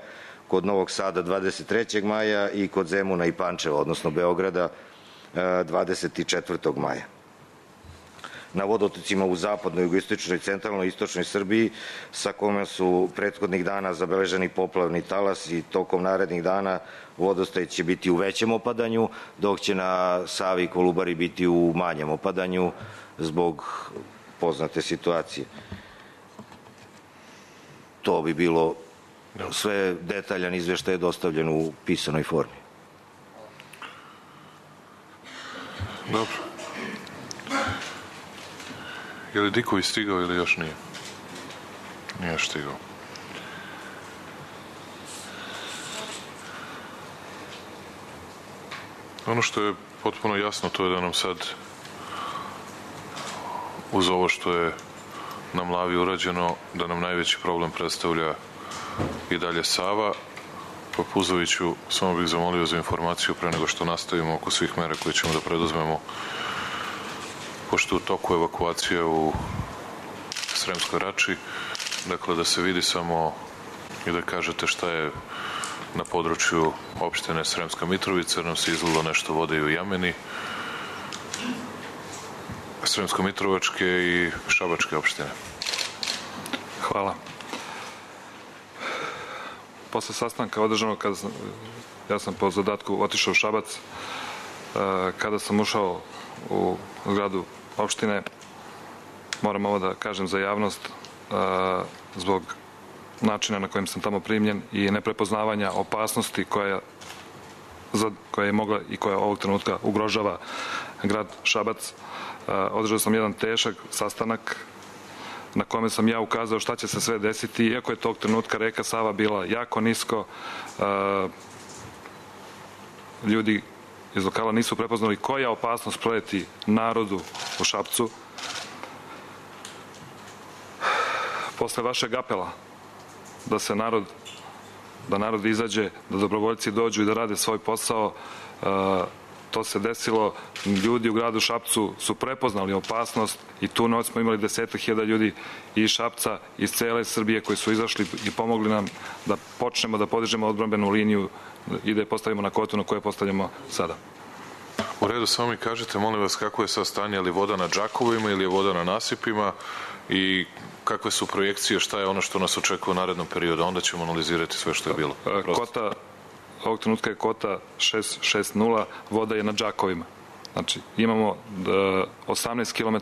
[SPEAKER 23] kod Novog Sada 23. maja i kod Zemuna i Pančeva, odnosno Beograda, 24. maja. Na vodotocima u zapadnoj, jugoistočnoj, centralnoj i istočnoj Srbiji, sa kome su prethodnih dana zabeleženi poplavni talas i tokom narednih dana vodostaj će biti u većem opadanju, dok će na Savi i Kolubari biti u manjem opadanju zbog poznate situacije. To bi bilo sve, detaljan izveštaj je dostavljen u pisanoj formi.
[SPEAKER 10] Dobro. Je li Diković stigao ili još nije? Nije još stigao. Ono što je potpuno jasno, to je da nam sad, uz ovo što je na Mlavi urađeno, da nam najveći problem predstavlja i dalje Sava. Pa Puzoviću, samo bih zamolio za informaciju pre nego što nastavimo oko svih mera koje ćemo da preduzmemo, pošto u toku evakuacije u Sremskoj Rači, dakle da se vidi samo i da kažete šta je na području opštine Sremska Mitrovica, nam se izlilo nešto vode i u Jameni, Sremsko-Mitrovačke i Šabačke opštine. Hvala.
[SPEAKER 12] posle sastanka održanog, ja sam po zadatku otišao u Šabac, kada sam ušao u zgradu opštine, moram ovo da kažem za javnost, zbog načina na kojem sam tamo primljen i neprepoznavanja opasnosti koja je mogla i koja ovog trenutka ugrožava grad Šabac. Održao sam jedan težak sastanak na kome sam ja ukazao šta će se sve desiti, iako je tog trenutka reka Sava bila jako nisko. Ljudi iz lokala nisu prepoznali koja opasnost preti narodu u Šapcu. Posle vašeg apela da narod izađe, da dobrovoljci dođu i da rade svoj posao, to se desilo. Ljudi u gradu Šapcu su prepoznali opasnost i tu noć smo imali 10.000 ljudi iz Šapca, iz cele Srbije koji su izašli i pomogli nam da počnemo da podižemo odbrambenu liniju i da je postavimo na kotu na koje postavljamo sada.
[SPEAKER 10] U redu, samo mi kažete, molim vas, kako je sad stanje, je li voda na džakovima ili je voda na nasipima i kakve su projekcije, šta je ono što nas očekuje u narednom periodu, onda ćemo analizirati sve što je bilo.
[SPEAKER 12] Kota, ovog trenutka je kota 660, voda je na džakovima. Znači, imamo 18 km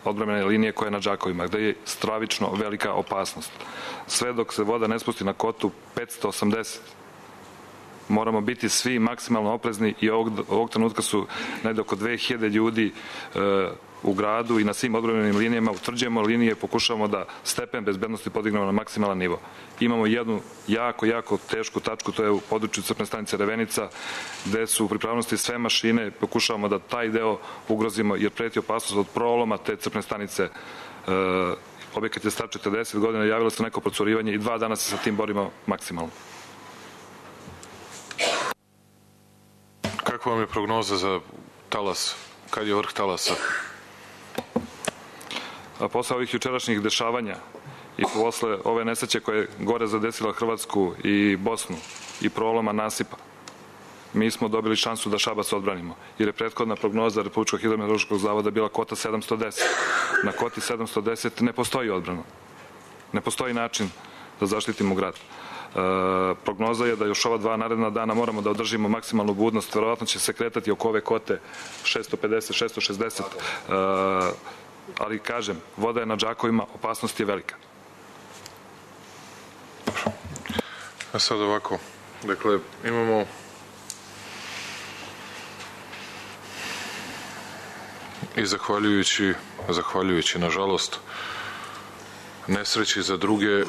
[SPEAKER 12] odbrambene linije koja je na džakovima, gde je stravično velika opasnost. Sve dok se voda ne spusti na kotu 580, moramo biti svi maksimalno oprezni i ovog trenutka su negde oko 2000 ljudi u gradu i na svim odbrambenim linijama utvrđujemo linije, pokušavamo da stepen bezbednosti podignemo na maksimalan nivo. Imamo jednu jako tešku tačku, to je u području crpne stanice Revenica, gde su u pripravnosti sve mašine, pokušavamo da taj deo ugrozimo jer preti opasnost od proloma te crpne stanice. Objekat je star 40 godina, javilo se neko procurivanje i 2 dana se sa tim borimo maksimalno.
[SPEAKER 10] Kakva vam je prognoza za talas? Kad je vrh talasa?
[SPEAKER 12] Posle ovih jučerašnjih dešavanja i posle ove nesreće koje je gore zadesila Hrvatsku i Bosnu i proloma nasipa, mi smo dobili šansu da Šabac odbranimo, jer je prethodna prognoza Republičkog hidrometeorološkog zavoda bila kota 710. Na koti 710 ne postoji odbrana. Ne postoji način da zaštitimo grad. Prognoza je da još ova 2 naredna dana moramo da održimo maksimalnu budnost, verovatno će se kretati oko ove kote 650, 660, ali kažem, voda je na džakovima, opasnost je velika.
[SPEAKER 10] A sad ovako, dakle, imamo i zahvaljujući nažalost nesreći za druge,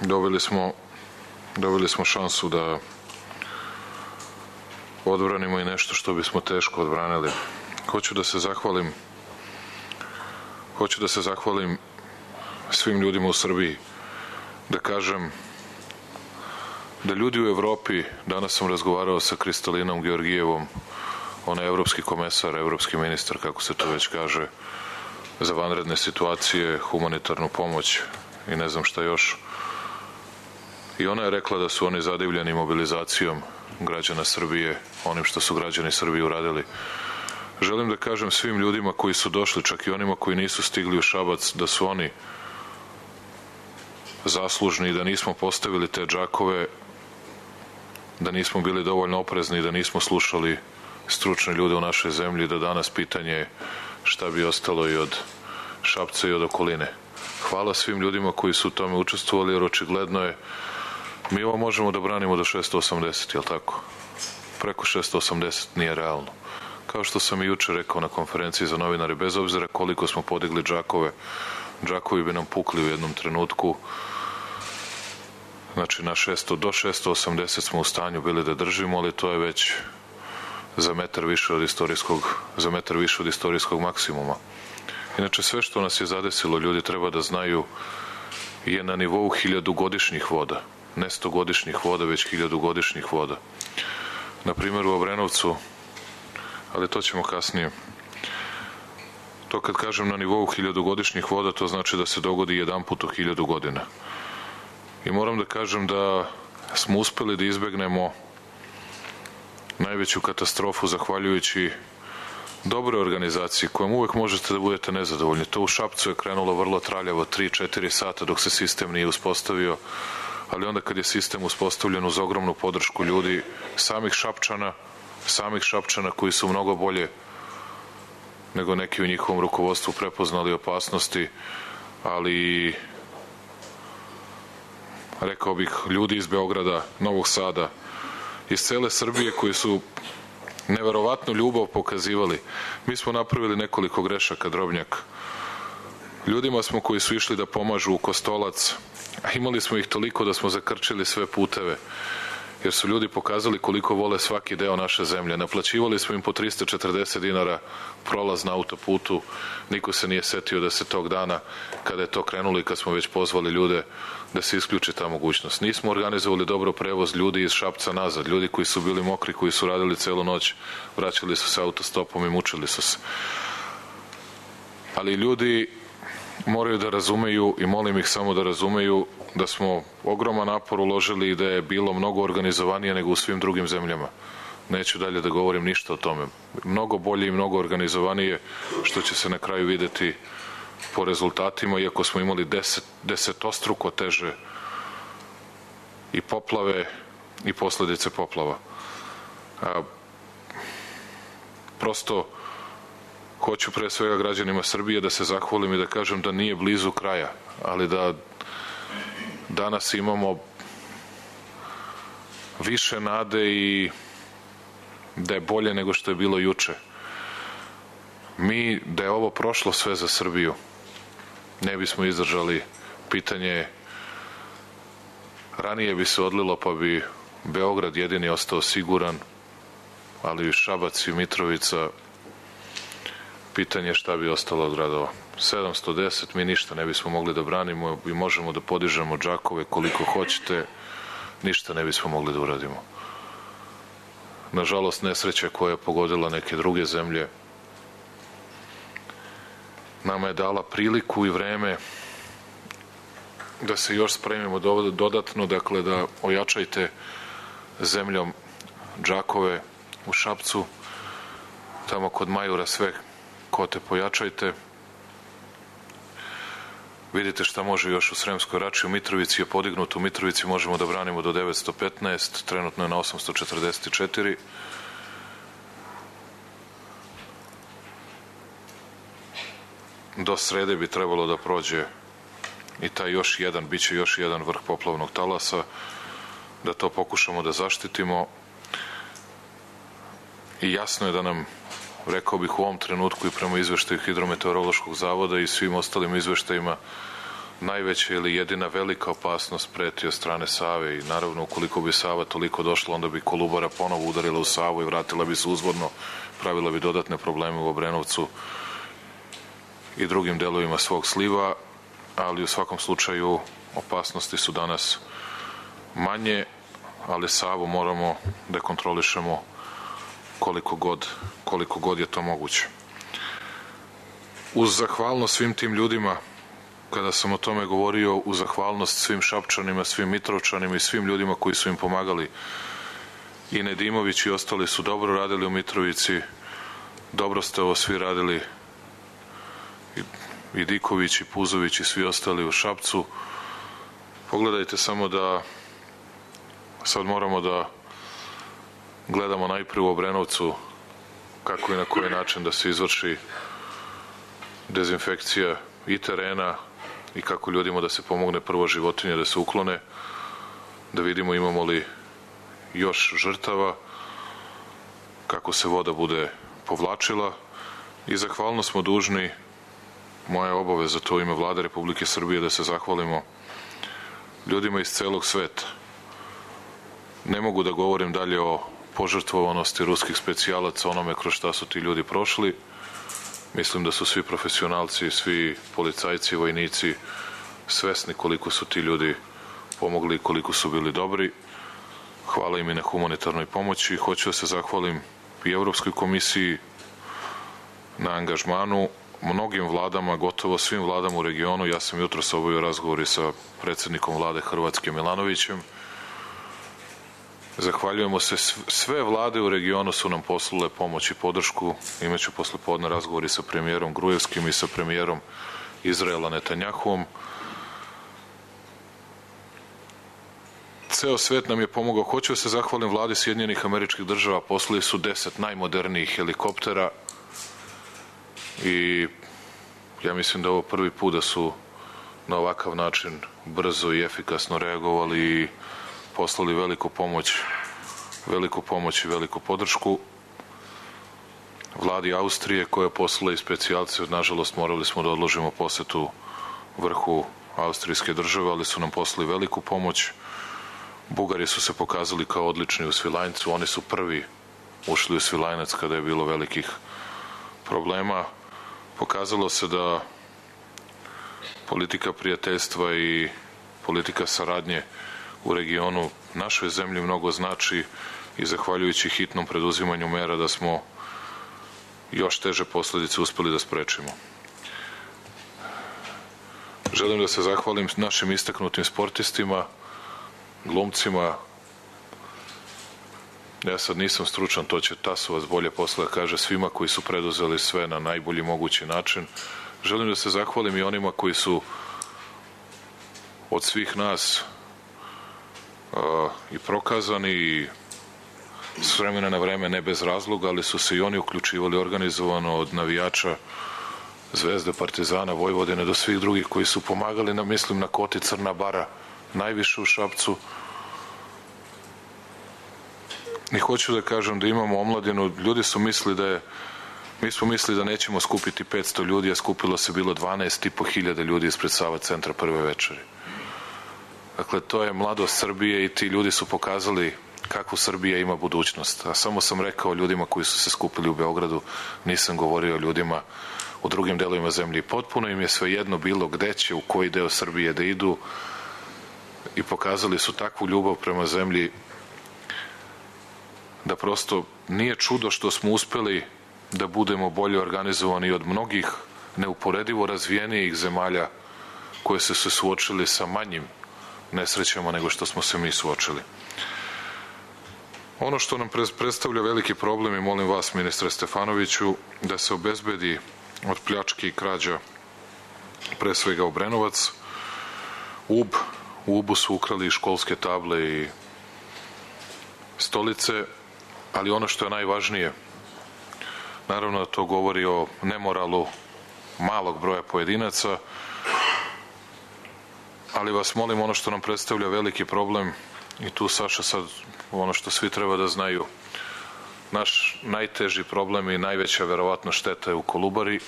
[SPEAKER 10] dobili smo šansu da odbranimo i nešto što bismo teško odbranili. Hoću da se zahvalim svim ljudima u Srbiji, da kažem da ljudi u Evropi, danas sam razgovarao sa Kristalinom Georgijevom, ona je evropski komesar, evropski ministar, kako se to već kaže, za vanredne situacije, humanitarnu pomoć i ne znam šta još. I ona je rekla da su oni zadivljeni mobilizacijom građana Srbije, onim što su građani Srbije uradili. Želim da kažem svim ljudima koji su došli, čak i onima koji nisu stigli u Šabac, da su oni zaslužni i da nismo postavili te džakove, da nismo bili dovoljno oprezni, da nismo slušali stručne ljude u našoj zemlji, da danas pitanje je šta bi ostalo i od Šapca i od okoline. Hvala svim ljudima koji su u tome učestvovali, jer očigledno je, mi ovo možemo da branimo do 680, jel tako? Preko 680 nije realno. Kao što sam i juče rekao na konferenciji za novinare, bez obzira koliko smo podigli džakove, džakovi bi nam pukli u jednom trenutku. Znači do 680 smo u stanju bili da držimo, ali to je već za metar više od istorijskog maksimuma. Inače, sve što nas je zadesilo, ljudi treba da znaju, je na nivou 1000-godišnjih voda. Ne 100-godišnjih voda, već 1000-godišnjih voda. Na primjer u Obrenovcu, ali to ćemo kasnije. To kad kažem na nivou 1000-godišnjih voda, to znači da se dogodi jedan put u 1000 godina. I moram da kažem da smo uspeli da izbegnemo najveću katastrofu zahvaljujući dobre organizaciji kojom uvek možete da budete nezadovoljni. To u Šapcu je krenulo vrlo traljavo, 3-4 sata dok se sistem nije uspostavio, ali onda kad je sistem uspostavljen uz ogromnu podršku ljudi, samih Šapčana koji su mnogo bolje nego neki u njihovom rukovodstvu prepoznali opasnosti, ali rekao bih ljudi iz Beograda, Novog Sada, iz cele Srbije koji su neverovatnu ljubav pokazivali. Mi smo napravili nekoliko grešaka, Drobnjak. Ljudima smo koji su išli da pomažu u Kostolac, a imali smo ih toliko da smo zakrčili sve puteve, jer su ljudi pokazali koliko vole svaki deo naše zemlje. Naplaćivali smo im po 340 dinara prolaz na autoputu. Niko se nije setio da se tog dana, kada je to krenulo i kad smo već pozvali ljude, da se isključi ta mogućnost. Nismo organizovali dobro prevoz ljudi iz Šapca nazad. Ljudi koji su bili mokri, koji su radili celu noć, vraćali su se autostopom i mučili su se. Ali ljudi moraju da razumeju, i molim ih samo da razumeju, da smo ogroman napor uložili i da je bilo mnogo organizovanije nego u svim drugim zemljama. Neću dalje da govorim ništa o tome. Mnogo bolje i mnogo organizovanije, što će se na kraju videti po rezultatima, iako smo imali desetostruko teže i poplave i posledice poplava. Prosto hoću pre svega građanima Srbije da se zahvalim i da kažem da nije blizu kraja, ali da danas imamo više nade i da je bolje nego što je bilo juče. Mi, da je ovo prošlo sve za Srbiju, ne bismo izdržali. Pitanje, ranije bi se odlilo pa bi Beograd jedini ostao siguran, ali i Šabac i Mitrovica, pitanje šta bi ostalo od gradova. 710, mi ništa ne bismo mogli da branimo i možemo da podižemo džakove koliko hoćete, ništa ne bismo mogli da uradimo. Nažalost, nesreća koja je pogodila neke druge zemlje nama je dala priliku i vreme da se još spremimo dodatno, dakle da ojačajte zemljom džakove u Šapcu, tamo kod Majura sve kote pojačajte. Vidite šta može još u Sremskoj Rači. U Mitrovici je podignuto. U Mitrovici možemo da branimo do 915, trenutno je na 844. Do srede bi trebalo da prođe i taj još jedan, bit će još jedan vrh poplavnog talasa, da to pokušamo da zaštitimo. I jasno je da nam, rekao bih u ovom trenutku i prema izveštaju Hidrometeorološkog zavoda i svim ostalim izveštajima, najveća ili jedina velika opasnost preti od strane Save i naravno ukoliko bi Sava toliko došla, onda bi Kolubara ponovo udarila u Savu i vratila bi se uzvodno, pravila bi dodatne probleme u Obrenovcu i drugim delovima svog sliva, ali u svakom slučaju opasnosti su danas manje, ali Savu moramo da kontrolišemo koliko god je to moguće. Uz zahvalnost svim tim ljudima, kada sam o tome govorio, uz zahvalnost svim Šapčanima, svim Mitrovčanima i svim ljudima koji su im pomagali, i Nedimović i ostali su dobro radili u Mitrovici, dobro ste ovo svi radili, i Diković i Puzović i svi ostali u Šapcu. Pogledajte samo da sad moramo da gledamo najprije u Obrenovcu kako i na koji način da se izvrši dezinfekcija i terena i kako ljudima da se pomogne prvo životinje da se uklone, da vidimo imamo li još žrtava, kako se voda bude povlačila. I zahvalno smo dužni, moja obaveza to u ime Vlade Republike Srbije, da se zahvalimo ljudima iz celog sveta. Ne mogu da govorim dalje o požrtvovanosti ruskih specijalaca, onome kroz šta su ti ljudi prošli. Mislim da su svi profesionalci, svi policajci, vojnici svesni koliko su ti ljudi pomogli i koliko su bili dobri. Hvala im i na humanitarnoj pomoći. Hoću da se zahvalim i Evropskoj komisiji na angažmanu, mnogim vladama, gotovo svim vladama u regionu. Ja sam jutros obavio razgovor sa predsednikom vlade Hrvatske Milanovićem. Zahvaljujemo se, sve vlade u regionu su nam poslale pomoć i podršku. Imaću posle podne razgovori sa premijerom Grujevskim i sa premijerom Izraela Netanjahuom. Ceo svet nam je pomogao. Hoću da se zahvalim vladi Sjedinjenih Američkih Država, poslali su 10 najmodernijih helikoptera i ja mislim da ovo prvi put da su na ovakav način brzo i efikasno reagovali i poslali veliku pomoć i veliku podršku. Vladi Austrije koja je poslala i specijalce, nažalost morali smo da odložimo posetu vrhu austrijske države, ali su nam poslali veliku pomoć. Bugari su se pokazali kao odlični u Svilajncu, oni su prvi ušli u Svilajnac kada je bilo velikih problema. Pokazalo se da politika prijateljstva i politika saradnje u regionu našoj zemlji mnogo znači i zahvaljujući hitnom preduzimanju mera da smo još teže posledice uspeli da sprečimo. Želim da se zahvalim našim istaknutim sportistima, glumcima. Ja sad nisam stručan, to će Tasovac bolje posle da kaže, svima koji su preduzeli sve na najbolji mogući način. Želim da se zahvalim i onima koji su od svih nas i prokazani i s vremena na vreme, ne bez razloga, ali su se i oni uključivali organizovano od navijača Zvezde, Partizana, Vojvodine do svih drugih koji su pomagali nam, mislim na Koti, Crna Bara, najviše u Šapcu. I hoću da kažem da imamo omladinu, ljudi su mislili da je, mi smo mislili da nećemo skupiti 500 ljudi, a skupilo se bilo 12.500 ljudi ispred Sava centra prve večeri. Dakle, to je mladost Srbije i ti ljudi su pokazali kakvu Srbija ima budućnost. A samo sam rekao ljudima koji su se skupili u Beogradu, nisam govorio o ljudima u drugim delovima zemlje. Potpuno im je svejedno bilo gde će, u koji deo Srbije da idu i pokazali su takvu ljubav prema zemlji da prosto nije čudo što smo uspeli da budemo bolje organizovani od mnogih neuporedivo razvijenijih zemalja koje su se suočili sa manjim nesrećama nego što smo se mi suočili. Ono što nam predstavlja veliki problem i molim vas, ministre Stefanoviću, da se obezbedi od pljački i krađa pre svega Obrenovac, Ub. U Ubu su ukrali školske table i stolice, ali ono što je najvažnije, naravno da to govori o nemoralu malog broja pojedinaca, ali vas molim, ono što nam predstavlja veliki problem, i tu, Saša, sad ono što svi treba da znaju, naš najteži problem i najveća verovatno šteta je u Kolubari.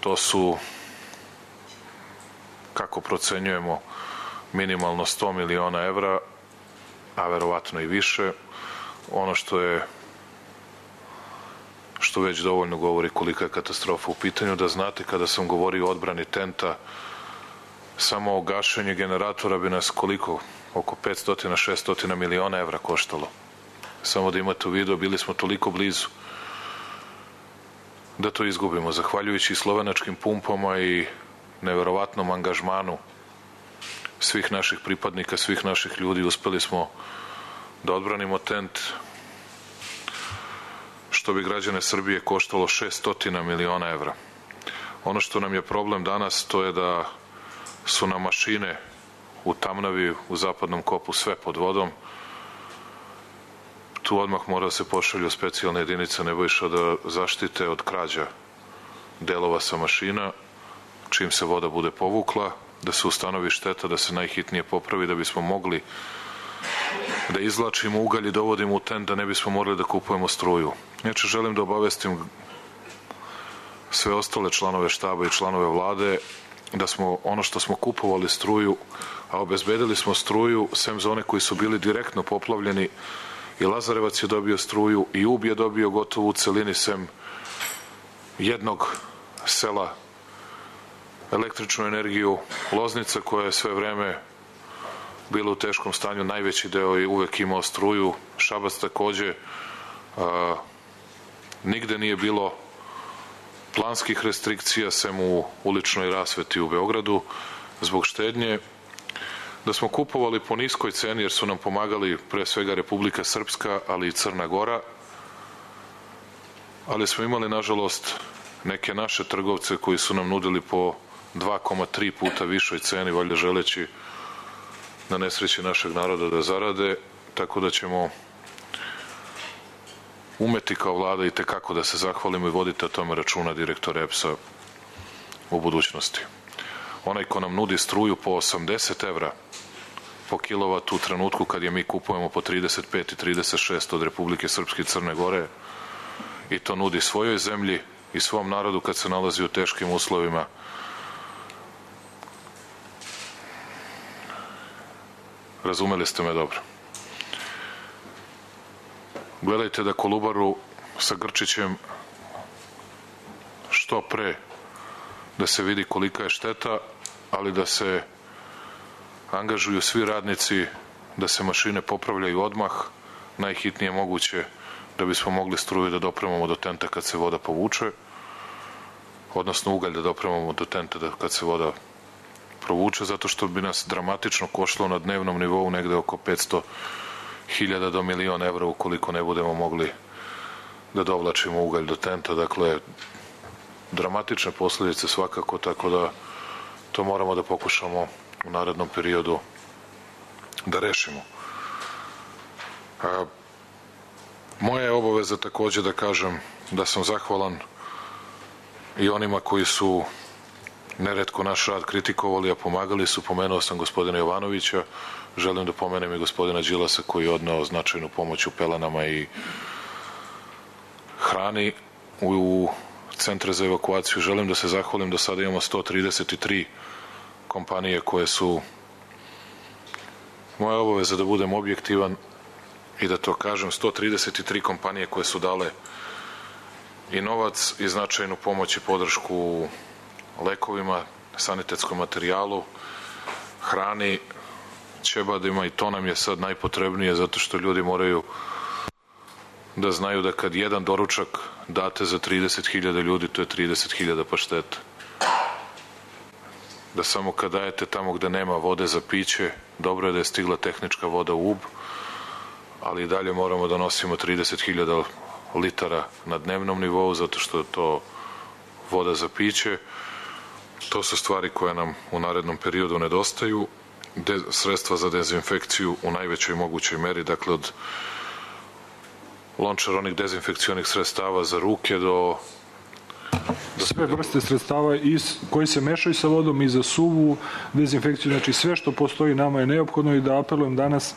[SPEAKER 10] To su, kako procenjujemo, minimalno 100 miliona evra, a verovatno i više. Ono što već dovoljno govori kolika je katastrofa u pitanju. Da znate, kada sam govorio o odbrani tenta, samo gašenje generatora bi nas koliko? Oko 500-600 miliona evra koštalo. Samo da imate u vidu, bili smo toliko blizu da to izgubimo. Zahvaljujući slovenačkim pumpama i neverovatnom angažmanu svih naših pripadnika, svih naših ljudi, uspeli smo da odbranimo tent, što bi građane Srbije koštalo 600 miliona evra. Ono što nam je problem danas, to je da su nam mašine u Tamnavi, u zapadnom kopu, sve pod vodom. Tu odmah mora da se pošalju specijalne jedinice Nebojša da zaštite od krađa delova sa mašina, čim se voda bude povukla, da se ustanovi šteta, da se najhitnije popravi, da bismo mogli da izvlačimo ugalj i dovodimo u tent, da ne bismo morali da kupujemo struju. Inače, želim da obavestim sve ostale članove štaba i članove vlade da smo ono što smo kupovali struju, a obezbedili smo struju, sem za one koji su bili direktno poplavljeni, i Lazarevac je dobio struju i Ub je dobio gotovo u celini, sem jednog sela, električnu energiju. Loznica, koja je sve vreme bila u teškom stanju, najveći deo je uvek imao struju. Šabac takođe. Nigde nije bilo planskih restrikcija, sem u uličnoj rasveti u Beogradu, zbog štednje. Da smo kupovali po niskoj ceni, jer su nam pomagali pre svega Republika Srpska, ali i Crna Gora, ali smo imali, nažalost, neke naše trgovce koji su nam nudili po 2,3 puta višoj ceni, valjda želeći na nesreći našeg naroda da zarade, tako da ćemo umeti kao vlada i tekako da se zahvalimo i vodite o tome računa, direktor EPS-a, u budućnosti. Onaj ko nam nudi struju po 80 evra po kilovatu u trenutku kad je mi kupujemo po 35 i 36 od Republike Srpske i Crne Gore, i to nudi svojoj zemlji i svom narodu kad se nalazi u teškim uslovima, razumeli ste me dobro. Gledajte da Kolubaru sa Grčićem što pre da se vidi kolika je šteta, ali da se angažuju svi radnici, da se mašine popravljaju odmah, najhitnije moguće, da bismo mogli struju da dopremamo do tenta kad se voda povuče, odnosno ugalj da dopremamo do tenta kad se voda provuče, zato što bi nas dramatično koštalo na dnevnom nivou negde oko 500.000 do 1.000.000 evra ukoliko ne budemo mogli da dovlačimo ugalj do tenta. Dakle, dramatične posledice svakako, tako da to moramo da pokušamo u narednom periodu da rešimo. Moja je obaveza takođe da kažem da sam zahvalan i onima koji su neretko naš rad kritikovali, a pomagali su. Pomenuo sam gospodina Jovanovića, želim da pomenem i gospodina Đilasa koji je odneo značajnu pomoć u pelenama i hrani u centre za evakuaciju. Želim da se zahvalim, do sada imamo 133 kompanije koje su, moja obaveza da budem objektivan i da to kažem, 133 kompanije koje su dale i novac i značajnu pomoć i podršku lekovima, sanitetskom materijalu, hrani, ćebadima, i to nam je sad najpotrebnije zato što ljudi moraju da znaju da kad jedan doručak date za 30.000 ljudi, to je 30.000 pašteta. Da samo kad dajete tamo gde nema vode za piće, dobro je da je stigla tehnička voda u Ub, ali i dalje moramo da nosimo 30.000 litara na dnevnom nivou, zato što je to voda za piće. To su stvari koje nam u narednom periodu nedostaju. Sredstva za dezinfekciju u najvećoj mogućoj meri, dakle od lončara onih dezinfekcionih sredstava za ruke do
[SPEAKER 13] sve vrste sredstava koji se mešaju sa vodom i za suvu dezinfekciju, znači sve što postoji nama je neophodno, i da apelujem danas,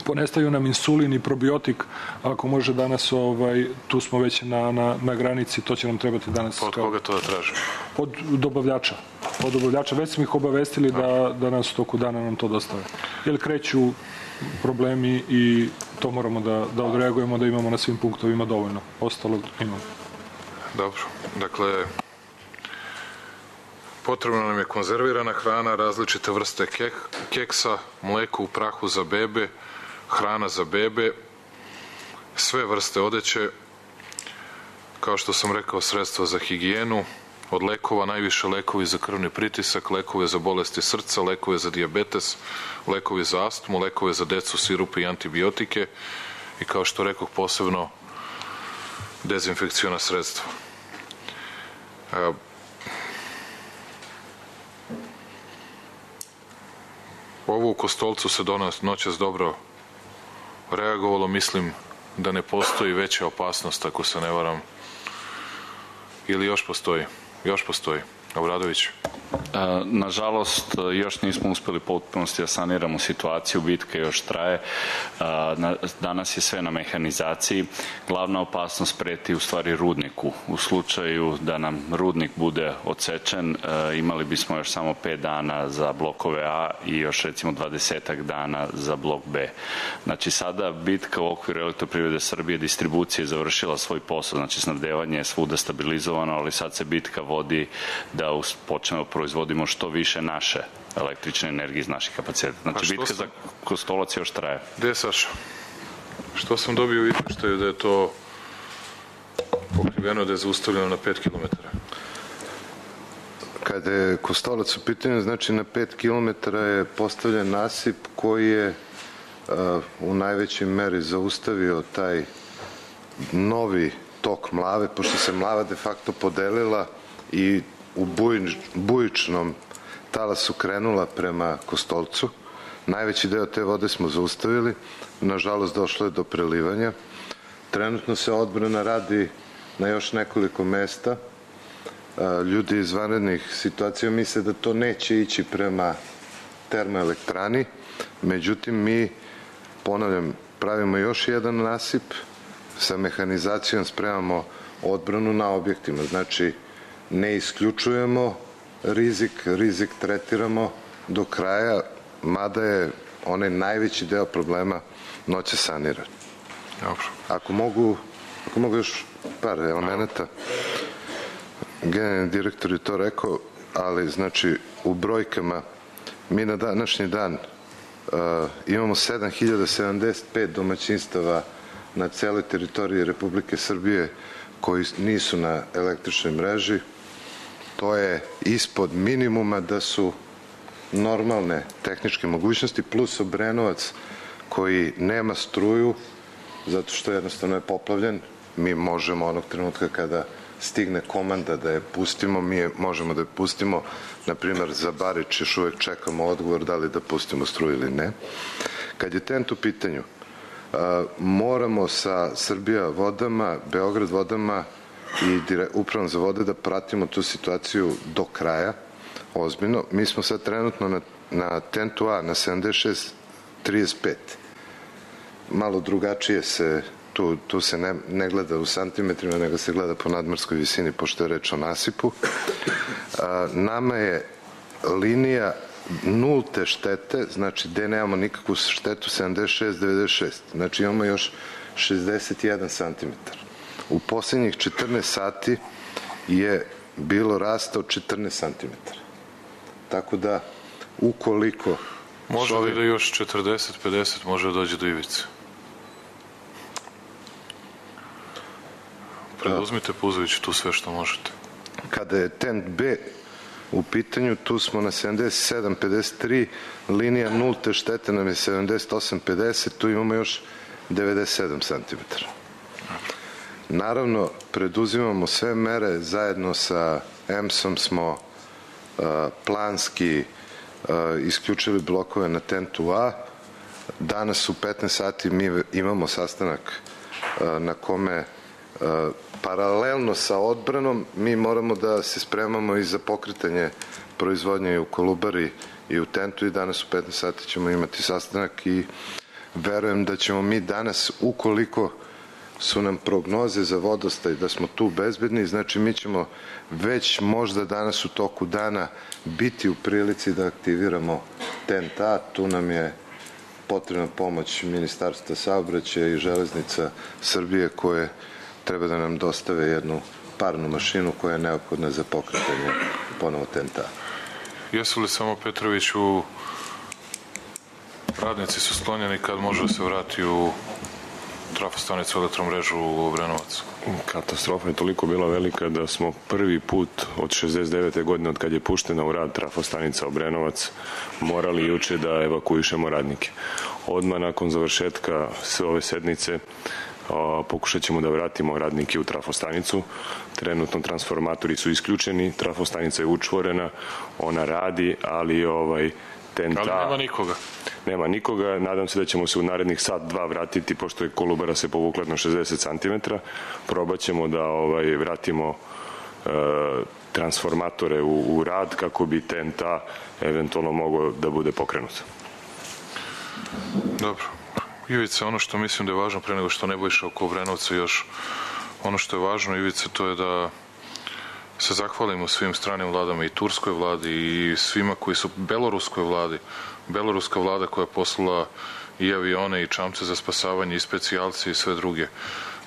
[SPEAKER 13] ponestaju nam insulin i probiotik, ako može danas, tu smo već na granici, to će nam trebati danas.
[SPEAKER 10] Od koga to da tražimo?
[SPEAKER 13] Od dobavljača. Već smo ih obavestili da nas u toku dana nam to dostave. Jer kreću problemi i to moramo da odreagujemo, da imamo na svim punktovima dovoljno. Ostalo imamo.
[SPEAKER 10] Dobro. Dakle, potrebna nam je konzervirana hrana, različite vrste keksa, mleko u prahu za bebe, hrana za bebe, sve vrste odeće, kao što sam rekao, sredstva za higijenu, od lekova najviše lekovi za krvni pritisak, lekove za bolesti srca, lekove za dijabetes, lekovi za astmu, lekove za decu, sirupe i antibiotike i, kao što rekoh, posebno dezinfekciona sredstva. Ovo u Kostolcu se noćas dobro reagovalo. Mislim da ne postoji veća opasnost, ako se ne varam, ili još postoji? Još postoji. Obradović.
[SPEAKER 14] Nažalost, još nismo uspeli potpunosti da saniramo situaciju, bitka još traje. Danas je sve na mehanizaciji. Glavna opasnost preti u stvari rudniku. U slučaju da nam rudnik bude odsečen, imali bismo još samo 5 dana za blokove A i još recimo 20 dana za blok B. Znači sada bitka u okviru Elektroprivrede Srbije, distribucija je završila svoj posao, znači snabdevanje je svuda stabilizovano, ali sad se bitka vodi da počnemo proizvodimo što više naše električne energije iz naših kapaciteta. Znači, bitka za Kostolac još traje.
[SPEAKER 10] Gde je Saša? Što sam dobio u izveštaju da je to pokriveno, da je zaustavljeno na 5 km?
[SPEAKER 15] Kada je Kostolac u pitanju, znači na 5 km je postavljen nasip koji je u najvećoj meri zaustavio taj novi tok Mlave, pošto se Mlava de facto podelila i u bujičnom talasu krenula prema Kostolcu. Najveći deo te vode smo zaustavili, nažalost došlo je do prelivanja. Trenutno se odbrana radi na još nekoliko mesta. Ljudi iz vanrednih situacija misle da to neće ići prema termoelektrani, međutim mi, ponavljam, pravimo još jedan nasip, sa mehanizacijom spremamo odbranu na objektima, znači ne isključujemo rizik tretiramo do kraja, mada je onaj najveći deo problema noće saniran.
[SPEAKER 10] Dobro.
[SPEAKER 15] Ako mogu još par elemenata, generalni direktor je to rekao, ali znači u brojkama mi na današnji dan imamo 7075 domaćinstava na celoj teritoriji Republike Srbije koji nisu na električnoj mreži. To je ispod minimuma da su normalne tehničke mogućnosti, plus Obrenovac koji nema struju zato što jednostavno je poplavljen. Mi možemo onog trenutka kada stigne komanda da je pustimo, mi možemo da je pustimo. Naprimer, za Barič još uvek čekamo odgovor da li da pustimo struju ili ne. Kad je TENT u pitanju, moramo sa Srbija vodama, Beograd vodama i upravom za vode da pratimo tu situaciju do kraja, ozbiljno. Mi smo sad trenutno na TENT-u A na 76,35. Malo drugačije se, tu se ne gleda u santimetrima, nego se gleda po nadmorskoj visini, pošto je reč o nasipu. Nama je linija nulte štete, znači gde nemamo nikakvu štetu, 76,96. Znači imamo još 61 cm. U poslednjih 14 sati je bilo rasta od 14 cm. Tako da, ukoliko...
[SPEAKER 10] Može li da još 40-50 može da dođe do ivice? Preduzmite, Puzoviću, tu sve što možete.
[SPEAKER 15] Kada je TENT B u pitanju, tu smo na 77,53, linija nulte štete nam je 78,50, tu imamo još 97 cm. Naravno, preduzimamo sve mere, zajedno sa EMS-om smo planski isključili blokove na TENT-u A. Danas u 15 sati mi imamo sastanak na kome paralelno sa odbranom mi moramo da se spremamo i za pokretanje proizvodnje u Kolubari i u TENT-u i danas u 15 sati ćemo imati sastanak i verujem da ćemo mi danas, ukoliko su nam prognoze za vodostaj da smo tu bezbedni, znači mi ćemo već možda danas u toku dana biti u prilici da aktiviramo TENT A. Tu nam je potrebna pomoć Ministarstva saobraćaja i Železnica Srbije koje treba da nam dostave jednu parnu mašinu koja je neophodna za pokretanje ponovo TENT A.
[SPEAKER 10] Jesu li samo Petroviću radnici su sklonjeni kad može da se vrati u trafostanicu elektromrežu u Obrenovac?
[SPEAKER 11] Katastrofa je toliko bila velika da smo prvi put od 69. godine od kad je puštena u rad trafostanica Obrenovac morali juče da evakuišemo radnike. Odmah nakon završetka ove sednice pokušat ćemo da vratimo radnike u trafostanicu. Trenutno transformatori su isključeni, trafostanica je učvorena, ona radi, ali TENT A...
[SPEAKER 10] Ali nema nikoga.
[SPEAKER 11] Nema nikoga, nadam se da ćemo se u narednih sat, dva vratiti, pošto je Kolubara se povukla na 60 cm. Probat ćemo da vratimo transformatore u rad kako bi TENT A eventualno mogao da bude pokrenut.
[SPEAKER 10] Dobro. Ivica, ono što mislim da je važno pre nego što Nebojša oko Obrenovca još, ono što je važno, Ivica, to je da se zahvalimo svim stranim vladama i turskoj vladi i svima koji su beloruskoj vladi. Beloruska vlada koja je poslala i avione i čamce za spasavanje i specijalci i sve druge.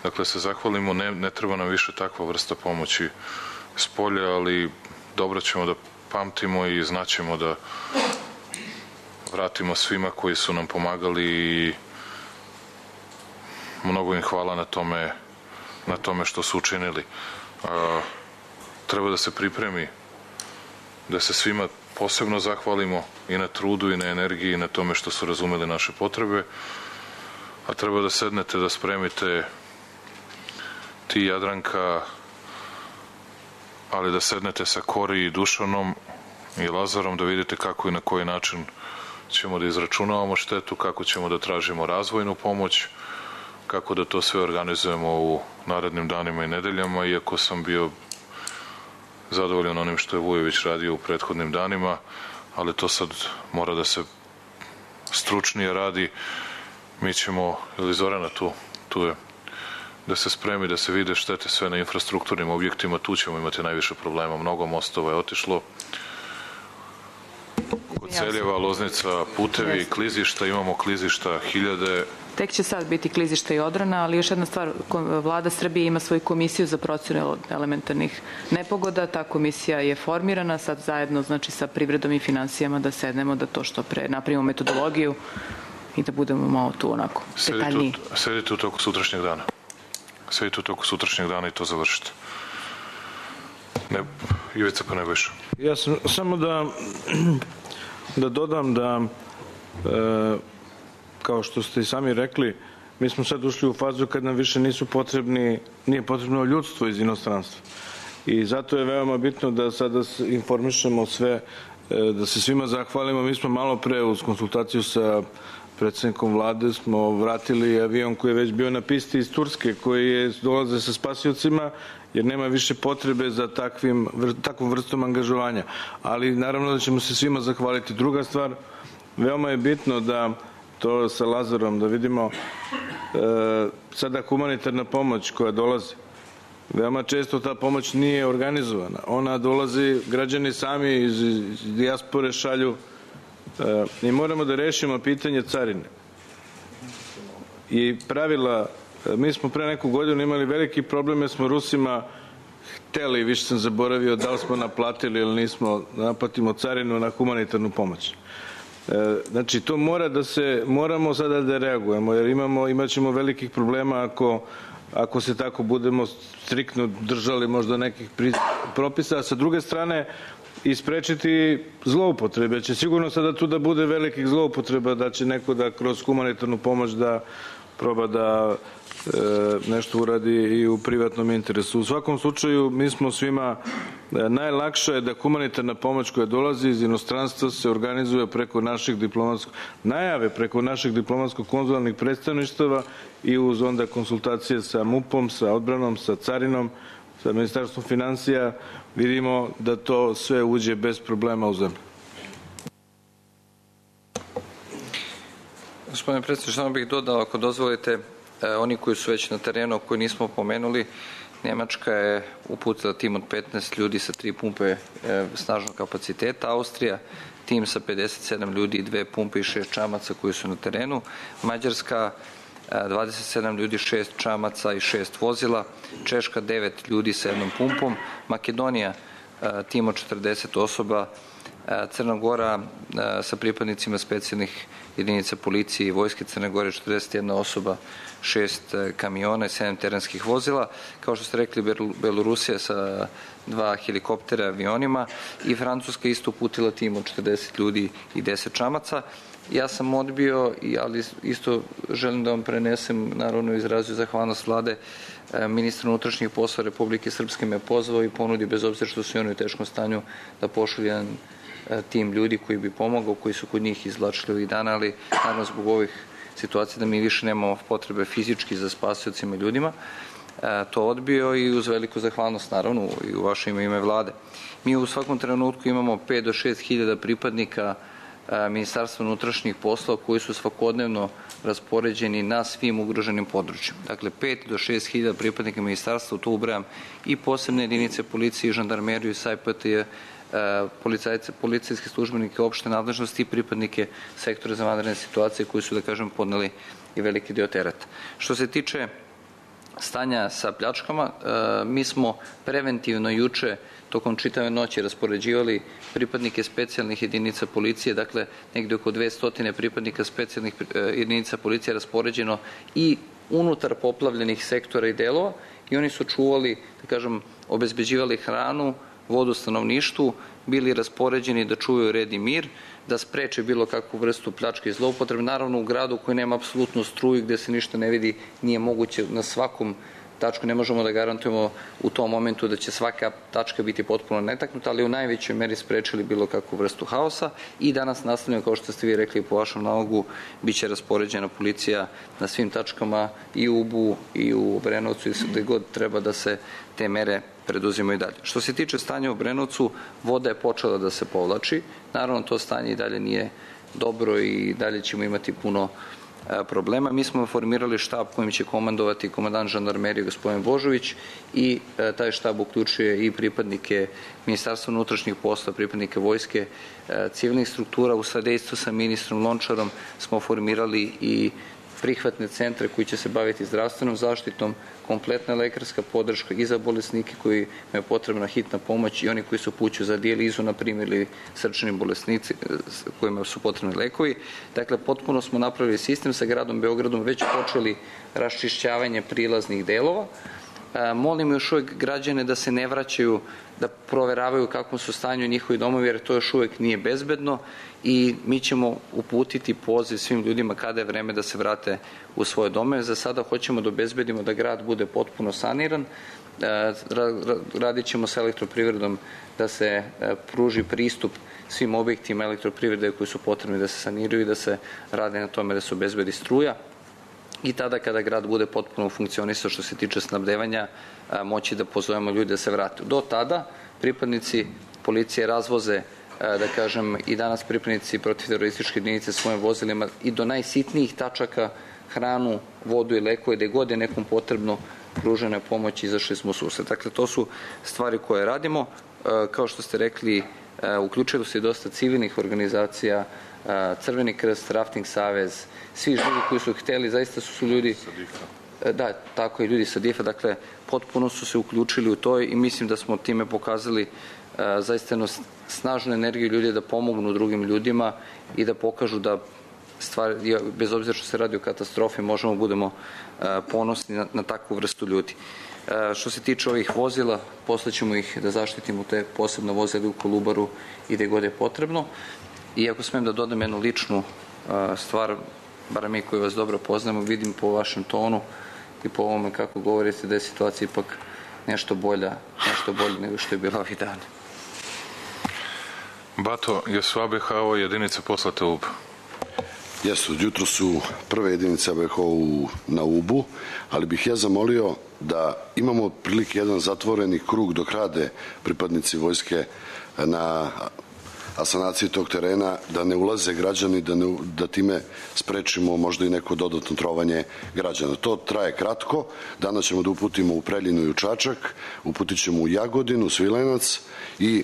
[SPEAKER 10] Dakle, se zahvalimo, ne treba nam više takva vrsta pomoći s polja, ali dobro ćemo da pamtimo i znaćemo da vratimo svima koji su nam pomagali i mnogo im hvala na tome što su učinili. Treba da se pripremi, da se svima posebno zahvalimo i na trudu i na energiji i na tome što su razumeli naše potrebe, a treba da sednete, da spremite ti, Jadranka, ali da sednete sa Kori i Dušanom i Lazarom, da vidite kako i na koji način ćemo da izračunavamo štetu, kako ćemo da tražimo razvojnu pomoć, kako da to sve organizujemo u narednim danima i nedeljama, iako sam bio zadovoljan onim što je Vujović radio u prethodnim danima, ali to sad mora da se stručnije radi. Mi ćemo, ili Zorana tu je, da se spremi, da se vide štete sve na infrastrukturnim objektima, tu ćemo imati najviše problema. Mnogo mostova je otišlo. Kod Celjeva, Loznica, putevi, klizišta, imamo klizišta hiljade.
[SPEAKER 16] Tek će sad biti klizišta i odbrana, ali još jedna stvar, Vlada Srbije ima svoju komisiju za procenu elementarnih nepogoda, ta komisija je formirana, sad zajedno znači sa privredom i finansijama da sednemo, da to što pre napravimo metodologiju i da budemo malo tu onako detaljniji.
[SPEAKER 10] Sedite u toku sutrašnjeg dana. Sedite u toku sutrašnjeg dana i to završite. Ivica pa Nebojša.
[SPEAKER 17] Ja sam samo da dodam da kao što ste i sami rekli, mi smo sad ušli u fazu kad nam više nije potrebno ljudstvo iz inostranstva. I zato je veoma bitno da sada informišemo sve, da se svima zahvalimo. Mi smo malo pre uz konsultaciju sa predsednikom vlade smo vratili avion koji je već bio na pisti iz Turske, koji dolaze sa spasiocima, jer nema više potrebe za takvom vrstom angažovanja. Ali naravno da ćemo se svima zahvaliti. Druga stvar, veoma je bitno da to sa Lazarom, da vidimo sada humanitarna pomoć koja dolazi. Veoma često ta pomoć nije organizovana. Ona dolazi, građani sami iz dijaspore šalju i moramo da rešimo pitanje carine. I pravila, mi smo pre neku godinu imali veliki problem jer smo Rusima hteli, više sam zaboravio da li smo naplatili ili nismo, naplatimo carinu na humanitarnu pomoć. Znači, to moramo sada da reagujemo, jer imat ćemo velikih problema ako se tako budemo striktno držali možda nekih propisa, a sa druge strane isprečiti zloupotrebe. Će sigurno sada tu da bude velikih zloupotreba, da će neko da kroz humanitarnu pomoć da proba da nešto uradi i u privatnom interesu. U svakom slučaju, mi smo svima, najlakše je da humanitarna pomoć koja dolazi iz inostranstva se organizuje preko naših najave preko naših diplomatsko-konzularnih predstavništava i uz onda konsultacije sa MUP-om, sa odbranom, sa carinom, sa Ministarstvom finansija, vidimo da to sve uđe bez problema u zemlju.
[SPEAKER 3] Gospodine predsjedniče, samo bih dodao, ako dozvolite, oni koji su već na terenu, koji nismo pomenuli, Nemačka je uputila tim od 15 ljudi sa 3 pumpe snažnog kapaciteta, Austrija tim sa 57 ljudi, 2 pumpe i 6 čamaca koji su na terenu, Mađarska 27 ljudi, 6 čamaca i 6 vozila, Češka 9 ljudi sa 1 pumpom, Makedonija tim od 40 osoba, Crna Gora sa pripadnicima specijalnih jedinica policije i vojske Crne Gore 41 osoba, 6 kamiona i 7 terenskih vozila. Kao što ste rekli, Belorusija sa 2 helikoptera avionima i Francuska isto uputila tim od 40 ljudi i 10 čamaca. Ja sam odbio, ali isto želim da vam prenesem, naravno izrazio zahvalnost vlade, ministra unutrašnjih poslova Republike Srpske me pozvao i ponudio, bez obzira što su i oni u teškom stanju, da pošalju jedan tim ljudi koji bi pomogao, koji su kod njih izvlačili ovih dana, ali naravno zbog ovih situacija da mi više nemamo potrebe fizički za spasiocima i ljudima, to odbio i uz veliku zahvalnost naravno i u vaše ime vlade. Mi u svakom trenutku imamo 5 do 6 hiljada pripadnika Ministarstva unutrašnjih poslova koji su svakodnevno raspoređeni na svim ugroženim područjima. Dakle, 5 do 6 hiljada pripadnika ministarstva, tu ubrajam i posebne jedinice policije i žandarmeriju i SAJPT, policijske službenike opšte nadležnosti i pripadnike sektora za vanredne situacije koji su, da kažem, podneli i veliki deo tereta. Što se tiče stanja sa pljačkama, mi smo preventivno juče tokom čitave noći raspoređivali pripadnike specijalnih jedinica policije, dakle negde oko 200 pripadnika specijalnih jedinica policije raspoređeno i unutar poplavljenih sektora i delova i oni su čuvali, da kažem, obezbeđivali hranu, vodu stanovništvu, bili raspoređeni da čuvaju red i mir, da spreče bilo kakvu vrstu pljačke i zloupotrebe. Naravno, u gradu koji nema apsolutno struju, gde se ništa ne vidi, nije moguće na svakom tačku. Ne možemo da garantujemo u tom momentu da će svaka tačka biti potpuno netaknuta, ali u najvećoj meri sprečili bilo kakvu vrstu haosa i danas nastavljamo, kao što ste vi rekli po vašem nalogu, bit će raspoređena policija na svim tačkama i u Ubu i u Obrenovcu i gde god treba da se te mere preduzimaju dalje. Što se tiče stanja u Obrenovcu, voda je počela da se povlači. Naravno, to stanje i dalje nije dobro i dalje ćemo imati puno problema. Mi smo formirali štab kojim će komandovati komandant žandarmerije gospodin Božović i taj štab uključuje i pripadnike Ministarstva unutrašnjih posla, pripadnike vojske, civilnih struktura. U sadejstvu sa ministrom Lončarom smo formirali i prihvatne centre koji će se baviti zdravstvenom zaštitom, kompletna lekarska podrška i za bolesnike koji imaju potrebna hitna pomoć i oni koji su upućuju za dijalizu, na primjer, ili srčani bolesnici kojima su potrebni lekovi. Dakle, potpuno smo napravili sistem sa gradom Beogradom, već počeli raščišćavanje prilaznih delova. Molim još uvek građane da se ne vraćaju, da proveravaju kakvom su stanju njihovi domovi, jer to još uvek nije bezbedno i mi ćemo uputiti poziv svim ljudima kada je vreme da se vrate u svoje domove. Za sada hoćemo da obezbedimo da grad bude potpuno saniran. Radit ćemo sa elektroprivredom da se pruži pristup svim objektima elektroprivrede koji su potrebni da se saniraju i da se rade na tome da se obezbedi struja. I tada kada grad bude potpuno funkcionisao što se tiče snabdevanja, moći da pozovemo ljudi da se vrate. Do tada pripadnici policije razvoze, da kažem, i danas pripadnici protivterorističke jedinice svojim vozilima i do najsitnijih tačaka hranu, vodu i lekove, gde god je nekom potrebno pružene pomoći, izašli smo u susret. Dakle, to su stvari koje radimo. Kao što ste rekli, uključilo se i dosta civilnih organizacija, Crveni krst, Rafting savez, svi ljudi koji su hteli, zaista su ljudi, da, tako i ljudi sa DIF-a, dakle, potpuno su se uključili u to i mislim da smo time pokazali zaista jednu snažnu energiju ljudi da pomognu drugim ljudima i da pokažu da stvari, bez obzira što se radi o katastrofi, možemo budemo ponosni na takvu vrstu ljudi. Što se tiče ovih vozila, posle ćemo ih da zaštitimo, te posebno vozila u Kolubaru i gde god je potrebno. I ako smem da dodam jednu ličnu stvar, bar mi koji vas dobro poznamo, vidim po vašem tonu i po ovome kako govorite da je situacija ipak nešto bolja nego što je bila ovih dana.
[SPEAKER 10] Bato, jesu ABH-ove jedinice poslate u Ub?
[SPEAKER 19] Jesu, jutro su prve jedinice ABH na Ubu, ali bih ja zamolio da imamo prilike jedan zatvoreni krug dok rade pripadnici vojske na asanaciji tog terena, da ne ulaze građani, da time sprečimo možda i neko dodatno trovanje građana. To traje kratko, danas ćemo da uputimo u Preljinu i u Čačak, uputit ćemo u Jagodinu, Svilajnac i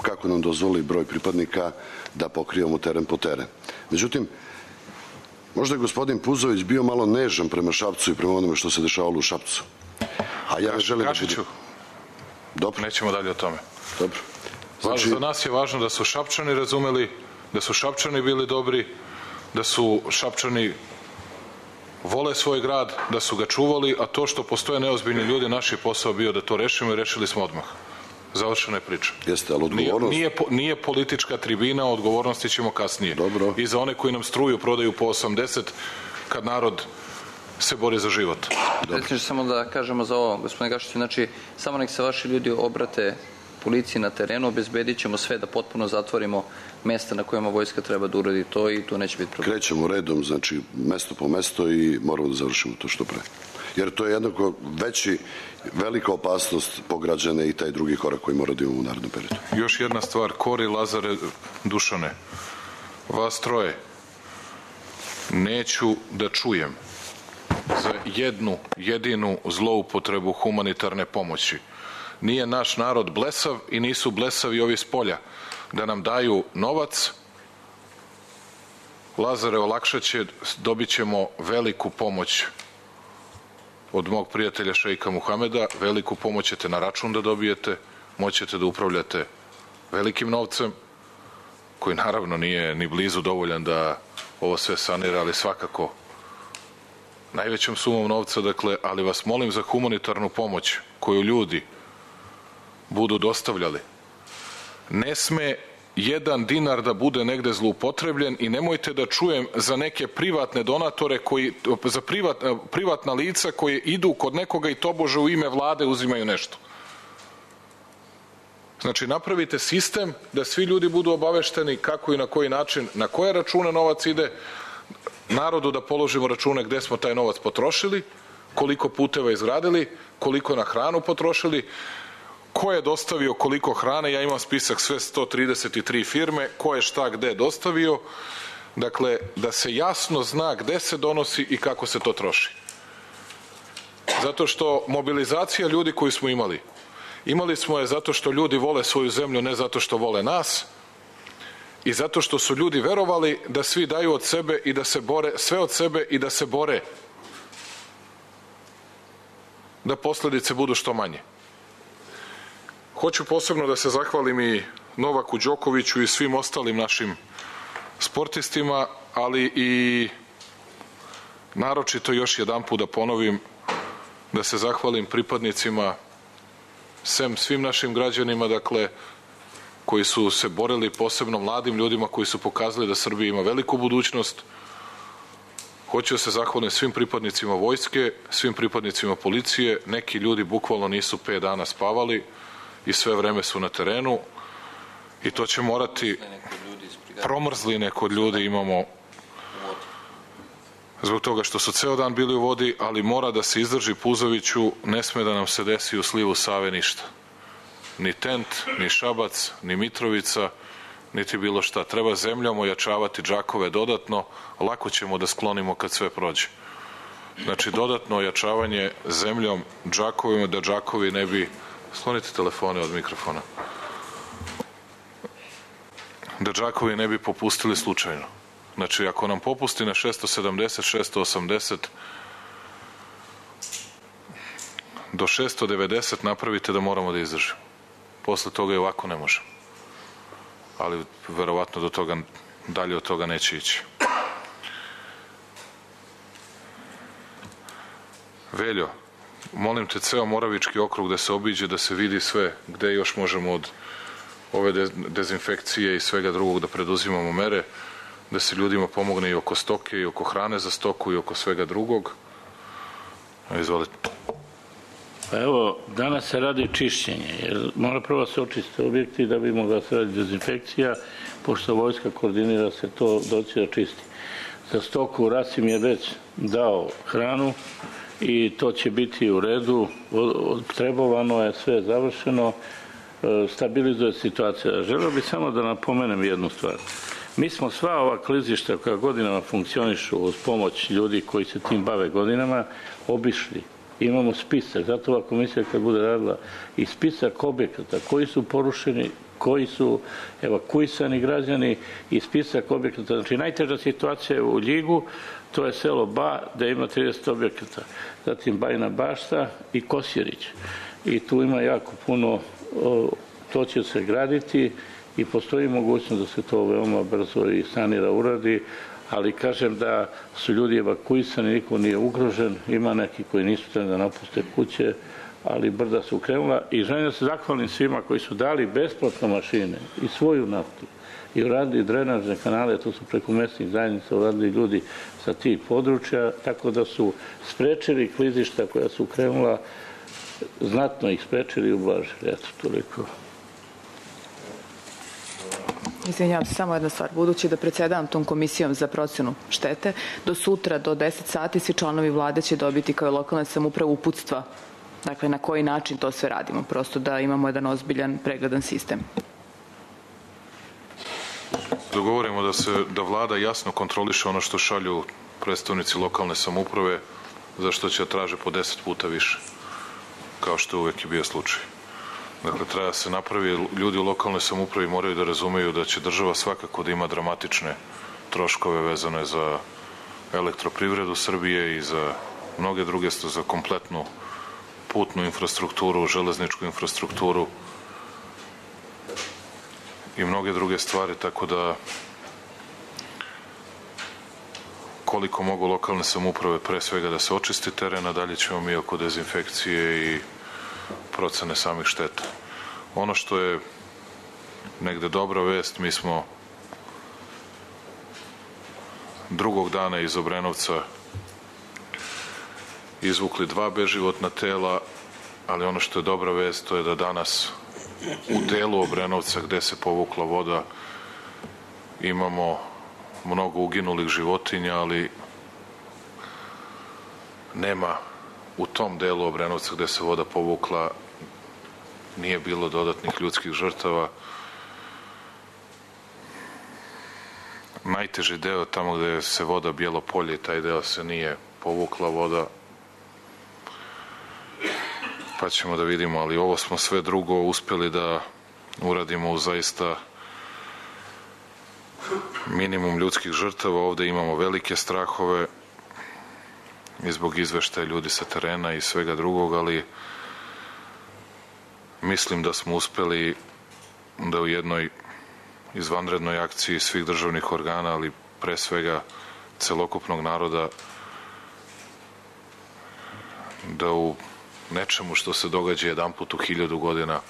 [SPEAKER 19] kako nam dozvoli broj pripadnika da pokrijemo teren po teren. Međutim, možda je gospodin Puzović bio malo nežan prema Šapcu i prema onome što se dešavalo u Šapcu. A ja želim da budem... Dobro.
[SPEAKER 10] Nećemo dalje o tome.
[SPEAKER 19] Dobro.
[SPEAKER 10] Znači, za nas je važno da su Šapčani razumeli, da su Šapčani bili dobri, da su Šapčani vole svoj grad, da su ga čuvali, a to što postoje neozbiljni ljudi, naš je posao bio da to rešimo i rešili smo odmah. Završena je priča.
[SPEAKER 19] Jeste, ali odgovornost...
[SPEAKER 10] Nije politička tribina, odgovornosti ćemo kasnije.
[SPEAKER 19] Dobro.
[SPEAKER 10] I za one koji nam struju prodaju po 80, kad narod se bori za život.
[SPEAKER 3] Predsjedniče, samo da kažemo za ovo, gospodine Gašiću, znači, samo nek se vaši ljudi obrate policiji na terenu, obezbedit ćemo sve da potpuno zatvorimo mesta na kojima vojska treba da uradi to i tu neće biti problem.
[SPEAKER 19] Krećemo redom, znači, mesto po mesto i moramo da završimo to što pre. Jer to je jednako velika opasnost po građane i taj drugi korak koji mora da imamo u narednom periodu.
[SPEAKER 10] Još jedna stvar, Kori, Lazare, Dušane, vas troje, neću da čujem za jednu jedinu zloupotrebu humanitarne pomoći. Nije naš narod blesav i nisu blesavi ovi s polja da nam daju novac. Lazare, olakšaće, dobit ćemo veliku pomoć od mog prijatelja šejka Muhameda, veliku pomoć ćete na račun da dobijete, moćete da upravljate velikim novcem, koji naravno nije ni blizu dovoljan da ovo sve sanira, ali svakako najvećom sumom novca, dakle, ali vas molim za humanitarnu pomoć koju ljudi budu dostavljali. Ne sme
[SPEAKER 18] jedan dinar da bude negde zloupotrebljen i nemojte da čujem za neke privatne donatore, za privatna lica koje idu kod nekoga i tobože u ime vlade uzimaju nešto. Znači, napravite sistem da svi ljudi budu obavešteni kako i na koji način, na koje račune novac ide, narodu da položimo račune gde smo taj novac potrošili, koliko puteva izgradili, koliko na hranu potrošili, ko je dostavio koliko hrane, ja imam spisak sve 133 firme, ko je šta gde dostavio, dakle, da se jasno zna gde se donosi i kako se to troši. Zato što mobilizacija ljudi koju smo imali smo je zato što ljudi vole svoju zemlju, ne zato što vole nas, i zato što su ljudi verovali da svi daju od sebe i da se bore, sve od sebe i da se bore da posledice budu što manje. Hoću posebno da se zahvalim i Novaku Đokoviću i svim ostalim našim sportistima, ali i naročito još jedanput da ponovim da se zahvalim pripadnicima, svim našim građanima, dakle, koji su se borili, posebno mladim ljudima koji su pokazali da Srbija ima veliku budućnost. Hoću da se zahvalim svim pripadnicima vojske, svim pripadnicima policije. Neki ljudi bukvalno nisu 5 dana spavali i sve vreme su na terenu i to će morati, promrzline kod ljudi imamo zbog toga što su ceo dan bili u vodi, ali mora da se izdrži Puzoviću, ne sme da nam se desi u slivu Save ništa. Ni Tent, ni Šabac, ni Mitrovica, niti bilo šta. Treba zemljom ojačavati džakove dodatno, lako ćemo da sklonimo kad sve prođe. Znači, dodatno ojačavanje zemljom džakovima, da džakovi ne bi... Sklonite telefone od mikrofona. Da džakovi ne bi popustili slučajno. Znači, ako nam popusti na 670, 680, do 690 napravite da moramo da izdržimo. Posle toga i ovako ne možemo. Ali verovatno do toga, dalje od toga neće ići. Veljo, molim te, ceo Moravički okrug da se obiđe, da se vidi sve gde još možemo od ove dezinfekcije i svega drugog da preduzimamo mere, da se ljudima pomogne i oko stoke i oko hrane za stoku i oko svega drugog. Izvolite.
[SPEAKER 20] Pa evo, danas se radi čišćenje, jer mora prvo se očiste objekti da bi mogla se radi dezinfekcija, pošto vojska koordinira se to doći da čisti. Za stoku Rasim je već dao hranu i to će biti u redu, trebovano je, sve završeno, stabilizuje situacija. Želeo bih samo da napomenem jednu stvar. Mi smo sva ova klizišta koja godinama funkcionišu uz pomoć ljudi koji se tim bave godinama obišli. Imamo spisak, zato ova komisija kad bude radila i spisak objekata koji su porušeni, koji su evakuisani građani i spisak objekata. Znači, najteža situacija je u Ljigu, to je selo Ba, gde ima 30 objekata. Zatim Bajina Bašta i Kosjerić. I tu ima jako puno, to će se graditi i postoji mogućnost da se to veoma brzo i sanira, uradi, ali kažem da su ljudi evakuisani, niko nije ugrožen, ima neki koji nisu trebali da napuste kuće, ali brda su krenula i želim da se zahvalim svima koji su dali besplatno mašine i svoju naftu i uradili drenažne kanale, to su preko mesnih zajednica uradili ljudi sa tih područja, tako da su sprečili klizišta koja su krenula, znatno ih sprečili i ublažili. Eto, toliko.
[SPEAKER 16] Izvinjavam se, samo jedna stvar. Budući da predsedavam tom komisijom za procenu štete, do sutra, do 10 sati, svi članovi vlade će dobiti kao i lokalna samouprava uputstva. Dakle, na koji način to sve radimo. Prosto da imamo jedan ozbiljan, pregledan sistem.
[SPEAKER 18] Dogovorimo da vlada jasno kontroliše ono što šalju predstavnici lokalne samouprave, za što će traže po 10 puta više, kao što je uvek i bio slučaj. Dakle, treba da se napravi, ljudi u lokalnoj samoupravi moraju da razumeju da će država svakako da ima dramatične troškove vezane za elektroprivredu Srbije i za mnoge druge, za kompletnu putnu infrastrukturu, železničku infrastrukturu i mnoge druge stvari, tako da koliko mogu lokalne samouprave pre svega da se očisti teren, a dalje ćemo mi oko dezinfekcije i procene samih šteta. Ono što je
[SPEAKER 10] negde dobra vest. Mi smo drugog dana iz Obrenovca izvukli 2 beživotna tela, ali ono što je dobra vest to je da danas u delu Obrenovca gde se povukla voda imamo mnogo uginulih životinja, ali nema u tom delu Obrenovca gde se voda povukla, nije bilo dodatnih ljudskih žrtava. Najteži deo tamo gde se voda Bijelo polje, taj deo se nije povukla voda, pa ćemo da vidimo, ali ovo smo sve drugo uspeli da uradimo u zaista minimum ljudskih žrtava. Ovde imamo velike strahove i zbog izveštaja ljudi sa terena i svega drugog, ali mislim da smo uspeli da u jednoj izvanrednoj akciji svih državnih organa, ali pre svega celokupnog naroda, da u nečemu što se događa jedanput u 1000 godina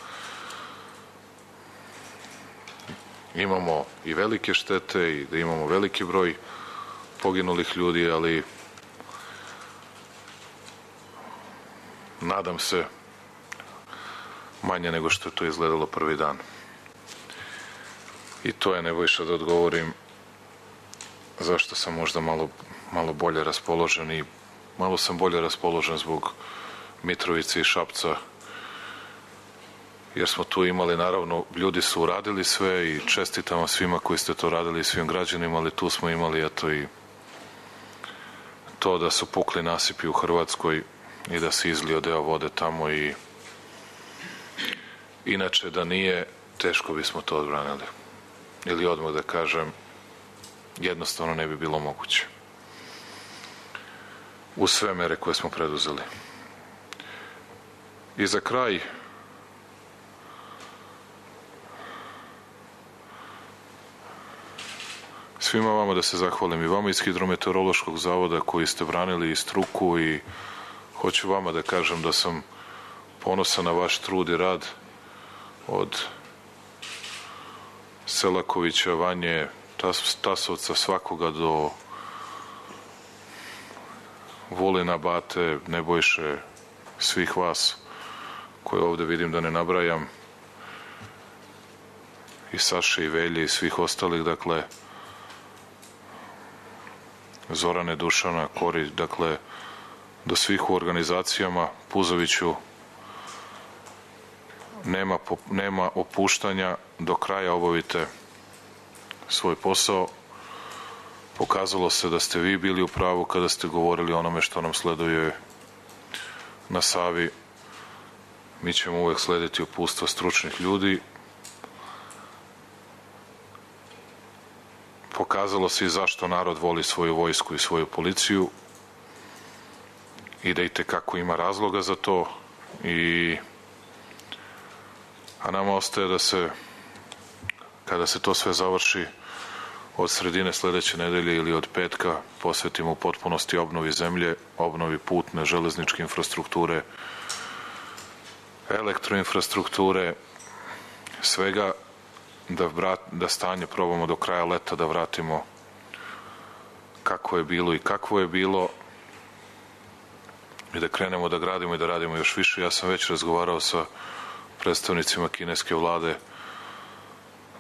[SPEAKER 10] imamo i velike štete i da imamo veliki broj poginulih ljudi, ali nadam se manje nego što je to izgledalo prvi dan. I to je, Nebojša, da odgovorim zašto sam možda malo bolje raspoložen, i malo sam bolje raspoložen zbog Mitrovice i Šapca, jer smo tu imali, naravno, ljudi su uradili sve i čestitam vam svima koji ste to radili i svim građanima, ali tu smo imali eto i to da su pukli nasipi u Hrvatskoj i da se izlio deo vode tamo, i inače da nije, teško bismo to odbranili. Ili odmah da kažem, jednostavno ne bi bilo moguće. Uz sve mere koje smo preduzeli. I za kraj, svima vama da se zahvalim, i vama iz Hidrometeorološkog zavoda koji ste branili i struku, i hoću vama da kažem da sam ponosan na vaš trud i rad od Selakovića, Vanje, Tasovca, svakoga do Vulina, Bate, Nebojše, svih vas koje ovde vidim da ne nabrajam, i Saše i Velje i svih ostalih, dakle Zorane, Dušana, Kori, dakle do svih u organizacijama. Puzoviću, nema opuštanja, do kraja obavite svoj posao. Pokazalo se da ste vi bili u pravu kada ste govorili o onome što nam sleduje na Savi. Mi ćemo uvek slediti uputstva stručnih ljudi. Pokazalo se i zašto narod voli svoju vojsku i svoju policiju i da itekako ima razloga za to, a nama ostaje da se, kada se to sve završi, od sredine sledeće nedelje ili od petka posvetimo u potpunosti obnovi zemlje, obnovi putne, železničke infrastrukture, elektroinfrastrukture, svega, da stanje probamo do kraja leta da vratimo kako je bilo i kakvo je bilo, i da krenemo da gradimo i da radimo još više. Ja sam već razgovarao sa predstavnicima kineske vlade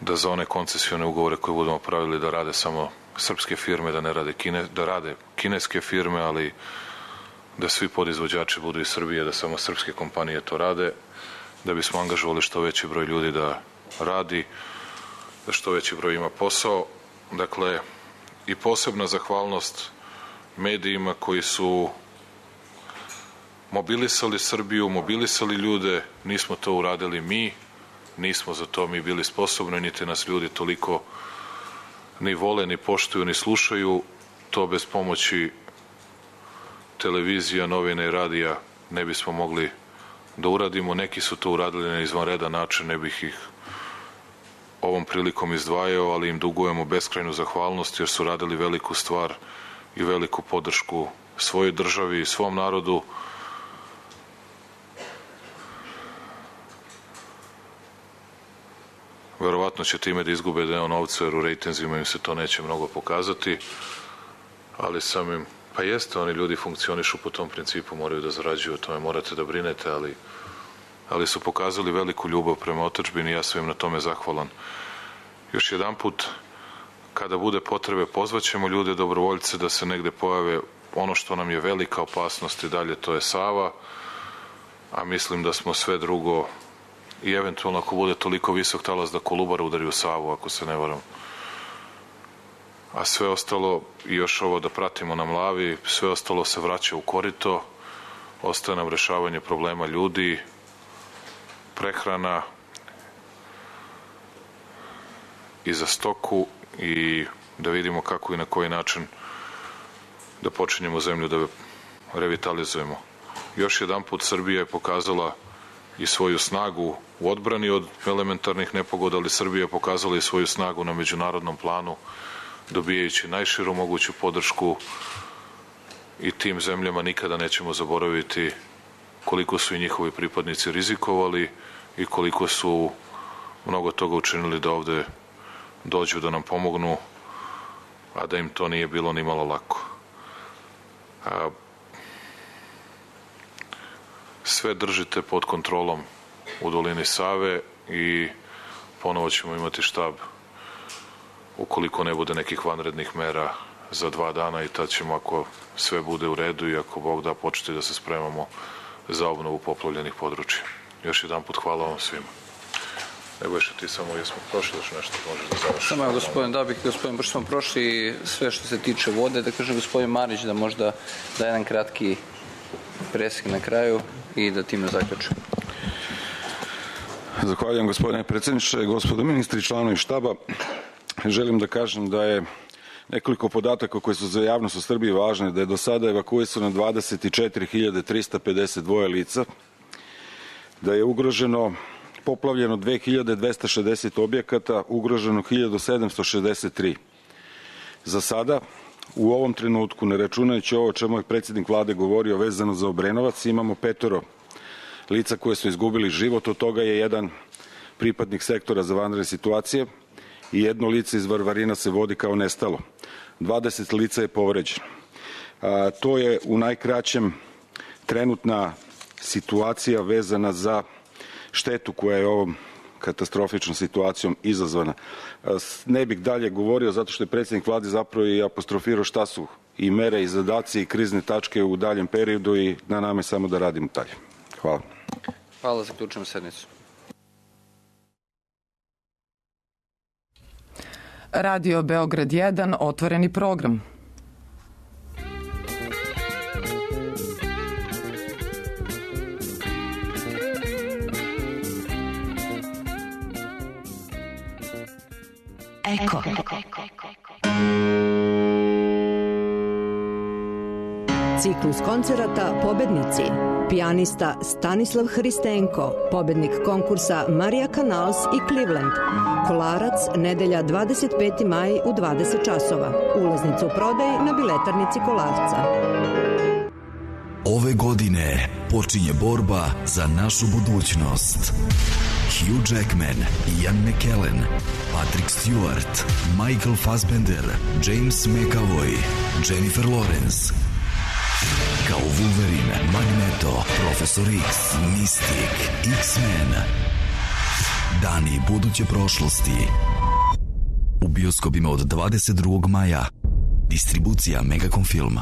[SPEAKER 10] da za one koncesione ugovore koje budemo pravili da rade samo srpske firme, da ne rade da rade kineske firme, ali da svi podizvođači budu iz Srbije, da samo srpske kompanije to rade, da bismo angažovali što veći broj ljudi da radi, da što veći broj ima posao. Dakle, i posebna zahvalnost medijima koji su mobilisali Srbiju, mobilisali ljude. Nismo to uradili mi, nismo za to mi bili sposobni, niti nas ljudi toliko ni vole, ni poštuju, ni slušaju. To bez pomoći televizija, novina i radija ne bismo mogli da uradimo. Neki su to uradili na izvanredan način, ne bih ih ovom prilikom izdvajao, ali im dugujemo beskrajnu zahvalnost jer su radili veliku stvar i veliku podršku svojoj državi i svom narodu. verovatno će time da izgube deo novca, jer u rejtinzima im se to neće mnogo pokazati, ali samim, pa jeste, oni ljudi funkcionišu po tom principu, moraju da zarađuju, o tome morate da brinete, ali su pokazali veliku ljubav prema otadžbini i ja sam im na tome zahvalan. Još jedan put, kada bude potrebe, pozvaćemo ljude, dobrovoljce, da se negde pojave. Ono što nam je velika opasnost i dalje, to je Sava, a mislim da smo sve drugo, i eventualno ako bude toliko visok talas da Kolubara udari u Savu, ako se ne varam. A sve ostalo, i još ovo da pratimo na Mlavi, sve ostalo se vraća u korito, ostaje nam rešavanje problema ljudi, prehrana i za stoku, i da vidimo kako i na koji način da počinjemo zemlju da revitalizujemo. Još jedan put Srbija je pokazala i svoju snagu u odbrani od elementarnih nepogoda, ali Srbija je pokazala i svoju snagu na međunarodnom planu, dobijajući najširu moguću podršku, i tim zemljama nikada nećemo zaboraviti koliko su i njihovi pripadnici rizikovali i koliko su mnogo toga učinili da ovde dođu da nam pomognu, a da im to nije bilo ni malo lako. Sve držite pod kontrolom u dolini Save i ponovo ćemo imati štab ukoliko ne bude nekih vanrednih mera za 2 dana, i tad ćemo, ako sve bude u redu i ako Bog da, početi da se spremamo za obnovu poplavljenih područja. Još jedan put hvala vam svima. Nebojša, ti samo, jesmo prošli još nešto, možeš da završiš?
[SPEAKER 3] Samo, gospodin, pošto smo prošli sve što se tiče vode, da kaže gospodin Marić da možda da jedan kratki presek na kraju i da time zaključimo.
[SPEAKER 4] Zahvaljujem, gospodine predsjedniče, gospodo ministri, članovi štaba. Želim da kažem da je nekoliko podataka koji su za javnost u Srbiji važne, da je do sada evakuisano 24.352 lica, da je ugroženo, poplavljeno 2260 objekata, ugroženo 1763. Za sada, u ovom trenutku, ne računajući ovo o čemu je predsjednik vlade govorio vezano za Obrenovac, imamo 5 lica koje su izgubili život, od toga je jedan pripadnik sektora za vanredne situacije i 1 lice iz Varvarina se vodi kao nestalo. 20 lica je povređeno. To je u najkraćem trenutna situacija vezana za štetu koja je ovom katastrofičnom situacijom izazvana. Ne bih dalje govorio zato što je predsjednik vlade zapravo i apostrofirao šta su i mere i zadaci i krizne tačke u daljem periodu, i na nama je samo da radimo dalje. Hvala.
[SPEAKER 3] Hvala, zaključujem sednicu.
[SPEAKER 2] Radio Beograd 1, otvoreni program.
[SPEAKER 21] Eko. Ciklus koncerata Pobednici. Pijanista Stanislav Hristenko, pobednik konkursa Marija Canals i Cleveland. Kolarac, nedelja 25. maj u 20 časova. Ulaznica u prodaj na biletarnici Kolarca.
[SPEAKER 22] Ove godine počinje borba za našu budućnost. Hugh Jackman, Ian McKellen, Patrick Stewart, Michael Fassbender, James McAvoy, Jennifer Lawrence. Kao Wolverine, Magneto, Profesor X, Mystic, X-Men. Dani buduće prošlosti. U bioskopima od 22. maja. Distribucija Megacom Film.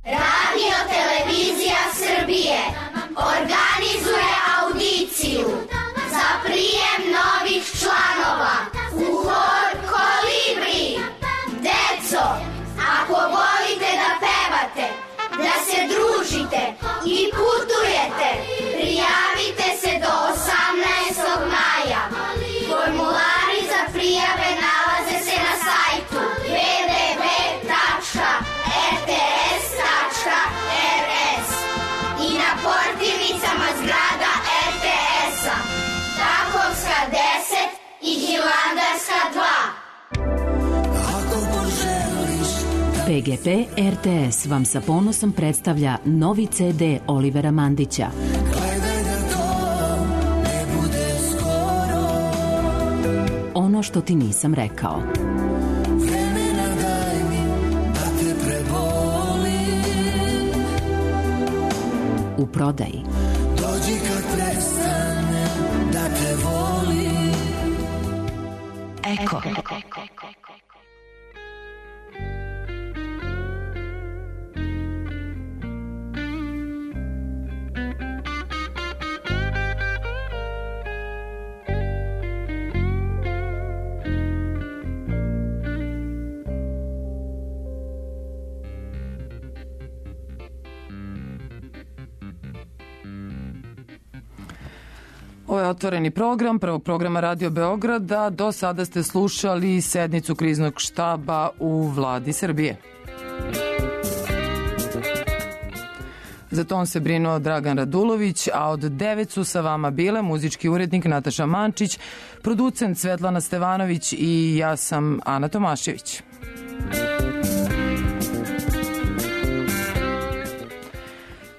[SPEAKER 24] Radio Televizija Srbije organizuje audiciju za prijem novih članova u hor Kolibri. Deco, ako volite da pevate, da se družite i putujete, prijavite se do 18. maja. Formulari za prijave nalaze se na sajtu www.rts.rs i na portirnicama zgrada RTS-a, Takovska 10 i Hilandarska 2.
[SPEAKER 21] PGP RTS vam sa ponosom predstavlja novi CD Olivera Mandića.
[SPEAKER 1] ono što ti nisam rekao.
[SPEAKER 24] Vremena daj mi da te prebolim.
[SPEAKER 1] U prodaji.
[SPEAKER 24] Dođi kad prestanem da te volim.
[SPEAKER 1] Eko.
[SPEAKER 2] Ovo je otvoreni program prvog programa Radio Beograda. Do sada ste slušali sednicu kriznog štaba u vladi Srbije. Za to on se brinuo Dragan Radulović, a od 9 su sa vama bile muzički urednik Nataša Mančić, producent Svetlana Stevanović i ja sam Ana Tomašević.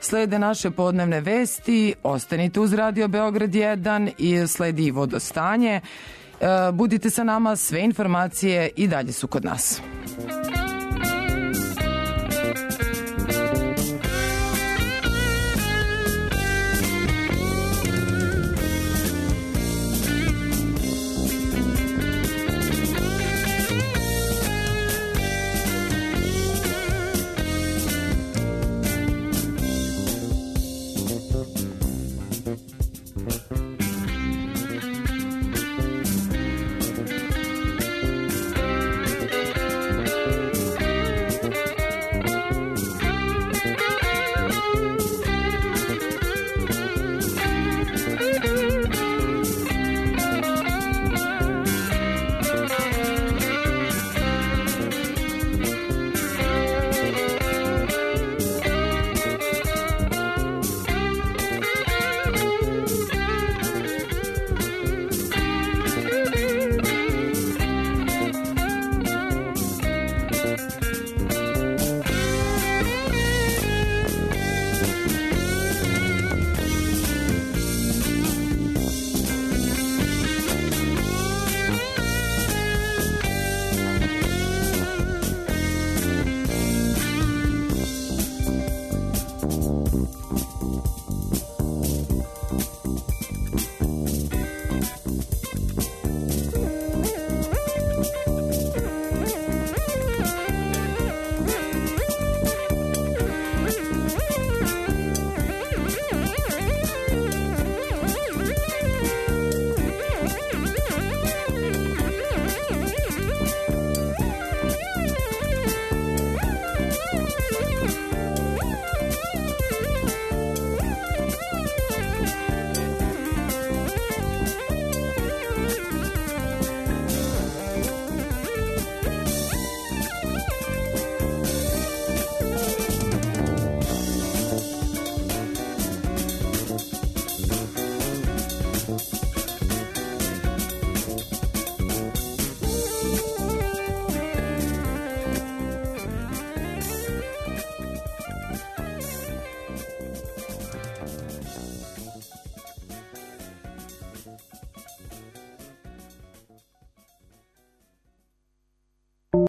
[SPEAKER 2] Slede naše podnevne vesti, ostanite uz Radio Beograd 1 i sledi vodostanje. Budite sa nama, sve informacije i dalje su kod nas.